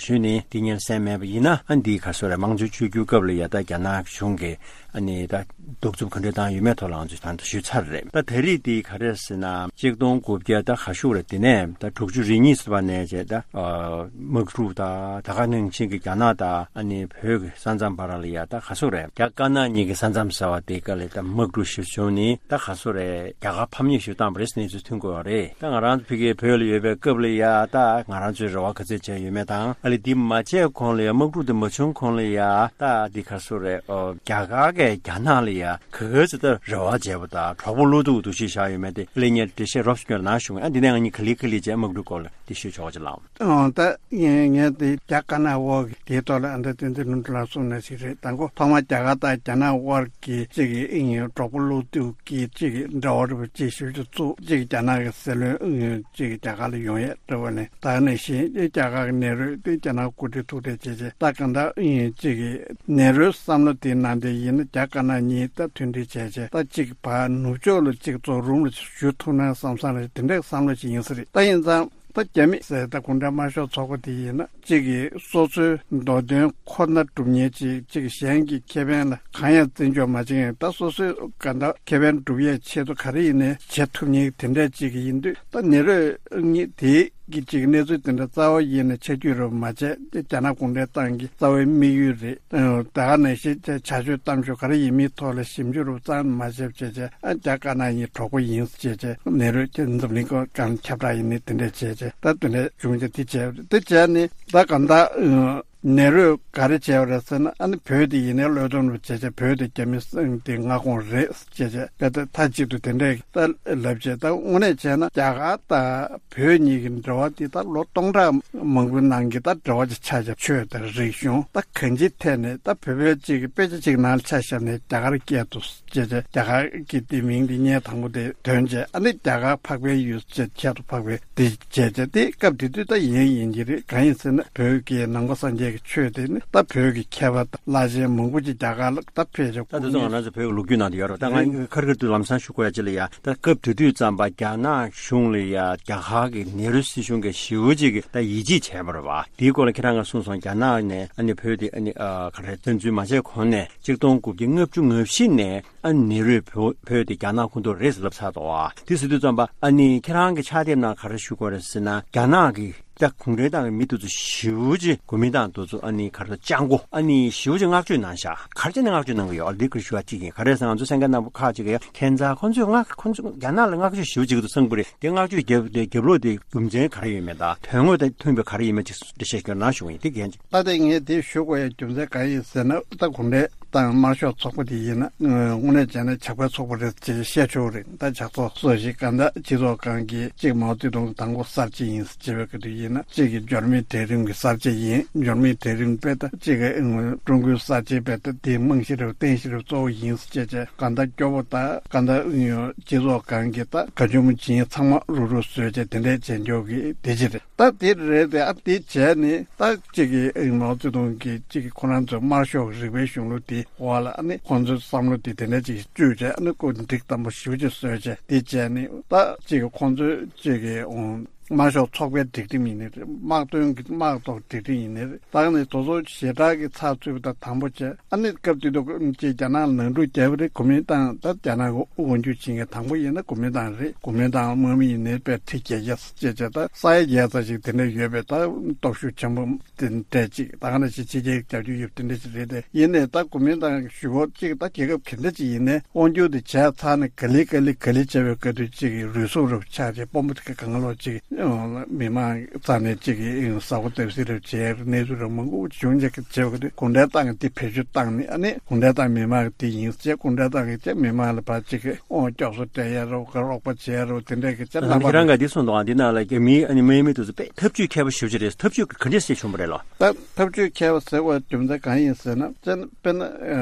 ཞུས་ནས་དེ་སྔོན་གསན་མེད་པ་ཡིན་ན། ཨ་ནི་འདི་ག་ཚོད་རེད། དམངས་གཙོའི་བཅོས་བསྒྱུར་སྐབས་ལ་ཡ་ད་རྒྱ་ནག་གཞུང་གིས་ཨ་ནི་ད་གདུག་རྩུབ་ག་འདྲ་བཏང་ཡོད་མེད་ཐོག་ལ་ང་ཚོས་ད་ལྟ་ཞུས་ཚར་རེད། ད་ད་རེས་འདི་ག་རེ་ཟེར་ན་གཅིག་སྟོང་དགུ་བརྒྱ་ད་ག་ཞུ་རེད། དེ་ནས་ད་དྲུག་ཅུ་རེ་གཉིས་ཟེར་བ་ནས་བྱས་ད་ཨ་དམག་འཁྲུག་ད་ད་ག་ནང་བཞིན་གྱི་རྒྱ་ནག་ད་ཨ་ནི་བོད་ཀྱི་ས་མཚམས་བར་ལ་ཡ་ད་ག་ཚོད་རེད། རྒྱ་དཀར་ནག་གཉིས་ཀྱི་ས་མཚམས་ཟེར་བ་དེ་ག་ལ་ད་དམག་འཁྲུག་ཞིག་བྱུང་ནས་ད་ག་ཚོད་རེད། རྒྱ་གར་ཕམ་ཉེས་ཞིག་བཏང་བ་རེད་ཟེར་གནས་ཚུལ་ཐོན་གྱི་ཡོད་རེད། ད་ང་རང་ཚོ་ཕ་གིའི་བོད་ལ་ཡོད་པའི་སྐབས་ལ་ཡ་ད་ང་རང་ཚོའི་རེ་བ་ག་ཚོད་བྱས་ཡོད་མེད་དང་ཨ་ལས་འདི་མ་བྱས་གོང་ལ་ཡ་དམག་འཁྲུག་དེ་མ་བྱུང་གོང་ལ་ཡ་ད་འདི་ག་ཚོད་རེད། ཨོ་རྒྱ་གར་གྱིས་རྒྱ་ནག་ལ་ཡ་ག་ག་ཚོད་ད་རེ་བ་བྱས་པ་དང་གྲོགས་པོ་བློ་གཏུག་འདུ་ཤེས་བཞག་ཡོད་མེད་དེ་ལས་ངས་འགྲེལ་བཤད་རོབ་ཙམ་སྐྱོན་གནང་ཞུ་གི། ཨ་འདི་ནས་ང་གཉིས་ག་ལེ་ག་ལེ་བྱས་དམག་འཁྲུག་སྐོར་ལ་འདི་ཞུས་ཆོག་ཅིག་ལགས། ཨོ་ད་ངས་ངས་འདི་རྒྱ་དཀར་ནག་འོག་གི་དེའི་ཐོག་ལ་ཨ་འདྲ་ཏན་ཏན་ ལུང་འདྲེན་ལ་སོང་ནས་ཞིག་རེད། དང་པོ་ཐོག་མར་རྒྱ་གར་དང་རྒྱ་ནག་དབར་གྱི་གཅིག་གི་ཨིན་ཡིན་གྲོགས་པོ་བློ་གཏུག་གི་གཅིག་གི་འབྲེལ་བ་རེད་པ། གཅིག་ཞུ་རྒྱུ་བཙུགས། གཅིག་རྒྱ་ནག་གི་སྲིད་བློན་ཨིན་ཡིན་གཅིག་རྒྱ་གར་ལ་ཡོང་ཡས་རེད་པ། ལན་ད་ནས་བཞིན་རྒྱ་གར་གྱི་ནེ་རོས་དེ་རྒྱ་ནག་འགོ་ཁྲིད་ཐུག་འཕྲད་བྱས་རྗེས་ད་གང་ལྟར་ཨིན་ཡིན་གཅིག་གི་ནེ་རོའི་བསམ་བློ་དེའི་ནང་དེ་ཡིན་ན་རྒྱ་དཀར་ནག་གཉིས་ད་མཐུན་སྒྲིལ་བྱས་རྗེས་ད་གཅིག་བར་ནུབ་ཕྱོགས་ལ་གཅིག་ཚོ་རུམ་ལ་ཞུ་ཐུབ་ན་བསམ་བསམ་རེད། དེ་འདྲའི་བསམ་བློ་ཞིག་ཡིན་ས་རེད། ད་ཡིན་ཙང་། ད་རྒྱ་མི་ཟེར་ད་གུང་ཁྲན་དམར་ཤོག་ཚོགས་པ་དེ་ཡིན་ན་གཅིག་གིས་སོ་སོའི་འདོད་དོན་ཁོ་ན་སྒྲུབ་མཁན་གཅིག་གཅིག་གཞན་གྱི་ཁེ་ཕན་ལ་གང་ཡང་བརྩི་འཇོག་མ་བྱེད་མཁན། ད་སོ་སོའི་ག་འདྲ་ཁེ་ཕན་སྒྲུབ་ཡས་ཆེད་དུ་ག་རེ་ཡིན་ནའི་བྱེད་ཐུབ་མཁན་དེ་འདྲ་གཅིག་གི་ཡིན་དུས། ད་ནེ་རོས་གཉིས་དེའི་གི་གཅིག་གནས་ཚུལ་དེ་འདྲ་རྩ་བ་ཡིན་ནས་ཆ་རྒྱུས་རུ་མ་བྱས་ཏེ་རྒྱ་ནག་གུང་ཁྲན་ཏང་གི་རྩ་བའི་དམིགས་ཡུལ་རེད། ད་ག་ནང་བཞིན་བྱ་སྤྱོད་གཏམ་ཤོག་ག་རེ་ཡིན་མིན་ཐོག་ལ་ཞིབ་འཇུག་རུ་ཙམ་མ་བྱས་བྱས་བྱས། ཨ་རྒྱ་དཀར་ནག་གཉིས་གྲོགས་པོ་ཡིན་ཟེར་བྱས་བྱས། ནེ་རོས་ཀྱི་འཛམ་གླིང་སྒང་ཁྱབ་བསྒྲགས་ཡིན་ནི་དེ་འདྲས་བྱས་བྱས། ད་དེ་འདྲས་བྱུང་བྱས་དེ་བྱས་དེ་བྱས་ནི་ད་གང་ལྟར་ཨ་ནེ་རོས་ག་རེ་བྱས་པ་རེད་ཟེར་ན། ཨ་ནི་བོད་དེ་ཡིན་ནའི་བློས་གཏོང་རུ་བྱས་བྱས་བོད་དེ་རྒྱ་མི་སྲིད་དེ་མངའ་ཁོངས་རེད་ཟེར་བྱས་བྱས། དཔེ་ད་མཐའ་གཅིག་ཏུ་དེ་འདྲས་ད་ལབ་བྱས། ད་དངོས་གནས་བྱས་ན་རྒྱ་གར་དང་བོད་གཉིས་ཀྱི་འབྲེལ་བ་དེ་ད་ལོ་སྟོང་ཕྲག་མང་པོའི་ནང་གི་ད་འབྲེལ་བ་ཅིག་ཆགས་བྱས། ཆོས་དང་རིག་གཞུང་ད་གང་ཅིའི་ཐད་ནས་ད་བོད་པའི་གཅིག་གི་དཔེ་ཆ་གཅིག་ནང་ལ་ཆ་བཞག་ནས་རྒྱ་གར་སྐད་དུ། བྱས་བྱས་རྒྱ་གར་གྱི་དེ་མིང་དེ་སྙན་དང་པོ་དེ་ཐོན་བྱས། ཨ་ནི་རྒྱ་གར་འཕགས་པའི་ཡུལ་ཅེས་ཁྱད་དུ་འཕགས་པའི་དེ་བྱས་བྱས། དེ་སྐབས་དེ་དུས་ད་ཡིན་ཡིན་གྱི་རེད། གང་ཡིན་ཟེར་ན་བོད་ཀྱི་ནང་པ་སངས་རྒྱས་ཀྱི་ཆོས་དེ་ནི་ད་བོད་ཀྱི་མཁས་པ་དང་བླ་ཆེན་མང་པོ་ཅིག་རྒྱ་གར་ལ་ད་ཕེབས་བྱས། ད་དེ་ཚོ་ང་རང་ཚོ་བོད་ཀྱི་ལོ་རྒྱུས་ནང་དུ་ཡོད་རེད། ད་ང་ཁར་ཁར་དུ་ལམ་སང་ཞུ་དགོས་ཡ་ཅིག་ལ་ཡ། ད་སྐབས་དེ་དུས་ཙམ་པ་རྒྱ་ནག་གཞུང་ལ་ཡ་རྒྱ་གར་གྱི་ནེ་རུ་སྲིད་གཞུང་གིས་ཞེ་པོ་ཅིག་གི་ད་ཡིད་ཆེས་བྱས་པ་རེད་བ། དེའི་སྐོར་ལ་ཁྱེད་རང་ང་གསུངས་སོང་། རྒྱ་ནག་ནས་ཨ་ནི་བོད་དེ་ཨ་ནི་ཨ་ག་རེ་བཙན་འཛུལ་མ་བྱས་གོང་ནས་གཅིག་སྟོང་དགུ་བརྒྱ་ལྔ་བཅུ་ང་བཞི་ནས། ཨ་ནི་ནེ་རུས་བོད་བོད་དེ་རྒྱ་ནག་ཁོངས་གཏོགས་རེད་ཟེར་ལབ་ཚར་འདུག་ཨ། དེ་ཟེར་དུས་ཙམ་པ་ཨ་ནི་ཁྱེད་རང་གི་ཕྱག་དེབ་ནང་ག་རེ་ཞུ་དགོས་རེད་ཟེར་ན། རྒྱ་ནག་གི་ད་གུང་ཁྲན་ཏང་གི་མི་དེ་ཚོ་ཞེ་པོ་ཅིག་གོ་མིན་ཏང་དེ་ཚོ་ཨ་ནི་ག་རེ་སྤྱང་པོ་ཨ་ནི་ཞེ་པོ་ཅིག་བསྔགས་བརྗོད་གནང་ཤག་ག་རེ་བྱས་ནས་བསྔགས་བརྗོད་གནང་གི་ཡོད། འདི་ཁར་ཞུ་བ་གཅིག་ཡིན། ག་རེ་ཟེར་ན་ང་ཚོ་གསན་མཁན་རྣམ་པ་ཁག་ཅིག་གིས་ཁྱད་མཚར། ཁོང་ཚོས་བསྔགས་ཁོང་ཚོ་རྒྱ་ནག་ལ་བསྔགས་བརྗོད་ཞེ་པོ་ཅིག་གི་ཚང་པོ་རེད། དེ་བསྔགས་བརྗོད་རྒྱབ་དེ་རྒྱབ་ལོག་དེ་རྒྱུ་མཚན་ག་རེ་ཡོད་མེད་དང་དོན་དངོས་དང་མཐུན་པའི་ག་རེ་ཡིན་མིན་ཅིག་འགྲེལ་བཤད་ཞུ་གནང་ཞུ་བ་ཡིན། དེ་གན་ཅིག་ད་དེ་ངས་དེ་ཞུ་དགོས་ཡ་རྒྱུ་མཚན་གང་ཡིན་ཟེར་ན། ད་གུང་ཁྲན་ཏང་དམར་ཤོག་ཚོགས་པ་དེ་ཡིན་ན་དངོས་གནས་བྱས་ན་ཇག་པའི་ཚོགས་པ་རེད་ཅེས་བཤད་ཆོག་རེད། ད་ཇག་ཚོགས་སོ་ཞིག་ག་འདྲ་སྤྱི་ཚོགས་སྒང་གི་གཅིག་མའོ་ཙེ་ཏུང་དང་པོ་གསར་བརྗེ་ཡིན་ཟེར་བྱས་པའི་སྐབས་དུ་ཡིན་ན་གཅིག་གི་འབྱོར་མེད་གྲལ་རིམ་གྱི་གསར་བརྗེ་ཡིན། འབྱོར་མེད་གྲལ་རིམ་དཔེ་ད་གཅིག་གི་ཀྲུང་གོའི་གསར་བརྗེ་དཔེ་ད་དེའི་རྨང་གཞི་རེད། རྟེན་གཞི་རེད། གཙོ་བོ་ཡིན་ཟེར་བྱས་བྱས་ག་འདྲ་སྐྱོ་པོ་ད་ག་འདྲ་སྤྱི་ཚོགས་སྒང་གི་ད་ག་ཇོ་མོ་ཇིན་ཚང་མ་རུབ་རུབ་བཟོས་བྱས་དེ་འདྲས་བྱས་འཇོག་གི་དེ་ཅི་རེད། ད་དེ་རེད་དེ། ཨ་དེ་བྱས་ནས་ད་གཅིག་གི་ཨེ་མའོ་ཙེ་ཏུང་གིས་གཅིག་གི་ཁོ་རང་ཚོའི་དམར་ཤོག་རིག་པའི་གཞུང་ལུགས་དེ་འོག་ལ་ཨ་ནི་ཁོང་ཚོའི་བསམ་བློ་དེ་དེ་འདྲ་ཅིག་བཅོས་བྱས། ཨ་ནི་ཁོ་འགྲིག་དམ་པོ་ཞེ་པོ་ཅིག་བཟོས་བྱས་དེ་བྱས་ནས་ད་གཅིག་གི་ཁོང་ཚོའི་གཅིག་གི་ཨོ་དམར་ཤོག་ཚོགས་པའི་སྒྲིག་ཁྲིམས་ཡིན་ནའི་རེད། དམག་དོན་གྱི་དམག་ཐོག་སྒྲིག་ཁྲིམས་ཡིན་ནའི་རེད། ད་ནི་དེ་ཚོ་ཞེ་དྲག་གི་ཚགས་ཚུད་པ་དང་དམ་པོ་བྱས། ཨ་ནི་སྐབས་དེ་དུས་ཅིག་རྒྱ་ནག་ལ་ནང་འཁྲུག་བརྒྱབ་པ་རེད། གོ་མིན་ཏང་ད་རྒྱ་ནག་གི་དབང་སྒྱུར་བྱེད་མཁན་དང་པོ་ཡིན་ན་གོ་མིན་ཏང་རེད། གོ་མིན་ཏང་དམག་མི་ཡིན་ནའི་དཔེ་ཁྲི་བརྒྱད་བརྒྱ་ཟེར་བྱས་བྱས། ད་ས་ཡ་བརྒྱད་ཙམ་ཞིག་དེ་འདྲ་ཡོད་པའི་ད་སྟོབས་ཤུགས་ཆེན་པོ་དེ་འདྲ་ཅིག་ད་ག་ནང་བཞིན་ཕྱི་རྒྱལ་གྱི་རྒྱབ་སྐྱོར་ཡོད་པ་དེ་འདྲ་ཞིག་རེད་དེ། ཡིན་ནའི་ད་གོ་མིན་ཏང་གི་ཞུ་སྐོར་གཅིག་ད་རྒྱལ་ཁབ་ག་འདྲ་ཅིག་ཡིན་ནའི་དབང་སྒྱུར་དེ་བྱས་ཚར་ནས་ག་ལེ་ག་ལེ་ག་ལེ་བྱས་པའི་སྐབས་དུས་གཅིག་གི་རུལ་སུངས་རབ་ཆགས་བྱས། དཔོན་པོ་དེ་ག་གང་ལོག་ཅིག་མི་མང་རྩ་ནས་གཅིག་གི་ཟ་ཁུ་བརྡབ་གསིག་རབ་བྱས། གནས་ཚུལ་རབ་མང་པོ་བྱུང་བྱས་བྱས་པའི་སྐབས་དུས་གུང་ཁྲན་ཏང་གིས་དེ་བེད་སྤྱོད་བཏང་ནས་ཨ་ནི་གུང་ཁྲན་ཏང་མི་མང་གི་དེ་ཡིན་ཟེར། གུང་ཁྲན་ཏང་གིས་བྱས་མི་མང་ལ་ཕར་གཅིག་གི་དབང་སྐྱོབ་གསོ་སྤྲད་ཡ་རབ་ག་རོགས་པ་བྱས་རབ་དེ་འདྲ་གི་བྱས། ད་རྣམ་ཁྱེད་པ་རང་ག་འདི་གསུངས་འདུག་ཨ། འདི་ནང་ལ་རྒྱ་མིའི་ཨ་ནི་དམག་མི་དེ་ཚོ་དཔེ་ཐབས་ཇུས་མཁས་པོ་ཞེ་པོ་ཅིག་རེད། ཐབས་ཇུས་ག་འདྲས་སེ་བྱུང་བ་རེད་ལོ། ད་ཐབས་ཇུས་མཁས་པ་ཟེར་བའི་རྒྱུ་མཚན་གང་ཡིན་ཟེར་ན། དཔེར་ན་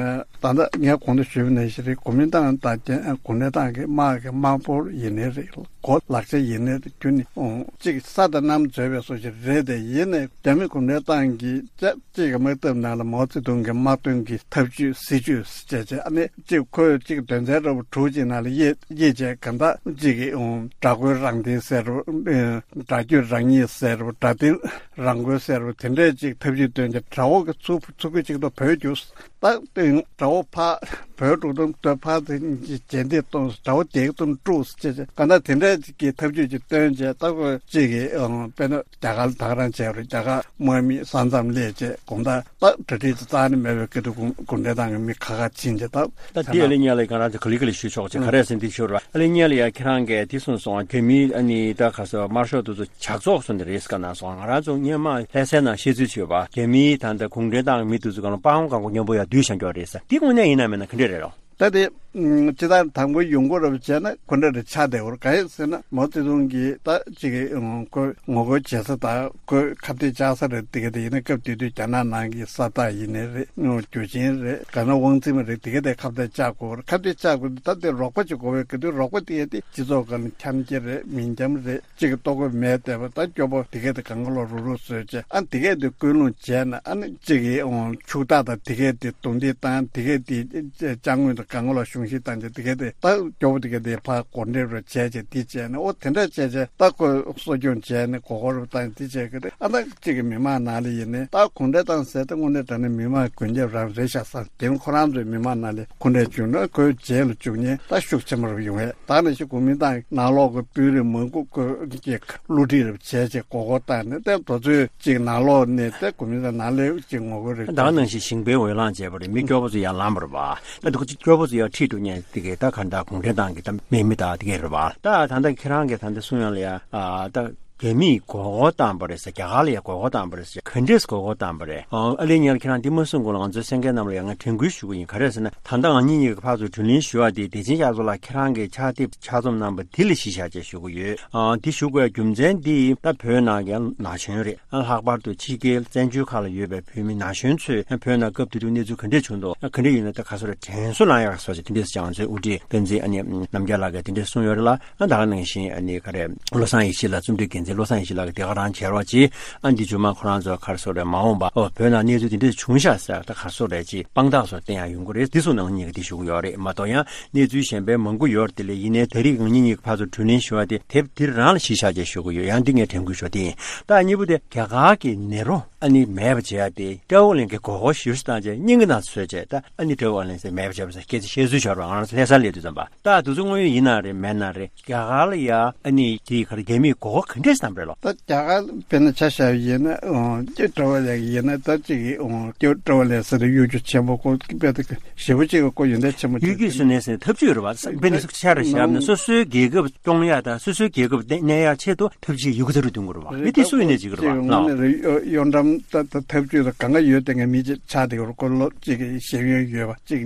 ད་ལྟ་ངས་གོང་དུ་ཞུས་པ་ནང་བཞིན་རེད། གོ་མིན་ཏང་དང་རྒྱ་གུང་ཁྲན་ཏང་གི་དམག་གི་དམག་འབོར་ཡིན་ནའི་རེད། གོ་ལག་ཆ་ཡིན་ནའི་རེད། ཁྱོན་ནས་ཨོ་གཅིག་ས་དང་གནམ་འཛོལ་བའི་བཟོ་ཞིག་རེད་དེ། ཡིན་ནའི་རྒྱ་མི་གུང་ཁྲན་ཏང་གིས་ཅག་གཅིག་གི་དམག་འཐབ་ནང་ལ་མའོ་ཙེ་ཏུང་གི་དམག་དོན་གྱི་ཐབས་ཇུས་སྲིད་ཇུས་ཟེར་བྱས་བྱས། ཨ་ནི་གཅིག་ཁོས་གཅིག་དོན་ཚན་རབ་དྲུག་ཅིག་ནང་ལ་དབྱེ་དབྱེ་བྱས། གང་ལྟར་གཅིག་གི་ཨོ་དགྲ་རྒོལ་རང་བཙན་ཟེར་རོ། ཨེ་དགྲ་བསྐྱོད་རང་ཉིད་ཟེར་རོ། དགྲ་བསྟེན་རང་འགུལ་ཟེར་བ་དེ་འདྲས་ཅིག་ཐབས་ཇུས་བཏོན་ཏེ་དགྲ་བོ་གི་ཚུར་ཚུར་རྒོལ་གཅིག་ཏུ་བོད་རྒྱུགས། ད་དེ་དགྲ་བོ་ཕར་བོད་འགྲོ་དུས་དེ་ཕར་དེ་རྗེས་འདེད་གཏོང་། དགྲ་བོ་དེ་གཏོང་དཀྲུགས་ཟེར་བྱས་བྱས། གང་ལྟར་དེ་འདྲས་ཅིག་གི་ཐབས་ཇུས་ཅིག་བཏོན་བྱས། ད་ཁོ་གཅིག་གི་ཨང་དཔེར་ན་རྒྱ་གར་ད་ག་རང་བྱས་རེད། རྒྱ་གར་དམག་མི་ས་མཚམས་སླེབས་བྱས་གོང་ད་ད་གྲ་སྒྲིག་ཅིག་རྩ་ནས་མེད་པའི་སྐབས་དུ་གུང་གུང་ཁྲན་ཏང་གི་མི་ཁ་ཁ་ཕྱིན་བྱས། ད་ད་དེ་ཨ་ལེ་ཉལ་ལ་གང་རང་ཚོ་ག་ལེ་ག་ལེ་ཞུས་ཆོག་ཅིག་ག་རེ་ཟེར་འདི་ཞུ་ར། ཨ་ལེ་ཉལ་ལ་ཡ་ཁྱེད་རང་གིས་དེ་གསུངས་སོང་། རྒྱ་མིའི་ཨ་ནི་ད་ག་ཟེར་དམར་ཤོག་དེ་ཚོ་ཇག་ཚོགས་སུ་ནི་རེས་ཀ་ན་སོང་། ང་རང་ཚོ་སྔོན་མ་ལྷ་སའི་ནང་བཤད་ཚུལ་བྱོས་པ། རྒྱ་མིའི་ད་ལྟ་གུང་ཁྲན་ཏང་གི་མི་དེ་ཚོ་གང་ལ་སྤང་གང་གོ་མཉམ་པོ་ཡར་བསྡུས་བཞག་རྒྱུ་རེད་ཟེར། འདི་དངོས་གནས་ཡིན་ན་མིན་ན་ག་འདྲས་རེད་ལོ། ད་དེ་ ཨུམ། སྤྱིར་བཏང་དང་པོ་ཡོང་སྒོ་རབ་བྱས་ན་ཁོ་འདྲ་རེ་ཆགས་བསྡད་ཡོད་རེད། གང་ཡིན་ཟེར་ན་མའོ་ཙེ་ཏུང་གིས་ད་ཅིག་ཨུམ། ཁོ་ངོ་རྒོལ་བྱེད་ས་དང་ཁོས་ཁ་གཏད་བཅག་ས་རེད། དེ་ག་དེ་ཡིན་ན་སྐབས་དེ་དུས་རྒྱ་ནག་ནང་གི་ས་རྟགས་ཡིན་ནའི་རེད། རྒྱུ་ཆེན་རེད། ག་ན་དབང་འཛིན་མ་རེད། དེ་ག་དེ་ཁ་གཏད་བཅག་དགོས་རེད། ཁ་གཏད་བཅག་དགོས། ད་དེ་རོགས་པ་ཅིག་དགོས་པའི་ག་དུས་རོགས་པ་དེ་ག་དེ་སྤྱི་ཚོགས་སྒང་ལ་འཁྱམ་རྒྱུ་རེད། མི་འཁྱམ་རེད། གཅིག་གི་ལྟོ་གོས་མེད་བསྡད་པ་ད་སྐྱོ་པོ་དེ་གས་དེ་གང་ག་ལོག་རུག་རུག་བཟོས་བྱས། ཨ་དེ་གས་དེ་ཀུན་སློང་བྱས་ན་ཨ་ནི་གཅིག་གི་ཨོ་ཕྱུག་བདག་དང་དེ་གས་དེ་རྡུང་རྡེག་བཏང་། དེ་གས་དེ་ཅ་དངོས་དང་གང་ག་ལོག་གཞུང་བཞེས་བཏང་བྱས། དེ་གས་དེ་ད་སྐྱོ་པོ་དེ་གས་དེ་ཕར་མགོ་འདྲེན་རུ་བྱས་བྱས་དེ་བྱས་ནས་ཨོ་དེ་འདྲ་བྱས་བྱས་ད་ཁོ་གསོ་སྐྱོང་བྱས་ནས་མགོ་སྐོར་རུ་བཏང་དེ་བྱས་གི་རེད། ཨ་ད་གཅིག་གི་མི་མང་ནང་ལ་ཡིན་ནའི་ད་གུང་ཁྲན་ཏང་ཟེར་ད་དངོས་གནས་དྲང་གནས་མི་མང་མགོན་སྐྱབས་རང་རེད་ཤག་བསམ། དེ་ནི་ཁོ་རང་ཚོའི་མི་མང་ནང་ལ་གུང་ཁྲན་བྱུང་ན་ཁོའི་རྗེས་ལ་འཇུག་མཁན་ད་ཤུགས་ཆེན་པོ་རུ་ཡོང་ཡས། ད་ནང་བཞིན་གོ་མིན་ཏང་ནང་ལོགས་ཀྱི་དཔོན་རིགས་མང་པོ་ཁོས་ཀྱི་བསླུ་བྲིད་རེ་བྱས་བྱས་མགོ་སྐོར་བཏང་ནས་ཏེ་དེ་ཚོས་ཅིག་ནང་ལོགས་ནས་ཏེ་གོ་མིན་ཏང་ནང་ལོགས་ཅིག་ངོ་རྒོལ་རེ་ད་ག་ནང་བཞིན་ཞིང་པའི་འོས་ལངས་བྱས་པ་རེད། མི་སྐྱོ་པོ་ཚོ་ཡར་ལངས་པ་རེད་པ། ད་འདུག་སྐྱོ་པོ་ཚོ་ཡར་ཁྲིད་འགྲོ་མཁན་དེ་གས་ད་ག་ད་གུང་ཁྲན་ཏང་གི་ད་དམག་མི་ད་དེ་གས་རེད་པ། ད་ད་ལྟ་ཁྱེད་རང་གིས་ད་ལྟ་གསུང་ཡག་ལ་ཡ་ཨ་ད་རྒྱ་མིས་མགོ་སྐོར་བཏང་པ་རེད་ཟེར། རྒྱ་གར་ལ་ཡ་མགོ་སྐོར་བཏང་པ་རེད་ཟེར། ག་འདྲས་མགོ་སྐོར་བཏང་པ་རེད། ཨ་ལས་ཉེར་ཁྱེད་རང་འདི་མ་གསུང་གོང་ལ་ང་ཚོའི་གསན་མཁན་རྣམས་ལ་ཡང་ང་དྲན་སྐུལ་ཞུ་གི་ཡིན། ག་རེ་ཟེར་ན་ད་ལྟ་ང་གཉིས་གཉིས་ཀྱི་ཕར་ཚུར་དྲི་ལན་ཞུ་བ་དེ་བདེ་ཆེན་ཤར་ཚོགས་ལགས་ཁྱེད་རང་གི་ཕྱག་དེབ་ཕྱག་རྩོམ་གནང་པ་དེ་ལ་གཞི་བཞག་བྱས་ཞུ་གི་ཡོད། ཨ་དེ་ཞུ་དགོས་ཡ་རྒྱུ་མཚན་འདི་ད་བོད་ནང་གི་ན་གཞོན་རེད། ཨ་ལྷག་པར་དུ་ཕྱི་རྒྱལ་བཙན་བྱོལ་ཁག་ལ་ཡོད་པའི་བོད་མི་ན་གཞོན་ཚོས་བོད་ནང་སྐབས་དེ་དུས་གནས་ཚུལ་ག་འདྲས་བྱུང་འདུག་ག་འདྲས་ཡིན་ན་ད་ག་སོ་རེ་དྲན་གསོ་ལངས་ཡག་སོ་ཞེས་དེ་འདྲས་ཀྱང་ཚོའི་དབུ་ཁྲིད་བསྟན་འཛིན་ཨ་ནི་རྣམ་རྒྱལ་ལགས་ཀྱིས་དེ་འདྲས་གསུངས་ཡོད་རེད་ལ། ཨ་ད་ག་ནང་བཞིན་ཨ་ནི་ག་རེ་བློ་བཟང་ཡེ་ཤེས་ལགས། རྩོམ་སྒྲིག་འགན་འཛིན་བློ་བཟང་ཡེ་ཤེས་ལགས་ཀྱིས་དེ་ག་རང་བྱས་རོགས་གྱིས། ཨ་འདི་བྱུང་མ་ཁོ་རང་ཚོ་ག་རེ་སོ་རེ་མ་འོངས་པ་ཨོ་བོད་ནང་གནས་ཚུལ་དེ་འདྲས་བྱུང་ཤག་ཟེར་ད་ག་རེ་སོ་རེ་ཅིག་དཔང་རྟགས་སོགས་བསྟན་ཡག་ཡོང་གི་རེད། འདི་སོགས་ནང་གཉིས་ཀྱིས་དེ་ཞུ་གི་ཡོད་རེད་མ་གཏོགས་ཡང་། གནས་ཚུལ་གཞན་པའི་མང་པོ་ཡོད་རེད་དེ་ལས། ཡིན་ནའི་ད་རེས་ང་གཉིས་གཉིས་ཀྱི་ཕར་ཚུར་དྲི་ལན་ཞུ་བ་དེ་དེབ་འདིར་རང་ལ་གཞི་བཞག་ཅེས་ཞུ་གི་ཡོད། ཡང་འདི་ངས་དྲན་སྐུལ་ཞུ་བ་དེ་ཡིན། ད་གཉིས་པོ་དེ་རྒྱ་གར་གྱི་ནེ་རོ་ཨ་ནི་མེད་པ་བྱེད་ཡ་དེ་ཀྲའོ་ལིན་གྱི་མགོ་སྐོར་ཞེ་པོ་ཞིག་བཏང་བྱས་སྙིང་གི་ནང་ཚོད་བྱས། ད་ཨ་ནི་ཀྲའོ་ལིན་ཟེར་མེད་པ་བྱས་པ་ཟེར་སྐད་ཆ་བཤད་ཚུལ་ཤོར་བ་ང་རང་ཚོ་ལྷ་སར་སླེབས་དུས་ཙམ་པ། ད་དུས་ཚོད་དངོས་ཡོད་ཡིན་ན་རེད་མེད་ན་རེད། རྒྱ་གར་ལ་ཡ་ཨ་ནི་དེའི་ཁར་རྒྱ་མིས་མགོ་སྐོར་ག་འདྲས་བཏང་པ་རེད་ལོ། ད་རྒྱ་གར་དཔེར་ན་ཆ་བཞག་པ་ཡིན་ན་ཨོ་ཀྲའོ་ལིན་ཡིན་ན་ད་ཅིག་ཨོ་ཀྲའོ་ལིན་ཟེར་ན་གཡོ་སྒྱུ་ཆེན་པོ་ཁོ་དཔེ་ད་ཞེ་པོ་ཅིག་གི་ཁོ་ཡོན་ཏན་ཆེན་པོ་ཡུལ་གྱི་སུན་ནས་ཟེར་ཐབས་ཇུས་རེད་བ། དཔེ་ནི་ཤར་བཞག་ན་སོ་སོའི་རྒྱལ་ཁབ་སྐྱོང་ཡག་དང་སོ་སོའི་རྒྱལ་ཁབ་གནས་ཡག་ཆེད་དུ་ཐབས་ཇུས་ཡོད་རྒུ་ཚ་རུ་འདོན་དགོས་རེད་བ། མི་དེ་སུ་ཡིན་ནས་ཅིག་རེད་བ་ལགས། གཡོ་འགྲམ་ད་ད་ཐབས་ཇུས་ལ་གང་ག་ཡོད་དེ་ངས་མི་ཅིག་ཆགས་དེ་གོ་ལོ་ཅིག་གི་ཤེས་ཡོན་ཡོད་པ་ཅིག་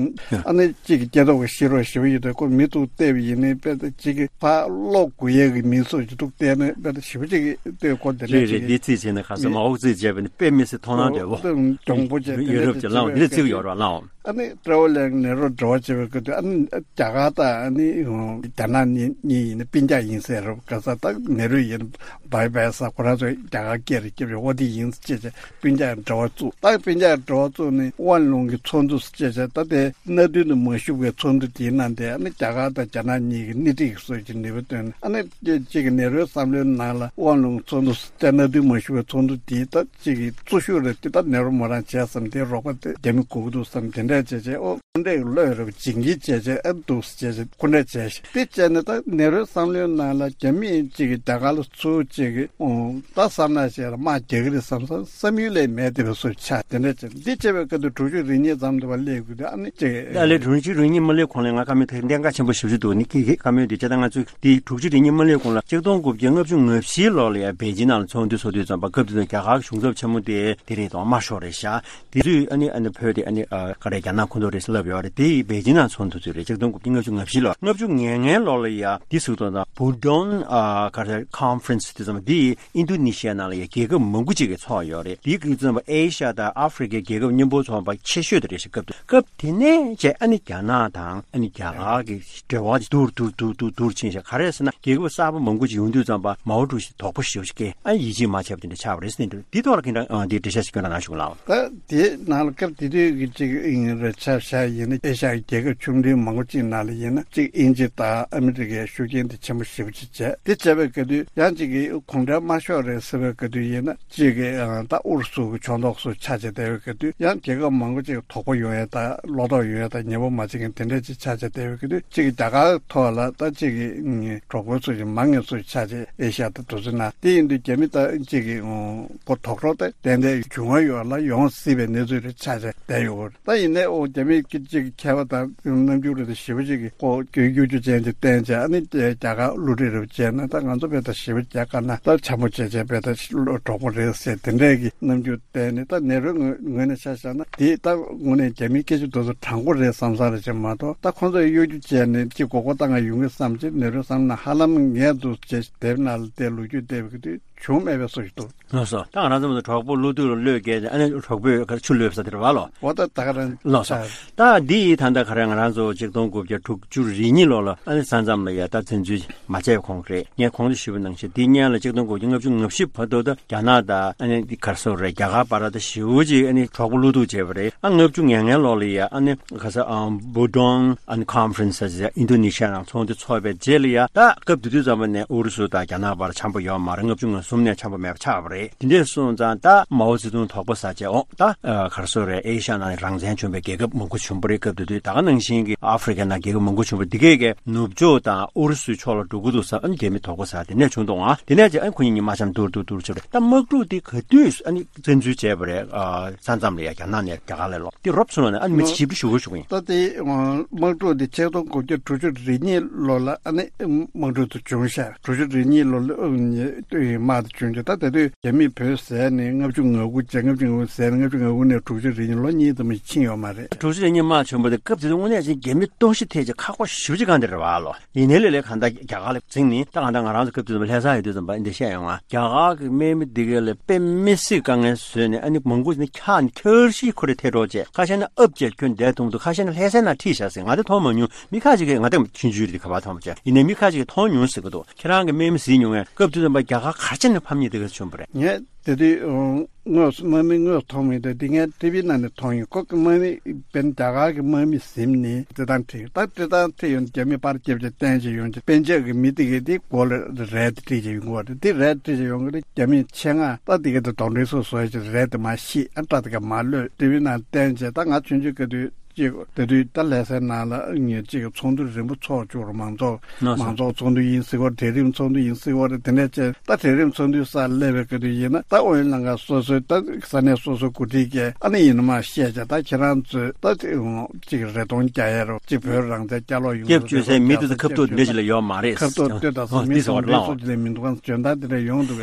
ཨ་ནི་ཅིག་གི་སྐྱེ་ཐོག་གི་ཤེས་རོགས་ཞེ་པོ་ཡོད་དེ་ཁོ་མི་ཐུག་བལྟས་པ་ཡིན་ནའི་དཔེ་ད་ཅིག་གི་ཕ་ལོག་དགོས་ཡས་ཀྱི་མི་ཚོ་ཅིག་ཐུག་བལྟས་ན་དཔེ་ད་ཞེ་པོ་ཅིག་གི་ལྟོས་ཁོ་དེ་འདྲ་རེད་རེད། ཅིག་འདི་རྩིས་བྱས་ན་ཁ་སང་མ་འོག་རྩིས་བྱས་པ་ནི་དཔེ་མི་སྲིད་མཐོང་སྣང་འདྲ་བོ་གྱོང་པོ་ཅན་དེ་ཡོད་རབས་ཀྱི་ལའོ་འདི་རྩིས་ཡོད་ར་ལའོ། ཨ་ནི་ཀྲའོ་ལིན་ནེ་རོ་འབྲེལ་བ་བྱེད་པའི་སྐབས་དུས་ཨ་ནི་རྒྱ་གར་དང་ཨ་ནི་རྒྱ་ནག་གཉིས་གཉིས་ཡིན་ན་སྤུན་ཀྱག་ཡིན་ཟེར་རབས་ག་ས་ད་ནེ་རོ་ཡིན་བའི་བའི་ས་ཁོ་རང་ཚོ་རྒྱ་གར་སྐད་རེ་སྐྱེབ་ཡོད་འོ་དེ་ཡིན་ཟེར་བྱས་བྱས་སྤུན་ཀྱག་འབྲེལ་བ་བཙུགས། ད་སྤུན་ཀྱག་འབྲེལ་བ་བཙུགས་ནས་ཝན་ལུང་གི་ཚོགས་འདུ་ཟེར་བྱས་བྱས་ད་དེ་གནའ་དུས་ནས་མ་ཞུགས་པའི་ཚོགས་འདུ་དེའི་ནང་དེ་ཨ་ནི་རྒྱ་གར་དང་རྒྱ་ནག་གཉིས་ཀྱི་སྣེ་ཁྲིད་ཀྱི་སྲོལ་གྱི་ནུས་པ་བཏོན་ནས་ཨ་ནི་གཅིག་གི་ནེ་རོའི་བསམ་བློའི་ནང་ལ་ཝན་ལུང་ཚོགས་འདུ་ཟེར་བྱས་གནའ་དུས་མ་ཞུགས་པའི་ཚོགས་འདུ་དེའི་ད་གཅིག་གི་གཙོ་ཤུགས་རེད་དེ། ད་ནེ་རོ་མོ་རང་བྱས་བསམ་དེ་རོགས་པ་དེ་རྒྱ་མི་དགོས་ཀྱི་འདུག་བསམ་དེ་འདྲས་བྱས་བྱས་ཨོ་ཁོ་འདྲས་བློས་རེ་བ་བྱིན་གྱིས་བྱས་བྱས་ཨ་འདུག་བྱས་བྱས་ཁོ་འདྲས་བྱས་ཤིག་དེ་བྱས་ནས་ད་ནེ་རོའི་བསམ་བློའི་ནང་ལ་རྒྱ་མི་གཅིག་གི་རྒྱ་གར་ལ་ཚུར་གཅིག་གི་ཨོ་ད་བསམ་ན་བྱས་ལ་དམག་རྒྱག་གི་རེད་བསམ་བསམ་བསམ་ཡུལ་ལས་མེད་དེ་བས་སུ་ཆགས་དེ་འདྲས་བྱས་འདི་བྱས་པའི་སྐབས་དུ་དྲུག་ཅུ་རེ་གཉིས་ཙམ་དུ་བ་སླེབས་དགོས་དུས་ཨ་ནི་གཅིག་ད་ལས་དྲུག་ཅུ་རེ་གཉིས་མ་སླེབས་གོང་ལ་ང་བཀའ་མོལ་དེ་གཏན་འཁེལ་ཆེན་པོ་ཞེ་པོ་ཅིག་འདུག་ནི་ཀི་ཀི་བཀའ་མོལ་འདི་བྱས་ད་ང་ཚོས་འདི་དྲུག་ཅུ་རེ་གཉིས་མ་སླེབས་གོང་ལ་ཆིག་སྟོང་དགུ་བརྒྱ་ལྔ་བཅུ་ང་བཞི་ལོ་ལ་ཡ་པེ་ཅིན་ནང་ལ་ཚོགས་འདུ་ཚོགས་དུས་ཙམ་པ་སྐབས་དེ་དུས་རྒྱ་གར་གཞུང་ཚབ་ཆེན་མོ་དེ་དེ་རེད་དང་དམར་ཤོག་རེད་ཤག་དེ་དུས་ཨ་ནི་ཨ་ནི་བོད་དེ་ཨ་ནི་ཨ་ག་རེ་རྒྱ་ནག་ཁོངས་གཏོགས་རེད་ཟེར་ལབ་ཡོད་རེད། དེ་ཡི་པེ་ཅིན་ནང་ཚོགས་འདུ་ཚོད་རེད། ཆིག་སྟོང་དགུ་བརྒྱ་ལྔ་བཅུ་ང་བཞི་ལོ་ལྔ་བཅུ་ང་ལྔའི་ལོ་ལ་ཡ་དེ་ཟུར་དུ་དང་བུ་ཌོན་ཨ་ག་རེ་ཁོན་ཕ་རེན་སི་དེ་ཙམ་དེ་ཨིན་རྡུ་ནི་ཤི་ཡ་ནང་ལ་ཡ་རྒྱལ་ཁབ་མང་པོ་ཅིག་གིས་ཚོགས་ཡོད་རེད། དེའི་སྐབས་ཙམ་པ་ཨེ་ཤ་ཡ་དང་ཨ་ཧྥི་རི་ཀའི་རྒྱལ་ཁབ་མཉམ་པོ་ཚོགས་པ་ཆེ་ཤོས་དེ་རེད་ཤག་སྐབས་དེ་སྐབས་དེ་ནས་བྱས་ཨ་ནི་རྒྱ་ནག་དང་ཨ་ནི་རྒྱ་གར་གྱི་འབྲེལ་བ་དེ་སྡུག་སྡུག་སྡུག་སྡུག་སྡུག་ཕྱིན་ཤག་ག་རེ་ཟེར་ན་རྒྱལ་ཁབ་གསར་པ་མང་པོ་ཅིག་ཡོང་དུས་ཙམ་པ་མའོ་ཀྲུའུ་ཞི་དོགས་པ་ཞེ་པོ་ཅིག་སྐྱེས། ཨ་ཡིད་ཆེས་མ་བྱས་པ་དེ་འདྲ་ཆགས་པ་རེད་ཟེར་ནས་འདུག་འདི་ཐོག་ལ་ཁྱེད་རང་འདི་འགྲེལ་བཤད་ཞིག་སྐྱོན་རོགས་གནང་ཞུ་གི་ལགས། ད་དེའི་ནང་ལ་སྐབས་དེ་དུས་ཀྱི་ཅིག་ཨིན་རེད་ཆ་བཞག་ཡིན་ན་ཨེ་ཤ་ཡའི་རྒྱལ་ཁབ་ཆུང་འབྲིང་མང་པོ་ཅིག་ནང་ལ་ཡིན་ན་ཅིག་དབྱིན་ཇི་དང་ཨ་མི་རི་ཀའི་ཤུགས་རྐྱེན་དེ་ཆེན་པོ་ཞེ་པོ་ཅིག་བྱས། དེ་བྱས་པའི་སྐབས་དུས་ཡང་ཅིག་གི་གུང་ཁྲན་དམར་ཤོག་རེད་ཟེར་བའི་སྐབས་དུས་ཡིན་ན་ཅིག་གི་ད་ཨུ་རུ་སུ་གི་ཕྱོགས་གཏོགས་སུ་ཆགས་བྱས་བསྡད་པའི་སྐབས་དུས་ཡང་རྒྱལ་ཁབ་མང་པོ་ཅིག་དོགས་པ་ཡོང་ཡ་དང་བློ་དོགས་ཡོང་ཡ་དང་ཉེ་པོ་མ་བྱེད་མཁན་དེ་འདྲ་ཅིག་ཆགས་བྱས་བསྡད་པའི་སྐབས་དུས་ཅིག་གི་རྒྱ་གར་ཐོག་ལ་ད་ཅིག་གི་གྲོགས་པོ་ཚོ་ཞིག་མང་ངེས་ཚོ་ཆགས་བྱས་ཨེ་ཤ་ཡ་དང་དུས་ཚོད་ནང་དེ་ཡིན་དུས་རྒྱ་མི་ད་ཅིག་གི་ཁོ་དོགས་རོགས་ད་ཏན་ཏན་བྱུང་བ་ཡོད་ལ་ཡོང་སྲིད་པའི་གནས་ཚུལ་རེ་ཆགས་བྱས་བསྡད་ཡོད་རེད། ད་ཡིན་ན། ཨོ་རྒྱ་མི་གི་གཅིག་མཁས་པ་དང་རྣམ་འགྱུར་རེ་ཞིབ་པ་ཅིག་གི་ཁོ་གཡོ་སྒྱུ་ཅན་ཅིག་བསྟན་བྱས། ཨ་ནི་རྒྱ་གར་བསླུ་བྲིད་རེ་བྱས་ན་ད་ང་ཚོ་བས་ད་ཞིབ་པ་རྒྱག་དཀའ་ན། ད་འཆམ་པོ་བྱས་བྱས་བས་ད་གྲོགས་པོ་རེད་ཟེར་དེ་འདྲས་ཀྱི་རྣམ་འགྱུར་བསྟན་ནས། ད་ནེ་རོའི་ངོས་ངོས་ནས་ཆ་བཞག་ན་དེ་ད་དངོས་གནས་རྒྱ་མིའི་སྐད་ཆ་དེ་ཚོ་དྲང་པོ་རེད་བསམ་ས་རེད་ཅེས་མ་གཏོགས། ད་ཁོ་ཚོས་གཡོ་སྒྱུ་བྱས་ནས་ཅིག་མགོ་སྐོར་བཏང་ག་ཡོང་གི་བསམ་ཅིག་ནེ་རོའི་བསམ་ན་ཧ་ལམ་ངས་འདུག་ཅེས་དེབ་ནང་ལ་བལྟས་ལོ་རྒྱུས་བལྟས་པའི་དུས་བྱུང་མེད་པའི་བཟོ་ཞིག་འདུག་ལགས་སོ། ད་ང་རང་ཚོ་མ་གྲོགས་པོ་བློ་སྡུག་ལ་བློས་བཀལ་ཏེ། ཨ་ནི་གྲོགས་པོས་ཆུ་བླུགས་ས་དེར་བ་ལོ། འོ་ད་ད་ག་རང་ལགས་སོ། ད་འདི་ཡི་ད་ལྟ་ག་རེ་ང་རང་ཚོ་ཆིག་སྟོང་དགུ་བརྒྱ་དྲུག་ཅུ་རེ་གཉིས་ལོ་ལ་ཨ་ནི་ས་མཚམས་ལ་ཡ་ད་བཙན་འཛུལ་མ་བྱས་གོང་རེད། ངས་གོང་དུ་ཞུས་པ་ནང་བཞིན་འདི་སྔོན་ལ་ཆིག་སྟོང་དགུ་བརྒྱ་ལྔ་བཅུ་ང་བཞི་བར་དུ་ད་རྒྱ་ནག་དང་ཨ་ནི་འདི་ག་རེ་ཟེར་རེད། རྒྱ་གར་བར་ད་ཞེ་པོ་ཅིག་ཨ་ནི་གྲོགས་པོ་བློ་སྡུག་བྱས་པ་རེད། ཨ་ལྔ་བཅུ་ང་ལྔ་ལོ་ལ་ཡ་ཨ་ནི་ག་ས་ཨ་བྷུ་ཌོན་ཨ་ནི་ཁོན་ཕ་རེན་སི་ཟེར་ཨིན་ཌོ་ནེ་ཤི་ཡ་ནང་ཚོགས་འདུ་ཚོགས་པའི་རྗེས་ལ་ཡ། ད་སྐབས་དེ་དུས་ཙམ་པ་ནས་ཨུ་རུ་སུ་དང་རྒྱ་ནག་བར་འཆམ་པོ་ཡོད་མ་རེད། ལྔ་བཅུ་ང་གསུམ་ནས་འཆམ་པོ་མེད་པ་ཆགས་པ་རེད། དེ་འདྲས་སོང་ཙང་ད་མའོ་ཙེ་ཏུང་དོགས་པ་ཟ་བྱས། འོ་ད་ཨ་ག་རེ་ཟེར་རེད། ཨེ་ཤ་ཡ་ནང་ནས་རང་བཙན་བྱུང་བའི་རྒྱལ་ཁབ་མང་པོ་བྱུང་པ་རེད། སྐབས་དེ་དུས་ད་ག་ནང་བཞིན་གྱི་ཨ་ཧྥེ་རི་ཁ་ནང་རྒྱལ་ཁབ་མང་པོ་བྱུང་པ་འདི་གས་ཀྱི་ནུབ་ཕྱོགས་དང་ཨུ་རུ་སུའི་ཕྱོགས་ལ་འགྲོ་གི་འདུག་ཟེར། ཨ་ནི་རྒྱ་མི་དོགས་པ་ཟ། དེ་ནས་བྱུང་འདུག་ཨང་། དེ་ནས་ཅི་ཨ་ཁོ་གཉིས་གཉིས་མ་འཆམ་ཐུར་ཐུར་ཐུར་བྱས་པ་རེད། ད་དམག་འཁྲུག་འདི་ག་དུས་ཨ་ནི་བཙན་འཛུལ་བྱས་པ་རེད། ཨ་ས་མཚམས་ལ་ཡ་རྒྱ་ནག་ནས་རྒྱ་གར་ལ་ལོག་འདི་རོབ་ཚུན་ལ་ནས་ཨ་ནི་མི་ཞིབ་ཏུ་ཞུ་དགོས་ཞུ་གི་ཡིན། ད་དེ་དམག་འཁྲུག་འདི་ཆིག་སྟོང་དགུ་བརྒྱ་དྲུག་ཅུ་རེ་གཉིས་ལོ་ལ་ཨ་ནི་དམག་འཁྲུག་དེ་བྱུང་ཤག་དྲུག་ཅུ་རེ་གཉིས་ལོ་ལ་དམག་དེ་བྱུང་རྗེས། ད་དེ་དུས་རྒྱ་མིས་བོད་ཟས་ནས་ལྔ་བཅུ་ང་དགུ་བྱས། ལྔ་བཅུ་ང་དགུ་ཟས་ནས་ལྔ་བཅུ་ང་དགུ་ནས་དྲུག་ཅུ་རེ་གཉིས་ལོ་གཉིས་ཙམ་ཕྱིན་ཡོད་མ་རེད། དྲུག་ཅུ་རེ་གཉིས་དམག་བྱུང་བ་དེ་སྐབས་དེ་དུས་དངོས་གནས་ཅིག་རྒྱ་མི་ལྟོགས་ཤི་ཐེབས་ཀྱི་ཁག་པོ་ཞེ་པོ་ཅིག་གང་དེ་རེད་བ་ལོ། ཡིན་ནའི་ལས་ལས་གང་ལྟར་རྒྱ་གར་ལ་འཛིང་ནས། ད་གང་ལྟར་ང་རང་ཚོ་སྐབས་དེ་དུས་ལྷ་ས་ཡོད་དུས་ཙམ་པ་འདི་བཤད་ཡོང་ང་། རྒྱ་གར་གྱི་དམག་མི་འདི་ག་ལ་དཔེ་མི་སྲིད་དཀའ་ངལ་བཟོས་ནས། ཨ་ནི་མང་པོ་ནི་འཁྱག་ནས་འཁྱག་ཤི་ཁོ་རེ་ཐལ་འགྲོ་བྱས། ཁ་ཤས་ནི་ཨབ་བྱས་ཁྱོན་བསྡད་ཐུབ་འདུག་ཁ་ཤས་ནི་ལྷ་སའི་ནང་ཁྲིད་བཞག་ཟེར། ང་དེ་མཐོང་མ་མྱོང་། མི་ཁ་ཅིག་གིས། ང་དེ་ཆུང་ཆུང་རེད། ཁ་པར་མཐོང་མ་བྱས། ཡིན་ནའི་མི་ཁ་ཅིག་གིས་མཐོང་མྱོང་ཟེར་གི་འདུག་ཁྱེད་རང་གིས་དམག་མི་གཟིགས་མྱོང་ངས། སྐབས་དེ་དུས་ཙམ་པ་རྒྱ་གར་ག་ཅིག་ནས་ཕམ་ཉེས་དེ་ག་བྱུང་བ་རེད། ངས་དེ་དུས་དངོས་སུ་དམག་མི་དངོས་སུ་མཐོང་མི་འདུག་འདི་ངས་ཊི་ཝི་ནང་ནས་མཐོང་ཡོང་། ཁོ་གི་དམག་མི་དཔེར་ན་རྒྱ་གར་གྱི་དམག་མི་ཟིན་ནས་སྤྲེལ་ཐང་ཁྲིད། ད་སྤྲེལ་ཐང་ཁྲིད་ཡོང་། རྒྱ་མི་པར་རྒྱབ་བྱས་བསྟན་བྱས་ཡོང་བྱས། པན་ཇབ་གི་མི་དེ་གས་དེ་མགོ་ལ་རས་དེ་དཀྲིས་བྱས་ཡོང་གི་རེད། དེ་རས་དཀྲིས་བྱས་ཡོང་གི་རེད། རྒྱ་མི་ཆེད་མངགས་ད་དེ་གས་དེ་གདོན་འདྲེ་སོ་སོ་བྱས་རས་དེ་མར་བཤིག་ཨ་སྐྲ་དེ་གས་མར་གློད། ཊི་ཝི་ནང་བསྟན་བྱས། ད་ང་ཆུང་ཆུང་སྐབས་དུས་ཅིག་དེ་དུས་ད་ལྷ་སའི་ནང་ལ་ངས་ཅིག་ཚོགས་འདུ་རིམ་པ་ཚོགས་བཅུག་རོགས། མང་ཚོགས་ལགས་སོ། མང་ཚོགས་ཚོགས་འདུ་ཡིན་སྲིད་སྐོར། གྲལ་རིམ་ཚོགས་འདུ་ཡིན་སྲིད་སྐོར་རེད། དེ་འདྲ་བྱས། ད་གྲལ་རིམ་ཚོགས་འདུའི་སར་སླེབས་པའི་སྐབས་དུས་ཡིན་ན། ད་ཨོ་ཡོན་ལྷན་ཁང་སོ་སོའི་ད་ས་གནས་སོ་སོའི་འགོ་ཁྲིད་ཀྱིས་ཨ་ནི་ཡིན་ནོ་མ་བཤད་བྱས། ད་ཁྱེད་རང་ཚོས་ད་ཅིག་རེ་སྟོང་རྒྱག་ཡ་རོགས། ཅིག་བོད་རང་བཙན་བསྐྱར་ལོག་ཡོང་། སྐྱབས་བཅོལ་སའི་མི་དེ་ཚོ་ཁ་ཐུག་འདི་འདྲ་ཞིག་ལ་ཡོད་མ་རེད། ཁ་ཐུག་ལྟོས་དང་། ཨོ་མི་འདི་ཚོ་གདོན་འདྲེ་སོ་ཅིག་ལ་མི་འདུག་ག་ཟེར། ང་ཚོ་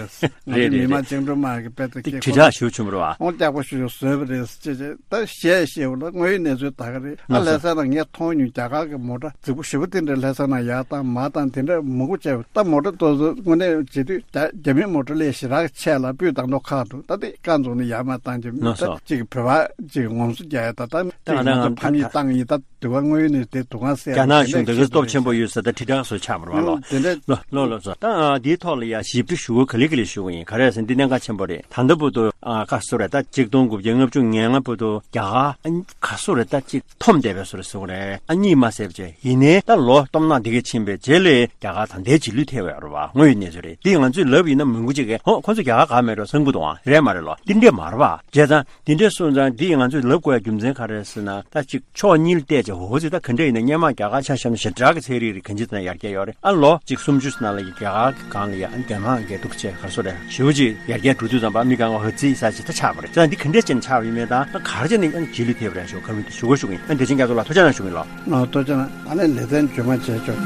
མི་མང་བཅིངས་འགྲོལ་དམག་གི་དཔེ་དེ་སྐད་དྲིལ་བསྒྲགས་ཞུ་བྱུང་བ་རེད་བ། ཨོ་སྐྱག་པ་ཞུ་ཞུ་བཟོས་པ་རེད་ཅེས་ཅེས་ད་བཤད་བཤད་པ་ལ་དངོས་ཡོད་གནས་ཚུལ་ད་ག་རེད། ཨ་ལྷ་ས་ནང་ངས་མཐོང་མྱོང་། རྒྱ་གར་གྱི་མོ་ཊ་རྫིག་པོ་ཞེ་པོ་དེ་འདྲ་ལྷ་ས་ནང་ཡར་བཏང་མར་བཏང་དེ་འདྲ་མང་པོ་བྱས་པ། ད་མོ་ཊ་དེ་ཚོ་དངོས་གནས་བྱེད་དུས་རྒྱ་རྒྱ་མིའི་མོ་ཊ་ལས་ཞེ་དྲག་ཆེ་ལ་སྤུས་དག་མདོག་ཁ་འདུག་ད་དེ་རྐང་བཙུགས་ནས་ཡར་མར་བཏང་རྒྱུ་མི་ད་ཅིག་བོད་པ་ཅིག་ངོམ་སོ་རྒྱག་ཡ། ད་ད་ད་ང་ཚོ་ཕམ་ཉེས་བཏང་ཡིན། ད་དུས་བ་དངོས་ཡོད་ནས་དེ་དུས་གང་གསལ་རྒྱ་ནག་གཞུང་དེ་ག་སྟོབས་ཆེན་པོ་ཡོད་ས་ད་དྲིལ་བསྒྲགས་བཟོ་ཆགས་མ་རེད་བ་ལོ། དེ་འདྲ་ལོ་ལོ་ལོ་ཚོ། ད་འདིའི་ཐོག་ལ་ཡ་ཞིབ་ཕྲ་ཞུ་དགོས་ག་ལེ་ག་ལེ་ཞུ་གི་ཡིན། ག་རེ་ཟེར་ན་འདི་གནད་འགག་ཆེན་པོ་རེད། ད་ལྟ་བར་དུ་ཨ་ཁ་སོ་རེད། ད་ཆིག་སྟོང་དགུ་བརྒྱ་ལྔ་བཅུ་ང་ལྔ་བར་དུ་རྒྱ་གར་ཨ་ཁ་སོ་རེད། ད་ཅིག་འཐོམ་བསྡད་པའི་བཟོ་འདྲ་ཟེར་དགོས་རེད། ཨ་གཉིད་མ་སད་པ་བྱས། ཡིན་ནའི་ད་ལོ་སྟོང་ཕྲག་འདི་ག་ཕྱིན་པའི་རྗེས་ལ་རྒྱ་གར་ད་ལྟའི་རྗེས་ལུས་ཐེབས་ཡོད་རེད་བ། དངོས་ཡོད་གནས་ཚུལ་རེད། འདི་ང་ཚོས་ལབ་ཡིན་ན་མང་པོ་ཅིག་གིས་ཧོ་ཁོ་ཚོ་རྒྱ་གར་ག་མེད་འགྲོ་བསམ་གྱི་འདུག་ཨང་། རེད་མ་རེད་ལོ། འདི་འདྲས་མ་རེད་བ། བྱས་ཙང་འདི་འདྲས་སོང་ཙང་འདི་ང་ཚོས་ལབ་དགོས་ཡ་རྒྱུ་མཚན་ག་རེ་ཟེར་ན། ད་ཅིག་ཕྱོགས་གཉིས་ལ་བལྟས་བྱས། འོ་ཙི་ད་ག་འདྲས་ཡིན་ན་སྔོན་མ་རྒྱ་གར་ཆ་བཞག་ན་ཞེ་དྲག་གི་ཚན་རིག་རིགས་གང་ཅི་ཙམ་ཡར་རྒྱས་ཡོད་རེད། ཨ་ལོ་ཅིག་སུམ་ཅུ་ནང་ལ་ཡི་རྒྱ་གར་སྒང་ལ་ཡ་ཨ་རྒྱ་ནག་གི་འདུག་བྱས་ག་རེ་ཟེར་རེད། ཞེ་པོ་ཅིག་ཡར་རྒྱས་འགྲོ་དུས་ཙམ་པ་མི་གང་ག་ཧ་ཙི་ས་ཅིག་ད་ཆགས་པ་རེད། ཙང་འདི་ག་འདྲས་བྱས་ནས་ཆགས་པ་ཡིན་མིན་དང་། ད་ག་རེ་བྱས་ནས་ཨ་ནི་རྗེས་ལུས་ཐེབས་པ་རེད་ཞུ་ག་མི་འདུག་ཞུ་དགོས་ཞུ་གི་ཡིན། ཨ་འདི་ཕྱིན་རྒྱ་མཚོ་ལགས་ཐུགས་རྗེ་གནང་ཞུ་གི་ཡིན་ལོ། ཨ་ཐུགས་རྗེ་གནང་། ཨ་ནི་ལེ་ཚན་རྗེས་མ་བྱས་ཆོག་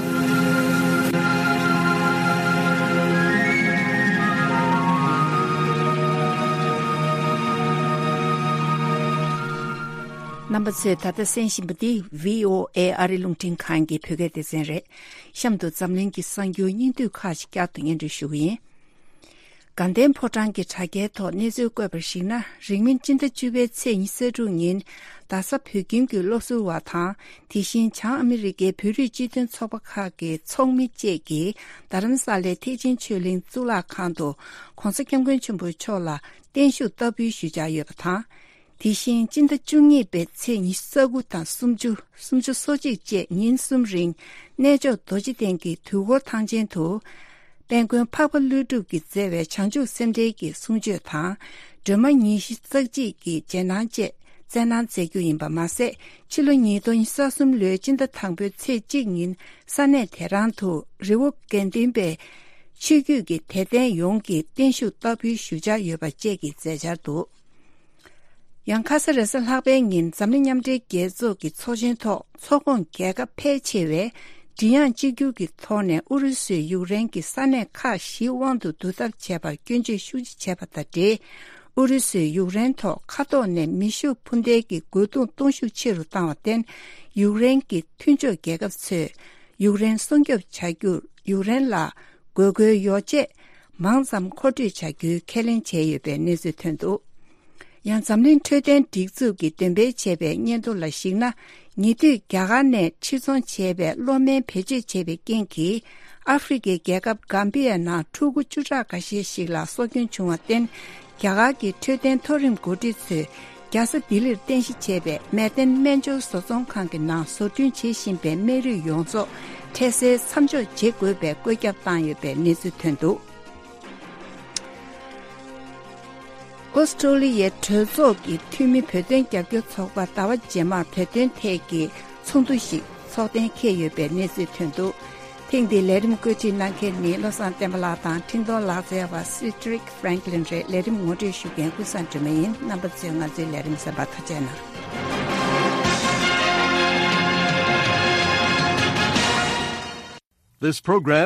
རྣམ་པ་ཚོས་ད་ལྟ་གསན་བཞིན་པ་འདི་བྷི་ཨོ་ཨེ་ཨ་རི་རླུང་འཕྲིན་ཁང་གི་བོད་སྐད་སྡེ་ཚན་རེད། གཤམ་དུ་འཛམ་གླིང་གི་གསར་འགྱུར་སྙིང་བསྡུས་ཁག་ཅིག་བསྐྱར་དུ་སྙན་སྒྲོན་ཞུ་གི་ཡིན། དགའ་ལྡན་ཕོ་བྲང་གི་དྲ་རྒྱའི་ཐོག་གནས་ཚུལ་བཀོད་པར་གཞིགས་ན། རིང་མིན་སྤྱི་ཟླ་བཅུ་པའི་ཚེས་ཉི་ཤུ་རྩ་དྲུག་ཉིན་རྡ་ས་བོད་ཁྱིམ་གྱི་སློབ་ཟུར་བ་དང་། དེ་བཞིན་བྱང་ཨ་མི་རི་ཀའི་བོད་རིགས་སྤྱི་མཐུན་ཚོགས་པ་ཁག་གི་ཚོགས་མི་བཅས་ཀྱིས་རྡ་རམ་ས་ལའི་ཐེག་ཆེན་ཆོས་གླིང་གཙུག་ལག་ཁང་དུ་༸གོང་ས་༸སྐྱབས་མགོན་ཆེན་པོ་མཆོག་ལ་བརྟན་བཞུགས་བསྟར་འབུལ་ཞུ་འཆར་ཡོད་པ་དང་། དེ་བཞིན་སྤྱི་ཟླ་བཅུ་གཉིས་པའི་ཚེས་ཉི་ཤུ་རྩ་དགུ་དང་སུམ་ཅུ། སུམ་ཅུ་སོ་གཅིག་བཅས་ཉིན་གསུམ་རིང་གནས་མཆོག་རྡོ་རྗེ་གདན་གྱི་དུས་འཁོར་ཐང་ཆེན་དུ། དཔལ་མགོན་འཕགས་པ་ཀླུ་སྒྲུབ་ཀྱིས་མཛད་པའི་བྱང་ཆུབ་སེམས་འགྲེལ་གྱི་གསུང་ཆོས་དང་། སྒྲོལ་མ་ཉི་ཤུ་རྩ་གཅིག་གི་རྗེས་གནང་བཅས་སྩལ་གནང་མཛད་རྒྱུ་ཡིན་པ་མ་ཟད། ཕྱི་ལོ་ཉིས་སྟོང་ཉི་ཤུ་རྩ་གསུམ་ལོའི་སྤྱི་ཟླ་དང་པོའི་ཚེས་གཅིག་ཉིན་ས་གནས་དེ་རང་དུ་རི་བོ་དགེ་ལྡན་པའི་ཆོས་བརྒྱུད་ཀྱི་དད་ལྡན་ཡོངས་ཀྱིས་བརྟན་བཞུགས་བསྟར་འབུལ་ཞུ་འཆར་ཡོད་པ་བཅས་ཀྱི་མཛད་འཆར་འདུག་ཡང་ཁ་ས་རེས་གཟའ་ལྷག་པའི་ཉིན་འཛམ་གླིང་མཉམ་འབྲེལ་རྒྱལ་ཚོགས་ཀྱི་ཚོགས་ཆེན་ཐོག་ཚོགས་ཁོངས་རྒྱལ་ཁབ་ཕལ་ཆེ་བས་མགྲིན་དབྱངས་གཅིག་གྱུར་གྱི་ཐོག་ནས་ཨུ་རུ་སུས་ཡུཀ་རེན་གྱི་ས་གནས་ཁག་བཞིའི་དབང་དུ་བསྡུ་ཐབས་བྱས་པར་སྐྱོན་བརྗོད་ཤུགས་ཆེ་བྱས་པ་དང་འབྲེལ། ཨུ་རུ་སུས་ཡུཀ་རེན་ཐོག་མཁའ་ཐོག་ནས་མེ་ཤུགས་འཕུར་མདེལ་གྱི་རྒོལ་རྡུང་གཏོང་ཤུགས་ཆེ་རུ་བཏང་བར་བརྟེན། ཡུཀ་རེན་གྱི་མཐུན་ཕྱོགས་རྒྱལ་ཁབ་ཚོས་ཡུཀ་རེན་སྲུང་སྐྱོབ་བྱ་རྒྱུར་ཡུཀ་རེན་ལ་དགོས་མཁོའི་ཡོ་བྱད་མང་ཙམ་མཁོ་སྤྲོད་བྱ་རྒྱུའི་ཁས་ལེན་བྱས་ཡོད་པའི་གནས་ཚུལ་ཐོན་འདུག། ཡང་འཛམ་གླིང་འཕྲོད་བསྟེན་སྒྲིག་འཛུགས་ཀྱིས་འདོན་སྤེལ་བྱས་པའི་སྙན་ཐོ་ལ་གཞིགས་ན། ཉེ་དུས་རྒྱ་གར་ནས་ཕྱིར་ཚོང་བྱས་པའི་གློག་སྨན་བེད་སྤྱོད་བྱས་པའི་རྐྱེན་གྱིས། ཨ་ཧྥེ་རི་ཁའི་རྒྱལ་ཁབ་གམ་བི་ཡའི་ནང་ཕྲུ་གུ་བཅུ་ཕྲག་འགའ་ཤས་ཤིག་ལ་སྲོག་སྐྱོན་བྱུང་བར་བརྟེན། རྒྱ་གར་གྱི་འཕྲོད་བསྟེན་མཐོ་རིམ་འགོ་ཁྲིད་ཚོས་རྒྱལ་ས་ལྡི་ལིར་རྟེན་གཞི་བྱས་པའི་མལ་སྟན་སྨན་སྦྱོར་བཟོ་ཚོང་ཁང་གི་ནང་བཟོ་སྐྲུན་བྱེད་བཞིན་པའི་སྨན་རིགས་ཡོངས་རྫོགས་འཕྲལ་སེལ་མཚམས་འཇོག་བྱེད་དགོས་པའི་བཀོད་ཁྱབ་བཏང་ཡོད་པའི་གནས་ཚུལ་ཐོན་འདུག། ཨོ་སི་ཀྲོ་ལི་ཡའི་གྲོས་ཚོགས་ཀྱི་འཐུས་མི་བོད་དོན་རྒྱབ་སྐྱོར་ཚོགས་པ་ཟླ་བ་རྗེས་མར་བོད་དོན་ཐད་ཀྱི་ཚོགས་འདུ་ཞིག་ཚོགས་གཏན་འཁེལ་ཡོད་པའི་གནས་ཚུལ་ཐོན་འདུག། ཐེངས་འདིའི་ལས་རིམ་བཀོད་སྒྲིག་གནང་མཁན་ནི་བློ་བཟང་བསྟན་པ་ལགས་དང་འཕྲིན་གཏོང་ལག་རྩལ་བ་Cedric Franklin རེད། ལས་རིམ་ངོ་སྤྲོད་ཞུ་མཁན་ཀུན་བཟང་སྒྲོལ་མ་ཡིན། རྣམ་པ་ཚོས་ང་ཚོའི་ལས་རིམ་གསན་པར་ཐུགས་རྗེ་གནང་། This program